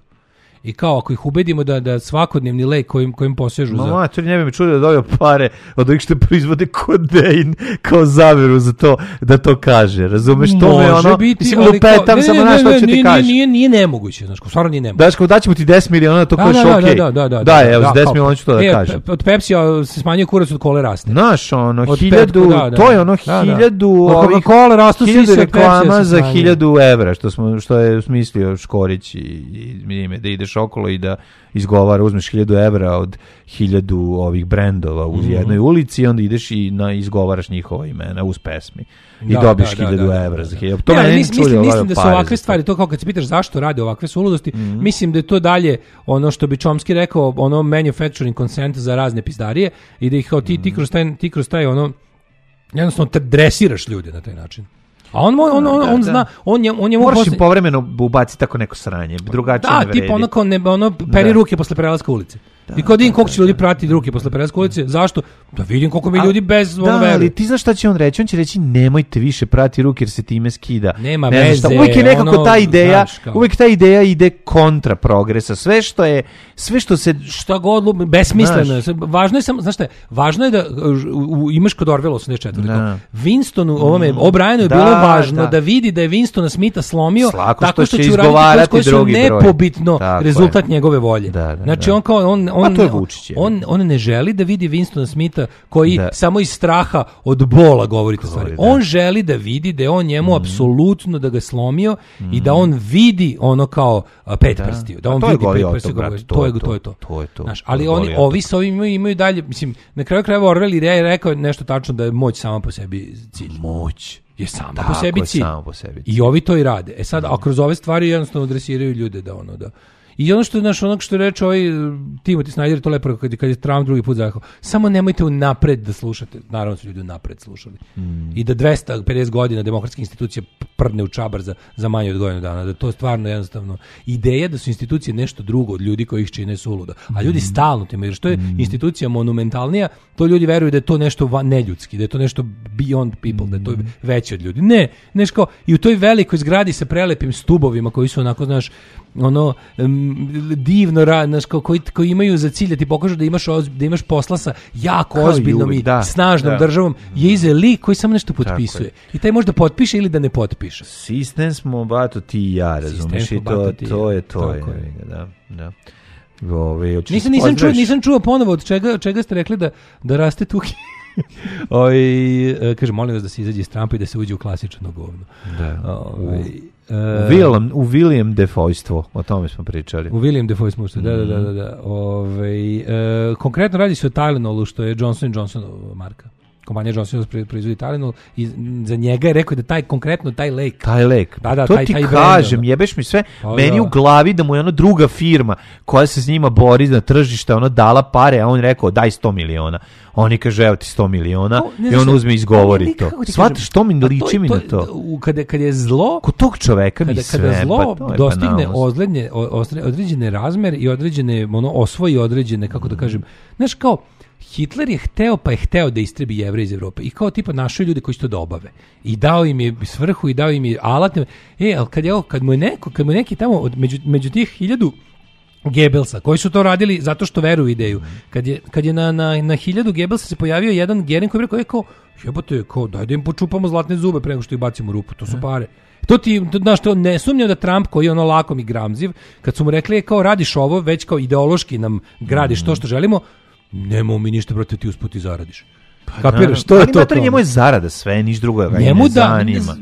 I kao ako ih ubedimo da da svakodnevni lek kojim kojim posežu Ma za mater, ne bi me čudio da dobio pare od ovih što proizvode kodein kao zaveru za to da to kaže. Razumeš, to me može ono... biti, mislim, ali lupetam, kao- ne, samo ne, znaš ne, što ću nije- ti kažeš. Nije, nije nemoguće, znaš, stvarno nije nemoguće. Daš, kao daćemo ti deset miliona, to Da, kažeš da, okej. da, da, da, Da, evo, da, s deset kao- miliona ću to da e, kažem. Od Pepsija se smanjuje kurac, od kole raste. Znaš, ono, Od hiljadu, petku, da, da. to je ono Da, da. hiljadu Od ovih, Coca-Cola rastu hiljadu sise, od Pepsija reklama se za smanjuje. hiljadu evra, što, smo, što je smislio Škorić i, i ime, da ideš ideš okolo i da izgovara, uzmeš hiljadu evra od hiljadu ovih brendova u jednoj ulici i onda ideš i na, izgovaraš njihova imena uz pesmi. I da, dobiš da, hiljadu da, da, evra da, za da. hiljadu. To ja, meni mislim, čuli, mislim da su ovakve za stvari, to kao kad se pitaš zašto rade ovakve suludosti, mm-hmm. mislim da je to dalje ono što bi Chomsky rekao, ono manufacturing consent za razne pizdarije i da ih kao ti, ti kroz taj, ti kroz taj ono, jednostavno te dresiraš ljude na taj način. A on on on, on, on zna, on je on je moraš im povremeno ubaciti tako neko sranje, drugačije da, ne vredi. Da, tipa ono kao ne, ono peri da. ruke posle prelaska ulice. Da, I kao da vidim koliko će ljudi pratiti ruke posle prelaska ulice, zašto? Da vidim koliko mi ljudi bez ono veruju. Da, ali ti znaš šta će on reći? On će reći nemojte više prati ruke jer se time skida. Nema ne veze. Uvijek je nekako ono, ta ideja, znaš, uvijek ta ideja ide kontra progresa. Sve što je, sve što se šta god besmisleno. Važno je samo, znaš šta je? Važno je da u, imaš kod Orwella osamdeset četiri. Da. Winstonu, ovome, O'Brienu je da, bilo važno da. da vidi da je Winstona Smitha slomio Slako tako što, što će uraditi koji su nepobitno tako rezultat je. njegove volje. Da, da, znači da. on kao on on to je Vučić, je. on on ne želi da vidi Winstona Smitha koji da. samo iz straha od bola govori te stvari. Da. On želi da vidi da je on njemu mm. apsolutno da ga slomio mm. i da on vidi ono kao a, pet da. prstiju. Da on to vidi pet prstiju. To, to je to. To je to. to, je to. Znaš, ali oni ovi sa ovim imaju, imaju dalje, mislim, na kraju krajeva Orwell je rekao nešto tačno da je moć sama po sebi cilj. Moć je sama tako po sebi je, cilj. Samo po sebi cilj. I ovi to i rade. E sad, a kroz ove stvari jednostavno dresiraju ljude da ono da i ono što je naš onog što reče ovaj Timothy Snyder to lepo kad, kad je Trump drugi put zakao, samo nemojte unapred da slušate, naravno su ljudi unapred slušali mm. i da dvesta pedeset godina demokratske institucije prdne u čabar za, za manje od godinu dana, da to stvarno jednostavno ideja da su institucije nešto drugo od ljudi koji ih čine suludo, a ljudi mm. stalno time, jer što je mm. institucija monumentalnija, to ljudi veruju da je to nešto neljudski, da je to nešto beyond people, mm. da je to veće od ljudi. Ne, nešto i u toj velikoj zgradi sa prelepim stubovima koji su onako, znaš, ono um, divno radnaš koji, koji imaju za cilj da ti pokažu da imaš oz, da imaš posla sa jako kao ozbiljnom i da, snažnom da. državom je iza lik koji samo nešto potpisuje i taj može da potpiše ili da ne potpiše. Sistem smo bato ti i ja, razumiješ, i to, to je to je, je. Da, da. Ove, nisam, nisam, čuo, nisam čuo ponovo od čega, od čega ste rekli da, da raste tuki. Oj, kaže, molim vas da se izađe iz Trumpa i da se uđe u klasično govno. Da. Oj, u, William, u William Defoe-stvo, o tome smo pričali. U William Defoe-stvo, mm. da, da, da, da, da. Ove, e, konkretno radi se o Tylenolu, što je Johnson and Johnson marka. Kompanija Johnson proizvodi Tylenol i za njega je rekao da taj konkretno taj lek. Taj lek. Da, da, to taj, ti taj kažem, brand, jebeš mi sve. O, meni da. u glavi da mu je ono druga firma koja se s njima bori na tržište, ono dala pare, a on rekao daj sto miliona. Oni kaže evo ti sto miliona to, i on uzme i izgovori ne, to. Shvataš, to mi liči mi na to. Kada, kada je zlo... Kod tog čoveka mi kada, sve... Kada zlo pa dostigne ozlednje, određene razmer i određene, ono, osvoji određene, kako da kažem, znaš kao, Hitler je hteo pa je hteo da istrebi Jevreje iz Evrope i kao tipa našli ljude koji će to da obave i dao im je svrhu i dao im je alat. E, ali kad, je, kad, mu je neko, kad mu je neki tamo od, među, među tih hiljadu Goebbelsa koji su to radili zato što veruju u ideju, kad je, kad je na, na, na hiljadu Goebbelsa se pojavio jedan Gering koji je rekao, je kao, jebote, kao, daj da im počupamo zlatne zube pre nego što ih bacimo u rupu, to su pare. To ti, znaš, to ne sumnjam da Trump koji je ono lakom i gramziv, kad su mu rekli, je kao radiš ovo, već kao ideološki nam gradiš to što želimo, nemamo mi ništa protiv ti usput i zaradiš. Pa kapiraš, to je to. Ali njemu je zarada sve, niš drugo ga njemu ne da, zanima.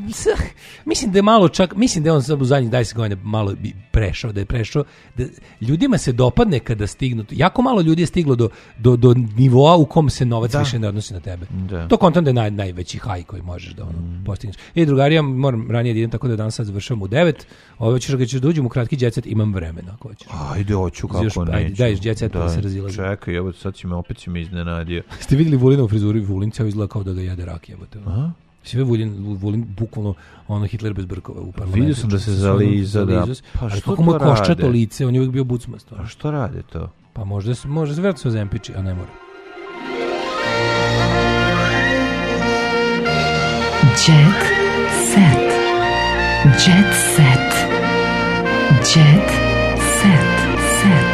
Mislim da je malo čak, mislim da je on sad u zadnjih dvadeset godina malo prešao, da je prešao, da ljudima se dopadne kada stignu, jako malo ljudi je stiglo do, do, do nivoa u kom se novac da. više ne odnosi na tebe. Da. To kontam da je naj, najveći haj koji možeš da ono mm. postigneš. E, drugari, ja moram ranije da idem, tako da danas sad završavam u devet, ove ćeš ga ćeš da uđem u kratki jet set, imam vremena ako hoćeš. Ajde, hoću, kako Još, neću. Ajde, daj jet set da se razilazi. Čekaj, evo sad će me, opet će me iznenadio. Ste vidjeli Vulinovu frizuru? Vulin cijel izgleda kao da ga jede rak, jebote. Aha. Sve Vulin, Vulin bukvalno ono Hitler bez brkova u parlamentu. Vidio sam da se zaliza, da. Pa što kako mu koščato lice, on je uvijek bio bucmasto. A što rade to? Pa možda se može se vjerojatno zempiči, a ne mora. Jet set. Jet set. Jet set. Set.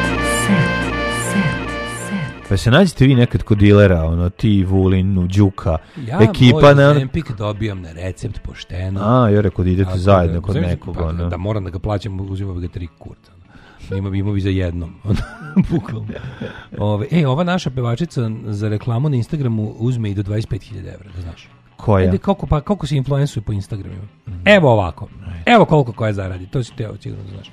Pa se nađete vi nekad kod dilera, ono, ti, Vulin, Đuka, ja ekipa... Ja moj Zempik dobijam na recept pošteno. A, jer rekao da idete ja, zajedno da, kod nekog. Pa, da moram da ga plaćam, uzimam ga tri kurta. Ima bi, ima bi za jednom. Bukvalno. Ove, e, ova naša pevačica za reklamu na Instagramu uzme i do dvadeset pet hiljada evra, da znaš. Koja? Ajde, koliko, pa, koliko se influensuje po Instagramima? Mm. Evo ovako. Evo koliko koja zaradi, to si teo, sigurno znaš.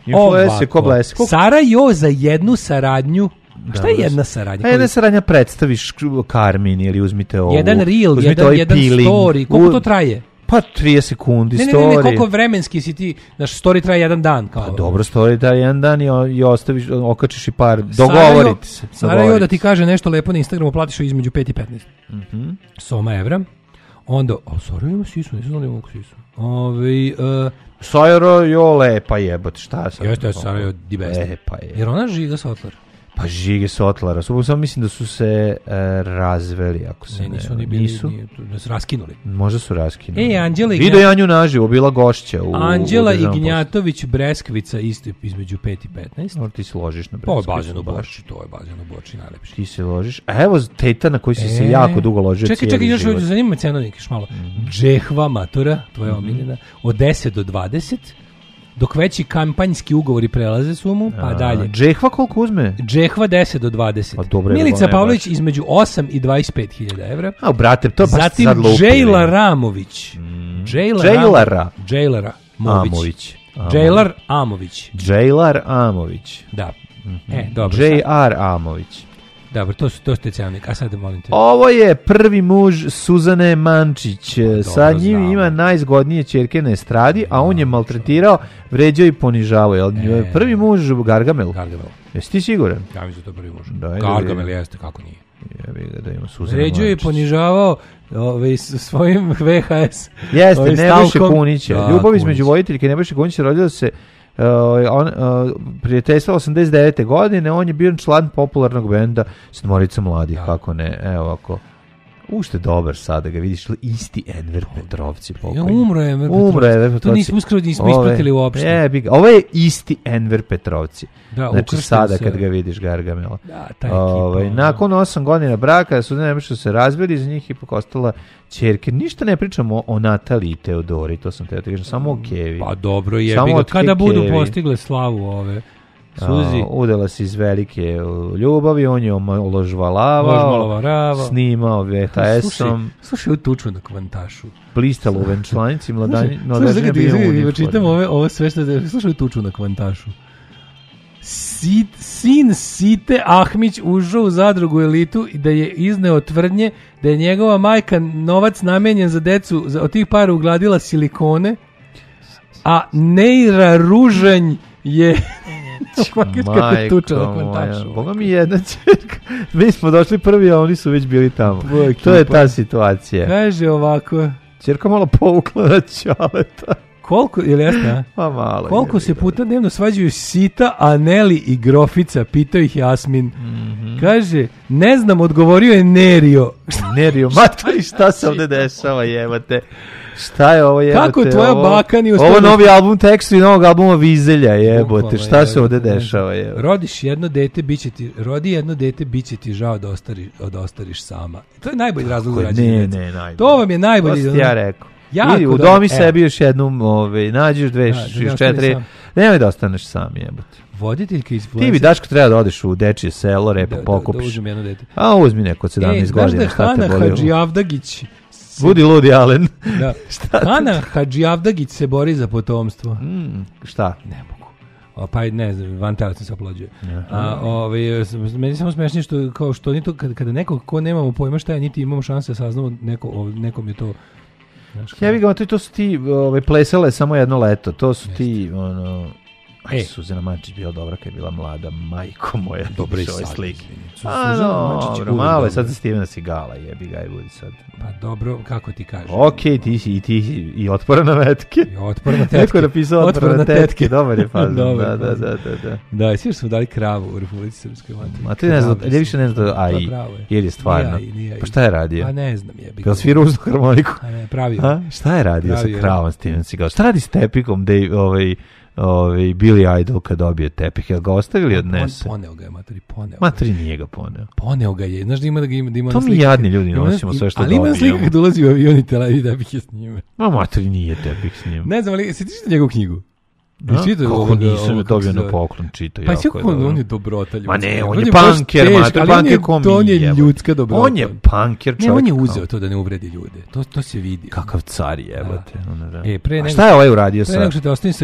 Influencer ko blesk. Sarajo za jednu saradnju. Da, šta je jedna saradnja? A jedna saradnja predstaviš Karmin ili uzmite ovo. Jedan reel, uzmite jedan, ovaj jedan story. Koliko U... to traje? Pa trideset sekundi ne, story. Ne, ne, ne, koliko vremenski si ti, naš story traje jedan dan. Kao. Pa dobro, story traje jedan dan i, i ostaviš, okačiš i par, dogovorite se. Sarajo da ti kaže nešto lepo na Instagramu, platiš između pet i petnaest. Mhm. Soma evra. Onda, a Sarajo ima sisu, nisam znao da ima sisu. Ove, uh, Sarajo jo lepa jebote, šta sam? Jeste, Sarajo di best. E, pa je. Jer ona Žiga Sotlar. Pa Žige Sotlara. Samo mislim da su se e, razveli, ako se ne... Ne, nisu oni bili, nisu? Nije, da su raskinuli. Možda su raskinuli. E, Anđela Ide Ignjat... Janju naživo, bila gošća u... Anđela Ignjatović Breskvica isto između pet i petnaest. Or ti se ložiš na Breskvicu. To je bazen u Borči, to je bazen u Borči, najlepši. Ti se ložiš. A evo teta na koji si e, se jako dugo ložio čekaj, cijeli čekaj, život. Čekaj, čekaj, zanima cenovnik još malo. Mm-hmm. Džehva matura, tvoja mm-hmm. omiljena, od deset do dvadeset. Dok veći kampanjski ugovori prelaze sumu, pa A, dalje. Džehva koliko uzme? Džehva deset do dvadeset. Pa dobro, Milica Pavlović između osam i dvadeset pet hiljada evra. A, brate, to je baš zatim sad lupili. Džejla Ramović. Mm. Džejla Džejlara. Džejlara Mović. Amović. Džejlar Amović. Džejlar Amović. Da. Mm-hmm. E, dobro. J R Amović. Dobro, to su to ste cenovnik. A sad molim te. Ovo je prvi muž Suzane Mančić. Pa, sa njim znamo. Ima najzgodnije ćerke na estradi, a on je maltretirao, vređao i ponižavao. Jel? E, prvi muž Gargamel. Gargamel. Jesi ti siguran? Ja mislim da to prvi muž. Da, Gargamel da jeste, kako nije. Ja bih ga da ima Suzana vređao i ponižavao ovaj, svojim V H S. Jeste, ovaj, Nebojše Kunića. Da, Ljubav između voditeljke Nebojše Kunića rodila se Uh, on, uh, prijateljstva osamdeset devete godine, on je bio član popularnog benda Sedmorica mladih, da. Kako ne, evo ovako. Ušte dobar sad da ga vidiš, isti Enver Petrovci pokojni. Ja, umro je Enver Petrovci. Umro je Enver Petrovci. To nismo uskoro nismo ispratili uopšte. Je, ovo je isti Enver Petrovci. Da, znači sada se. Kad ga vidiš Gargamela. Da, taj Ove, ekipa. Nakon osam godina braka su nešto se razveli, iz njih ipak ostala ćerke. Ništa ne pričamo o Nataliji i Teodori, to sam te kažem, samo o Kevi. Pa dobro je, ga, kada budu Kevi. Postigle slavu ove Suzi. A, udala se iz velike ljubavi, on je oložvalavao, snimao V H S-om. Slušaj, u tuču na kvantašu. Blistalo u venčlanici, mladanji. Slušaj, slušaj, čitam ove, ovo sve što je, slušaj, u tuču na kvantašu. Sit, sin Site Ahmić ušao u zadrugu Elitu i da je izneo tvrdnje da je njegova majka novac namenjen za decu, za, od tih para ugladila silikone, a Neira Ružanj je... Majko moja, Boga mi jedna čerka. Mi smo došli prvi, a oni su već bili tamo. Boj, to je ta situacija. Kaže ovako. Čerka malo povukla na Ćaleta. Koliko, ili jasno? Pa malo. Koliko se puta dnevno svađaju Sita, Aneli i Grofica, pitao ih Jasmin. Mm-hmm. Kaže, ne znam, odgovorio je Nerio. Nerio, matori, šta se ovde dešava, jebate? Šta je ovo, jebote? Kako tvoja ovo, baka nije uspjela... Ovo novi album tekstu i novog albuma Vizelja, jebote. Šta jebote, se ovde dešava, jebote? Rodiš jedno dete, bit će ti, rodi jedno dete, bit će ti žao da ostariš, da ostariš sama. To je najbolji razlog za rađenje. Ne, ne, najbolji. To vam je najbolji. To ti ja rekao. Idi, u domi sebi još jednu, ove, nađeš dve, da, još četiri. Nemoj da ostaneš sam, jebote. Voditeljka iz Ti bi, Daško, treba da odeš u dečije selo, repo da, pokupiš. Da, da uzmem jedno dete. A uzmi neko od sedamnaest godina, šta te boli? Hana Hadžijavdagić. Budi ludi, Alen. Da. Hana Hadžijavdagić se bori za potomstvo. Mm, šta? Ne mogu. O, pa ne znam, van tela sam se oplođuje. A, ove, meni samo smešno što, kao što oni to, kada, kada neko ko nemamo pojma šta je, niti imamo šanse da saznamo, neko, nekom je to... Ja bih ga, to su ti ove, plesale samo jedno leto, to su ti, ono... Aj, Suzana Mančić bila dobra kad je bila mlada, majko moja, dobro i sad slike. A, dobro, malo je sad za Stevena Segala, jebi ga i budi sad. Pa dobro, kako ti kažeš? Okej, okay, ti si i ti si i otpora na metke. I otpora na tetke. Neko je napisao otpora na tetke, tetke. Dobar je fazan. Dobar, da, da, da, da, da. Da, svi smo dali kravu u Republici Srpskoj materi. Ma ti ne znam, ja više ne znam da A I, jer je stvarno. Pa šta je radio? Pa ne znam, jebi. Jel svirao uz harmoniku? A ne, pravio. A, šta je radio pravio, sa kravom Steven Segal? Šta radi s tepikom da je ovaj... Ovaj Billy Idol kad dobije tepih, jel ga ostavili odnese? On poneo ga je, materi, poneo. Materi nije ga poneo. Poneo ga je, znaš da ima da ga ima, da ima to mi slike, jadni ljudi nosimo sve što dobijemo. Ali ima slika kad ulazi u avion i tela i tepih je s njime. Ma materi nije tepih s njim. Ne znam, ali se tiče njegovu knjigu? Kako nisam je dobio na poklon, čita. Pa kako on, on je dobrota ljudska. Ma ne, on je punker, ma to je punker ko mi. On je ljudska dobrota. On je punker čovjek. Ne, on je uzeo to da ne uvredi ljude. To, to se vidi. Kakav car jebote. E, pre nego, a šta je ovaj uradio sad?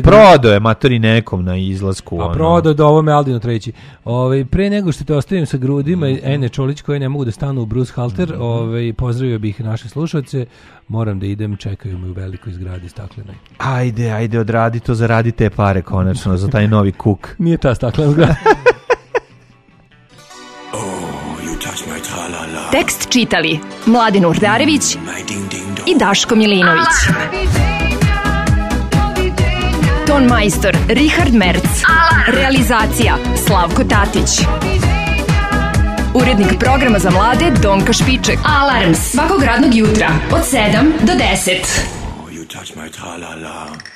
Prodao je matori nekom na izlasku. A prodao da ovo me Aldino treći. Ove, pre nego što te ostavim sa grudima mm. Ene Čolić koje ne mogu da stanu u Bruce Halter, mm. ove, pozdravio bih naše slušalce. Moram da idem, čekaju me u velikoj zgradi staklenoj. Ajde, ajde, odradi to, zaradi te pare konačno za taj novi kuk. Nije ta staklena zgrada. Tekst čitali Mladin Urdarević i Daško Milinović. Ton majstor Richard Merc. Realizacija Slavko Tatić. Urednik programa za mlade Donka Špiček. Alarms svakog radnog jutra od sedam do deset. Oh, you touch my tra-la-la.